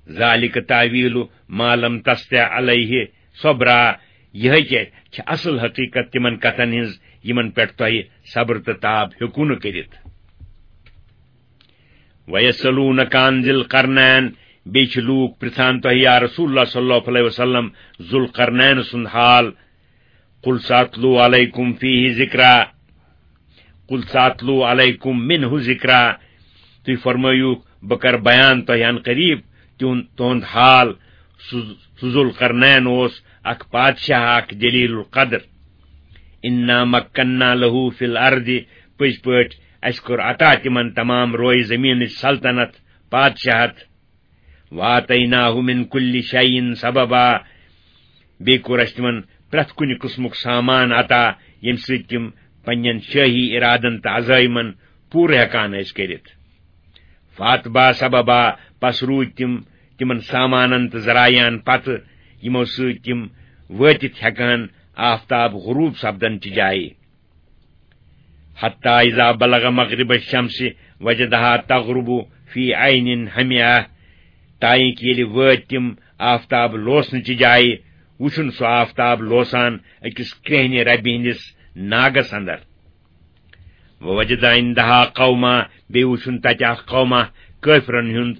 ذالک تاویل ما لم تستع علیہ صبرا۔ یِہے کیٛاہ چھِ اصل حقیقت تِمن کتھن ہٕنٛز، یِمن پٮ۪ٹھ تۄہہِ صبر تہٕ تاب ہیوٚکوٕ نہٕ کٔرِتھ۔ ویسألونک عن ذی القرنین۔ بیٚیہِ چھِ لوٗکھ پرژھان تۄہہِ، یا رسول اللہ صلی اللہ علیہ وسلم، ذوالقرنین سُنٛد حال۔ قل سأتلو علیکم فیہ ذکرا۔ قل سأتلو علیکم منہ ذکرا۔ تُہۍ فرمٲیِو، بہٕ کرٕ بیان تۄہہِ عن قریب تِہُنٛد، تُہُنٛد حال۔ سُہ، سُہ ذوالقرنین اوس اکھ بادشاہ، اکھ جلیل القدر۔ انا مکننا لہ فی الارض، پٔزۍ پٲٹھۍ اَسہِ کوٚر عطا تِمن تمام رویہِ زمینٕچ سلطنت، بادشاہت۔ وآتیناہ من کل شیء سببا، بیٚیہِ کوٚر اَسہِ تِمن پرٛٮ۪تھ کُنہِ قٕسمُک سامان عطا، ییٚمہِ سۭتۍ تِم پننٮ۪ن شٲہی ارادن تہٕ عزٲیمن پوٗرٕ ہٮ۪کان ٲسۍ کٔرِتھ۔ فاتبع سببا، پس روٗدۍ تِم تِمن سامانن تہٕ ذرایعن پتہٕ، یِمو سۭتۍ تِم وٲتِتھ ہٮ۪کہٕ ہن آفتاب غروب سپدن چہِ جایہِ۔ حتی اذا بلغ مغرب الشمس وجدها تغرب فی عین حمیہ، تائیں کہ ییٚلہِ وٲتۍ تِم آفتاب لوسنہٕ چہِ جایہِ، وُچھُن سُہ آفتاب لوسان أکِس کرٛیٚہنہِ ربہِ ہٕنٛدِس ناگس اندر۔ ووجد عندها قوما، بیٚیہِ وُچھُن تتہِ اکھ قوما کٲفرن ہُنٛد۔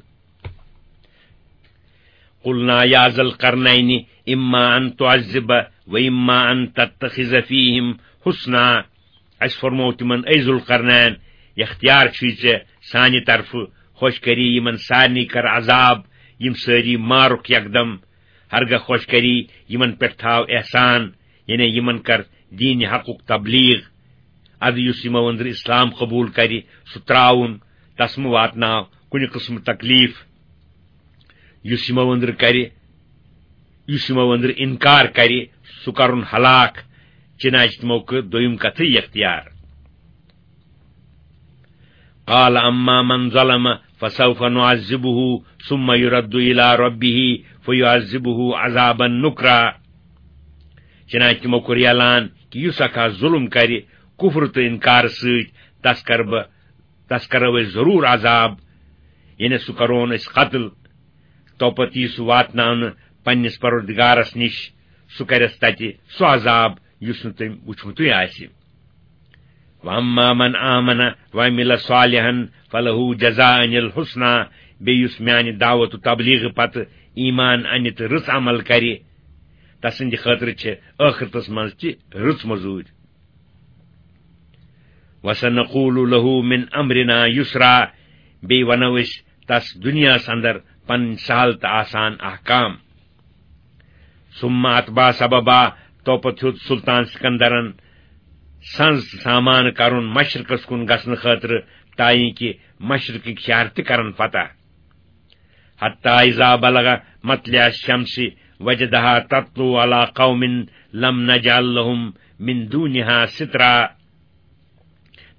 قلنا یا ذا القرنین اما ان تعذب و اما ان تتخذ فیہم حسنا۔ اسہِ فرموو تِمن، اے ذوالقرنین، اختیار چھُے ژےٚ سانہِ طرفہٕ، خۄش کری یِمن سارنٕے کر عذاب، یِم سٲری مارُکھ یکدم، ہرگاہ خۄش کری یِمن پٮ۪ٹھ تھاو احسان، یعنی یِمن کر دین حقُک تبلیغ۔ ادٕ یُس یِمو أنٛدرٕ اسلام قبول کرِ، سُہ تراوُن، تس مہٕ واتناو کُنہِ قٕسمہٕ تکلیف۔ یُس یِمو أنٛدرٕ کرِ، یُس یِمو أنٛدرٕ انکار کرِ، سُہ کرُن ہلاک، چنانچہ تِمو کٔر دوٚیِم کتھٕے اختیار۔ قال اما من ظلم فسوف نعذبه ثم يرد الى ربه فيعذبه عذابا نكرا۔ چنانچہ تِمو کوٚر اعلان کہ یُس اکھ ظلم کرِ کفر تہٕ انکار سۭتۍ، تس کرٕ بہٕ، تس کرو أسۍ ضرور عذاب، یعنی سُہ کرون أسۍ قتل۔ توپتہٕ یی سُہ واتناونہٕ پننِس پروردگارس نِش، سُہ کرٮ۪س تتہِ سُہ عذاب یُس نہٕ تٔمۍ وُچھمُتُے آسہِ۔ واما من آمن وعمل صالحا فلہ جزاء الحسنی، بیٚیہِ یُس میانہِ دعوت و تبلیغ پتہٕ ایمان انہِ تہٕ رٕژ عمل کرِ، تسٕنٛدِ خٲطرٕ چھِ ٲخرتس منٛز تہِ رٕژ مزوٗرۍ۔ وسنقول له من امرنا یسرا، بیٚیہِ ونو أسۍ تس دُنیاہس اندر پنٕنۍ سہل تہٕ آسان احکام۔ ثم اتبع سببا، توپتہٕ ہیوٚت سلطان سکندرن سنز تہٕ سامان کرُن مشرقس کُن گژھنہٕ خٲطرٕ، تائیں کہ مشرقٕکۍ شہر تہِ کرن فتح۔ حتی اذا بلغ مطلع الشمس وجدها تطلع على قوم لم نجعل لهم من دونها سترا۔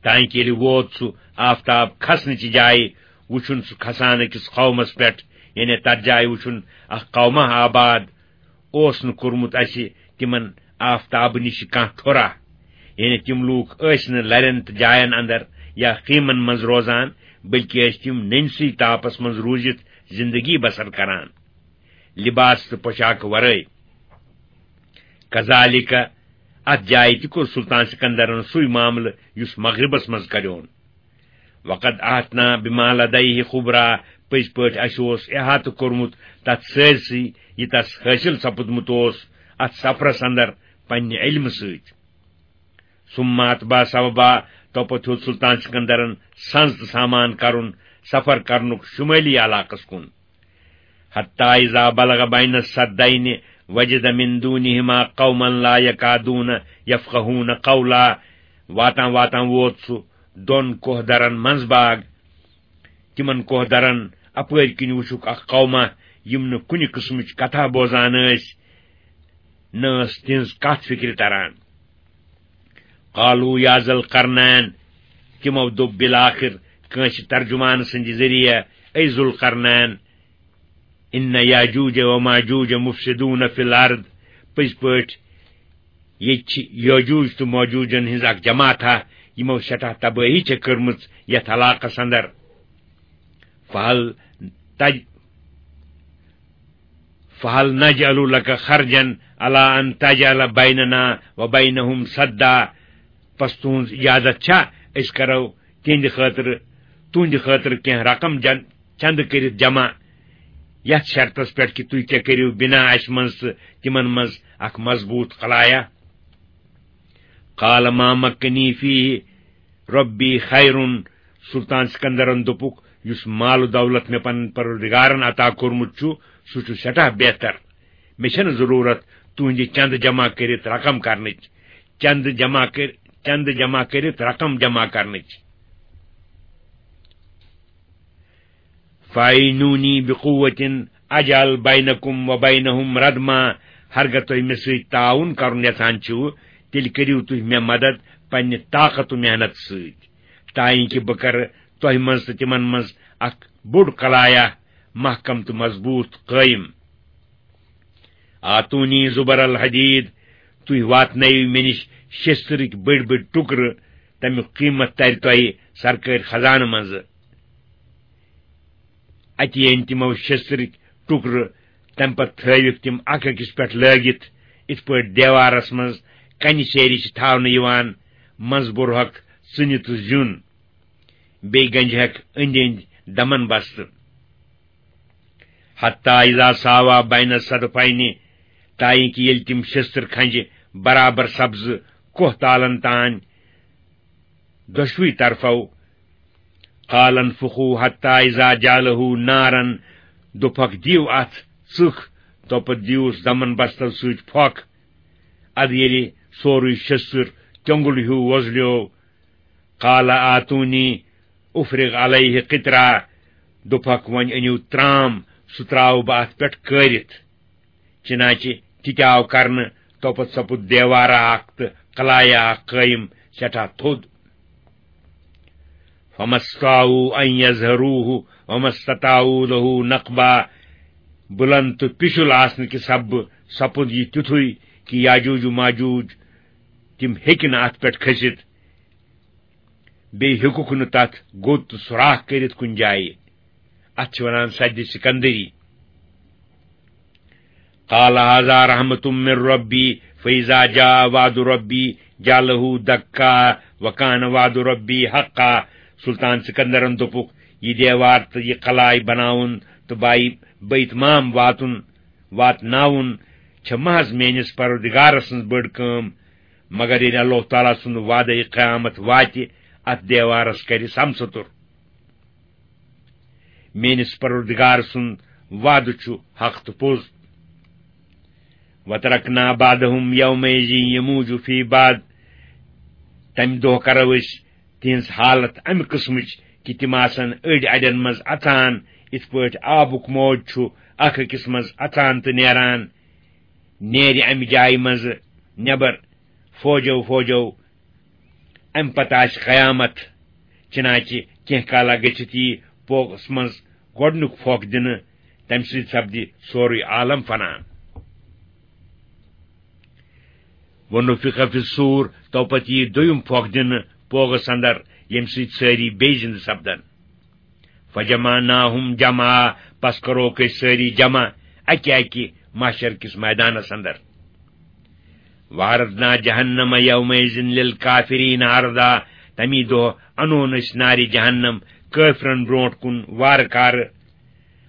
تائیں کہ ییٚلہِ ووت سُہ آفتاب کھسنہٕ چہِ جایہِ، وُچھُن سُہ کھسان أکِس قومس پٮ۪ٹھ، یعنی تتھ جایہِ وُچھُن اکھ قومہ آباد، اوس نہٕ کوٚرمُت اسہِ تِمن آفتابہٕ نِش کانٛہہ ٹھوٚرا۔ یعنی تِم لوٗکھ ٲسۍ نہٕ لرٮ۪ن تہٕ جاین اندر یا خیمن منٛز روزان، بلکہِ ٲسۍ تِم نٔنۍ سٕے تاپس منٛز روٗزِتھ زندگی بسر کران، لباس تہٕ پوشاکہٕ ورٲے۔ کذالک، اتھ جایہِ تہِ کوٚر سلطان سکندرن سُے معاملہٕ یُس مغربس منٛز کریون۔ وقد احطنا بما لدیہ خبرا، پٔزۍ پٲٹھۍ اسہِ اوس احاطہٕ کوٚرمُت تتھ سٲرسٕے، یہِ تس حٲصِل سپُدمُت اوس اتھ سفرس اندر پننہِ علمہٕ سۭتۍ۔ ثم اتبع سببا، توپتہٕ ہیوٚت سلطان سکندرن سنز تہٕ سامان کرُن سفر کرنُک شمٲلی علاقس کُن۔ حتی اذا بلغ بین السدین وجد من دونہما قوما لا یکادون یفقہون قولا۔ واتان واتان ووت سُہ دۄن کوہ درن منٛز باگ۔ تِمن کوہ درن اپٲرۍ کِنۍ وُچھُکھ اکھ قوما، یِم نہٕ کُنہِ قٕسمٕچ کتھا بوزان ٲسۍ، نہ ٲس تِہنٛز کتھ فکرِ تران۔ قالوا یا ذا القرنین، تِمو دوٚپ بالآخر کٲنٛسہِ ترجمان سٕنٛدِ ذٔریعہٕ، اے ذوالقرنین، ان یاجوج و ماجوج مفسدون فی الارض، پٔزۍ پٲٹھۍ ییٚتہِ چھِ یاجوج تہٕ ماجوجن ہٕنٛز اکھ جماعتھا، یِمو سٮ۪ٹھاہ تبٲہی چھےٚ کٔرمٕژ یتھ علاقس اندر۔ فہل تج فہل نجعل لک خرجا علی ان تجعل بیننا و بینہم سدا، پس تُہنٛز اجازت چھا أسۍ کرو تِہنٛدِ خٲطرٕ، تُہنٛدِ خٲطرٕ کینٛہہ رقم جن-، چندٕ کٔرِتھ جمع، یتھ شرطس پٮ۪ٹھ کہِ تُہۍ تہِ کٔرِو بنا اسہِ منٛز تہٕ تِمن منٛز اکھ مضبوط خلایہ؟ قال ما مکنی فیہ ربی خیر، سلطان سکندرن دوٚپُکھ، یُس مال و دولت مےٚ پنُن پروردگارن عطا کوٚرمُت چھُ، سُہ چھُ سٮ۪ٹھاہ بہتر۔ مےٚ چھَنہٕ ضروٗرت تُہٕنٛدِ چندٕ جمع کٔرِتھ رقم کرنٕچ، چندٕ جمع کٔر-، چندٕ جمع کٔرِتھ رقم جمع کرنٕچ۔ فَاعِنُونِی بِقُوَّةٍ أَجْعَلْ بَیْنَکُم وَبَیْنَہُم رَدْمًا، ہرگاہ تُہۍ مےٚ سۭتۍ تعاوُن کرُن یژھان چھِو، تیٚلہِ کٔرِو تُہۍ مےٚ مدد پننہِ طاقت و محنت سۭتۍ، تاکہ بہٕ کرٕ تۄہہِ منٛز تہٕ تِمن منٛز اکھ بوٚڑ قلایہ محکم تہٕ مضبوط قٲیِم۔ آتونی زبر الحدید، تُہۍ واتنٲیِو مےٚ نِش شیٚستٕرٕکۍ بٔڑۍ بٔڑۍ ٹُکرٕ، تَمیُک قۭمتھ تَرِ تۄہہِ سرکٲرۍ خزانہٕ منٛزٕ۔ اَتہِ أنۍ تِمو شیٚستٕرٕکۍ ٹُکرٕ، تَمہِ پتہٕ تھٲوِکھ تِم اکھ أکِس پٮ۪ٹھ لٲگِتھ، یِتھ پٲٹھۍ دیوارس منٛز کنہِ سیرِ چھِ تھاونہٕ یِوان، منٛزٕ بوٚرہکھ ژٕنہِ تہٕ زیُن، بیٚیہِ گنجہکھ أنٛدۍ أنٛدۍ دمن بستہٕ۔ حتی اذا ساوا بین الصدفین، تاکہ ییٚلہِ تِم شستر کھنجہِ برابر سپزٕ کوہ تالن تام دۄشوٕے طرفو۔ قال انفخوا حتی اذا جعله نارا، دوٚپکھ، دِیِو اتھ ژٕکھ، توپتہٕ دِیوس دمن بستو سۭتۍ پھۄکھ۔ ادٕ ییٚلہِ سورُے شستر کیوٚنگُل ہیوٗ وۄزلیو، قال آتونی افرغ علیہ قطرا، دوٚپکھ، وۄنۍ أنِو ترام، سُہ ترٛاوٕ بہٕ اتھ پٮ۪ٹھ کٲرِتھ۔ چنانچہ تہِ تہِ آو کرنہٕ، توپتہٕ سپُد دیوارہ اکھ تہٕ قلایہ اکھ قٲیِم سٮ۪ٹھاہ تھوٚد۔ فما استطاعوا ان یظہروہ وما استطاعوا لہ نقبا، بلند تہٕ پِشُل آسنہٕ کہِ سببہٕ سپُد یہِ تیُتھُے کہِ یاجوج و ماجوج تِم ہیٚکہِ نہٕ اتھ پٮ۪ٹھ کھٔسِتھ، بیٚیہِ ہیوٚکُکھ نہٕ تتھ گوٚد تہٕ سوراخ کٔرِتھ کُنہِ جایہِ۔ اتھ چھِ ونان سدِ سکندری۔ قال هذا رحمة من ربی فإذا جاء وعد ربی جعله دکا وکان وعد ربی حقا۔ سلطان سکندرن دوٚپُکھ، یہِ دیوار تہٕ یہِ قلعہ بناوُن تہٕ بائی بیت مام واتُن، واتناوُن چھےٚ محض میٲنِس پروردگار سٕنٛز بٔڑ کٲم، مگر ییٚلہِ اللہ تعالیٰ سُنٛد وعدے قیامت واتہِ، اتھ دیوارس کرِ سمسُتر۔ میٲنِس پروردگار سُنٛد وعدٕ چھُ حق تہٕ پوٚز۔ وترکنا بعدهم یومئذ یموج فی بعض، تمہِ دۄہ کرو أسۍ تِہنٛز حالت امہِ قٕسمٕچ کہِ تِم آسن أڑۍ اڑٮ۪ن منٛز اژان، یِتھ پٲٹھۍ آبُک موج چھُ اکھ أکِس منٛز اژان تہٕ نیران، نیرِ امہِ جایہِ منٛزٕ نٮ۪بر فوجو فوجو۔ امہِ پتہٕ آسہِ قیامت، چنانچہ کینٛہہ کالا گٔژھِتھ یی پوگس منٛز گۄڈنیُک پھۄکھ دِنہٕ، تمہِ سۭتۍ سپدِ سورُے عالم فنا۔ ونفخ فی الصور، تو پتہٕ یی دوٚیُم پھۄکھ دِنہٕ پوگس اندر، ییٚمہِ سۭتۍ سٲری بیٚیہِ زِندٕ سپدن۔ فجمعناہم جمعا، پس کروکھ أسۍ سٲری جمع اکہِ اکہِ محشر کِس میدانس اندر۔ وعرضنا جہنم یومئذ للکافرین عرضا، تمی دۄہ انون أسۍ نارِ جہنم کٲفرن برونٹھ کُن وارٕ کارٕ۔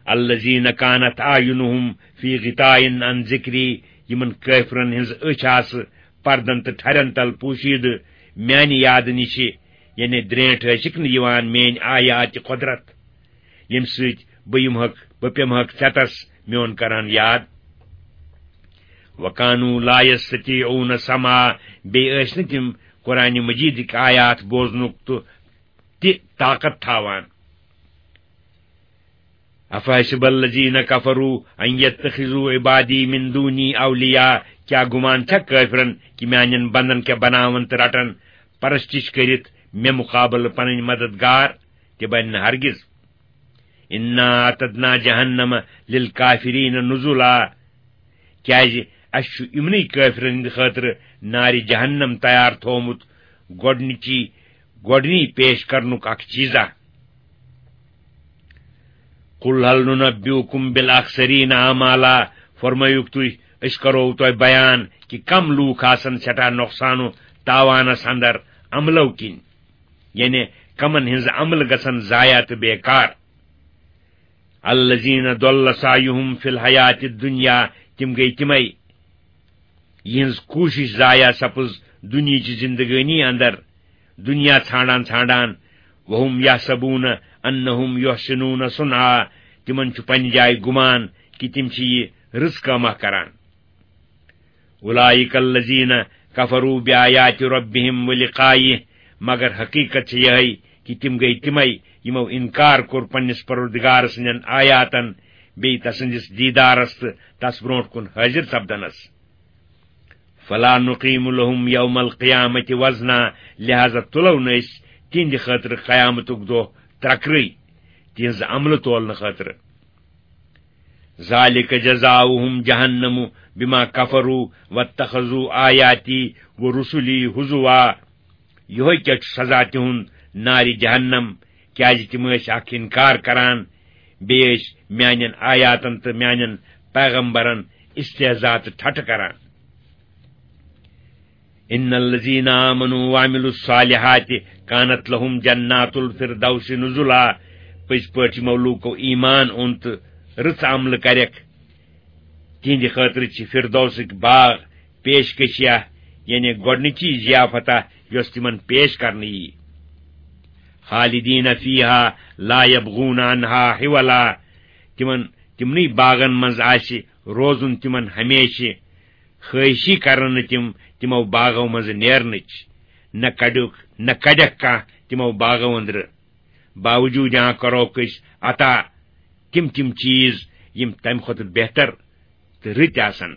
الذین کانت اعینہم فی غطاء عن ذکری، یِمن کٲفرن ہٕنٛز أچھ آسہٕ پردن تہٕ ٹھرٮ۪ن تل پوشیدٕ میانہِ یادٕ نِشہِ، یعنی درینٹھ ٲسِکھ نہٕ یِوان میٲنۍ آیاتِ قدرت، ییٚمہِ سۭتۍ بہٕ یِمہکھ، بہٕ پیمہکھ ژٮ۪تس میون کران یاد۔ وکانوا لا یستطیعون سمعا، بیٚیہِ ٲسۍ نہٕ تِم قرآن مجیدٕکۍ آیات بوزنُک تہٕ تہِ طاقت تھاوان۔ افحسب الذین کفروا ان یتخذوا عبادی من دونی اولیاء، کیا گمان چھا کٲفرن کہ میانٮ۪ن بندن کیا بناون تہٕ رٹن پرستش کٔرِتھ مےٚ مقابلہٕ پنٕنۍ مددگار؟ تہِ بنہِ نہٕ ہرگز۔ انا اعتدنا جہنم للکافرین نزلا، کیازِ اسہِ چھُ یِمنٕے کٲفرن ہٕنٛدِ خٲطرٕ نارِ جہنم تیار تھوومُت گۄڈنِچی، گۄڈنی پیش کرنُک اکھ چیزا۔ قل هل ننبئكم بالاخسرین اعمالا، فرمٲیِو تُہۍ، أسۍ کرو تۄہہِ بیان کہِ کم لوٗکھ آسن سٮ۪ٹھاہ نۄقصان و تاوانس اندر عملو کِنۍ، یعنی کمن ہٕنٛز عمل گژھن ضایع تہٕ بیکار۔ الذین ضل سعیہم فی الحیات الدنیا، تِم گٔے تِمے، یِہٕنٛز کوٗشِش ضایع سپٕز دُنیاہچہِ زِندگٲنی اندر، دُنیا ژھانڈان ژھانڈان۔ وہم یحسبون انہم یحسنون صنعا، تِمن چھُ پننہِ جایہِ گُمان کہِ تِم چھِ یہِ رٕژ کٲمہ کران۔ اولئک الذین کفروا بآیات ربہم ولقائہ، مگر حقیقت چھِ یِہے کہِ تِم گٔے تِمے یِمو انکار کوٚر پننِس پروردگار سٕنٛدٮ۪ن آیاتن، بیٚیہِ تسٕنٛدِس دیدارس تہٕ تس برونٛٹھ کُن حٲضِر سپدنس۔ فلا نقیم لهم یوم القیامة وزنا، لہذا تُلو نہٕ أسۍ تِہنٛدِ خٲطرٕ قیامتُک دۄہ ترکرٕے تِہنٛزِ عملہٕ تولنہٕ خٲطرٕ۔ ذالک جزاؤہم جہنم بما کفروا واتخذوا آیاتی ورسلی ہزوا۔ یہوے کیا چھُ سزا تِہُنٛد، نارِ جہنم، کیازِ تِم ٲسۍ اکھ انکار کران، بیٚیہِ ٲسۍ میانٮ۪ن آیاتن تہٕ میانٮ۪ن پیغمبرن استہزا تہٕ ٹھٹھٕ کران۔ ان الذین آمنوا وعملوا الصالحات کانت لهم جنات الفردوس نزلا۔ پٔزۍ پٲٹھۍ یِمو لوٗکو ایمان اوٚن تہٕ رٕژ عملہٕ کرٮ۪کھ، تِہنٛدِ خٲطرٕ چھِ فردوسٕکۍ باغ پیشکشیہ، یعنی گۄڈنِچی ضیافتہ، یۄس تِمن پیش کرنہٕ یی۔ خالدین فیہا لا یبغون عنہا حولا۔ تِمن، تِمنٕے باغن منٛز آسہِ روزُن تِمن ہمیشہِ۔ خٲہشی کرن نہٕ تِم تِمو باغو منٛزٕ نیرنٕچ، نہ کڑیُک، نہ کڑیکھ کانٛہہ تِمو باغو أنٛدرٕ۔ باوجوٗد یہاں کروکھ أسۍ عطا تِم تِم چیٖز یِم تمہِ کھۄتہٕ بہتر تہٕ رٕتۍ آسن۔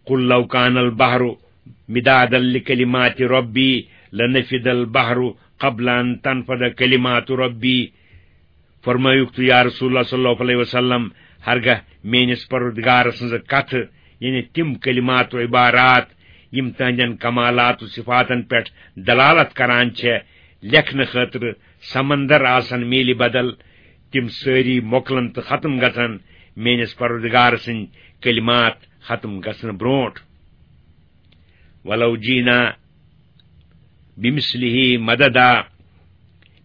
قل لو کان البحر مدادا لکلمات ربی لنفد البحر قبل ان تنفد کلمات ربی۔ فرمٲیُکھ تُہۍ، یا رسول اللہ صلی اللہ علیہ وسلم، ہرگاہ میٲنِس پروردگار سٕنٛزٕ کتھٕ، یعنی تِم کلمات و عبارات، یِم تہنٛدٮ۪ن کمالات و صفاتن پٮ۪ٹھ دلالت کران چھےٚ، لیکھنہٕ خٲطرٕ سمندر آسن میلہِ بدل، تِم سٲری مۄکلن تہٕ ختم گژھن میٲنِس پروردگار سٕنٛدۍ کلمات ختم گژھنہٕ برونٛٹھ۔ ولو جینا بمثلہ مددا،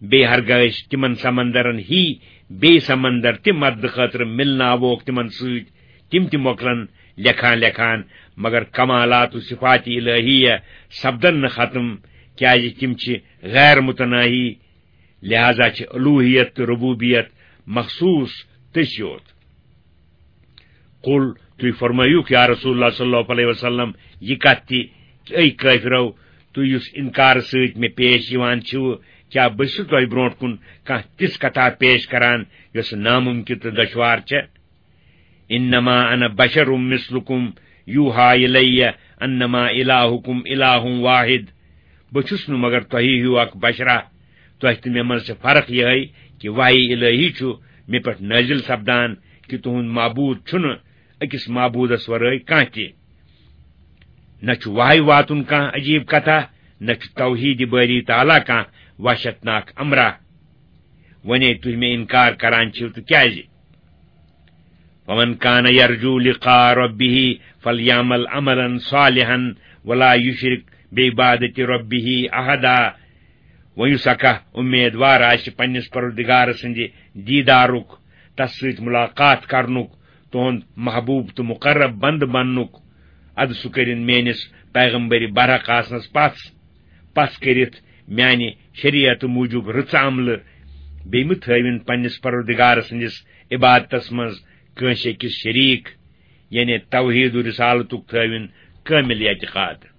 بیٚیہِ ہرگاہ أسۍ تِمن سمندرن ہی بیٚیہِ سمندر تہِ مددٕ خٲطرٕ مِلناووکھ تِمن سۭتۍ، تِم تہِ مۄکلن لیکھان لیکھان، مگر کمالات و صفات الہیہ سپدن نہٕ ختم، کیازِ تِم چھِ غیر متناہی، لہذا چھِ الوہیت تہٕ ربوبیت مخصوص تٔسۍ یوت۔ قل، تُہۍ فرمٲیِو یا رسول اللہ صلی اللہ علیہ وسلم، یہِ کتھ تہِ، اے کٲفرو، تُہۍ یُس انکار سۭتۍ مےٚ پیش یِوان چھِو، کیٛاہ بہٕ چھُس تۄہہِ برونٛٹھ کُن کانٛہہ تِژھ کتھا پیش کران یۄس ناممکن تہٕ دشوار چھےٚ؟ انما انا بشر مثلکم یوحی الی انما الہکم الہ واحد۔ بہٕ چھُس نہٕ مگر تۄہی ہیوٗ اکھ بشرا۔ تۄہہِ تہٕ مےٚ منٛز چھِ فرق یِہے کہِ وحی الہی چھُ مےٚ پٮ۪ٹھ نٲزِل سپدان کہِ تُہُنٛد معبوٗد چھُنہٕ أکِس معبوٗدس ورٲے کانٛہہ تہِ۔ نہ چھُ وحی واتُن کانٛہہ عجیٖب کتھا، نہ چھُ توحیٖد بٲری تعالیٰ کانٛہہ وحشتناک امرا۔ وۄنۍ ہے تُہۍ مےٚ انکار کران چھِو تہٕ کیازِ؟ ومن کان یرجو لقاء ربہ فلیعمل عملا صالحا ولا یشرک بعبادت ربہ احدا۔ وۄنۍ یُس اکھ امیدوار آسہِ پننِس پروردگار سٕنٛدِ دیدارُک، تس سۭتۍ ملاقات کرنُک، تُہُنٛد محبوب تہٕ مقرب بندٕ بننُک، ادٕ سُہ کٔرِن میٲنِس پیغمبر برحق آسنس پژھ، پژھ کٔرِتھ میانہِ شریعت موٗجوٗب رٕژ عملہٕ، بیٚیہِ مہٕ تھٲوِن پننِس پروردگار سٕنٛدِس عبادتس منٛز کٲنٛسہِ أکِس شریٖک، یعنی توحید و رسالتُک تھٲوِن کٲمِل اعتقاد۔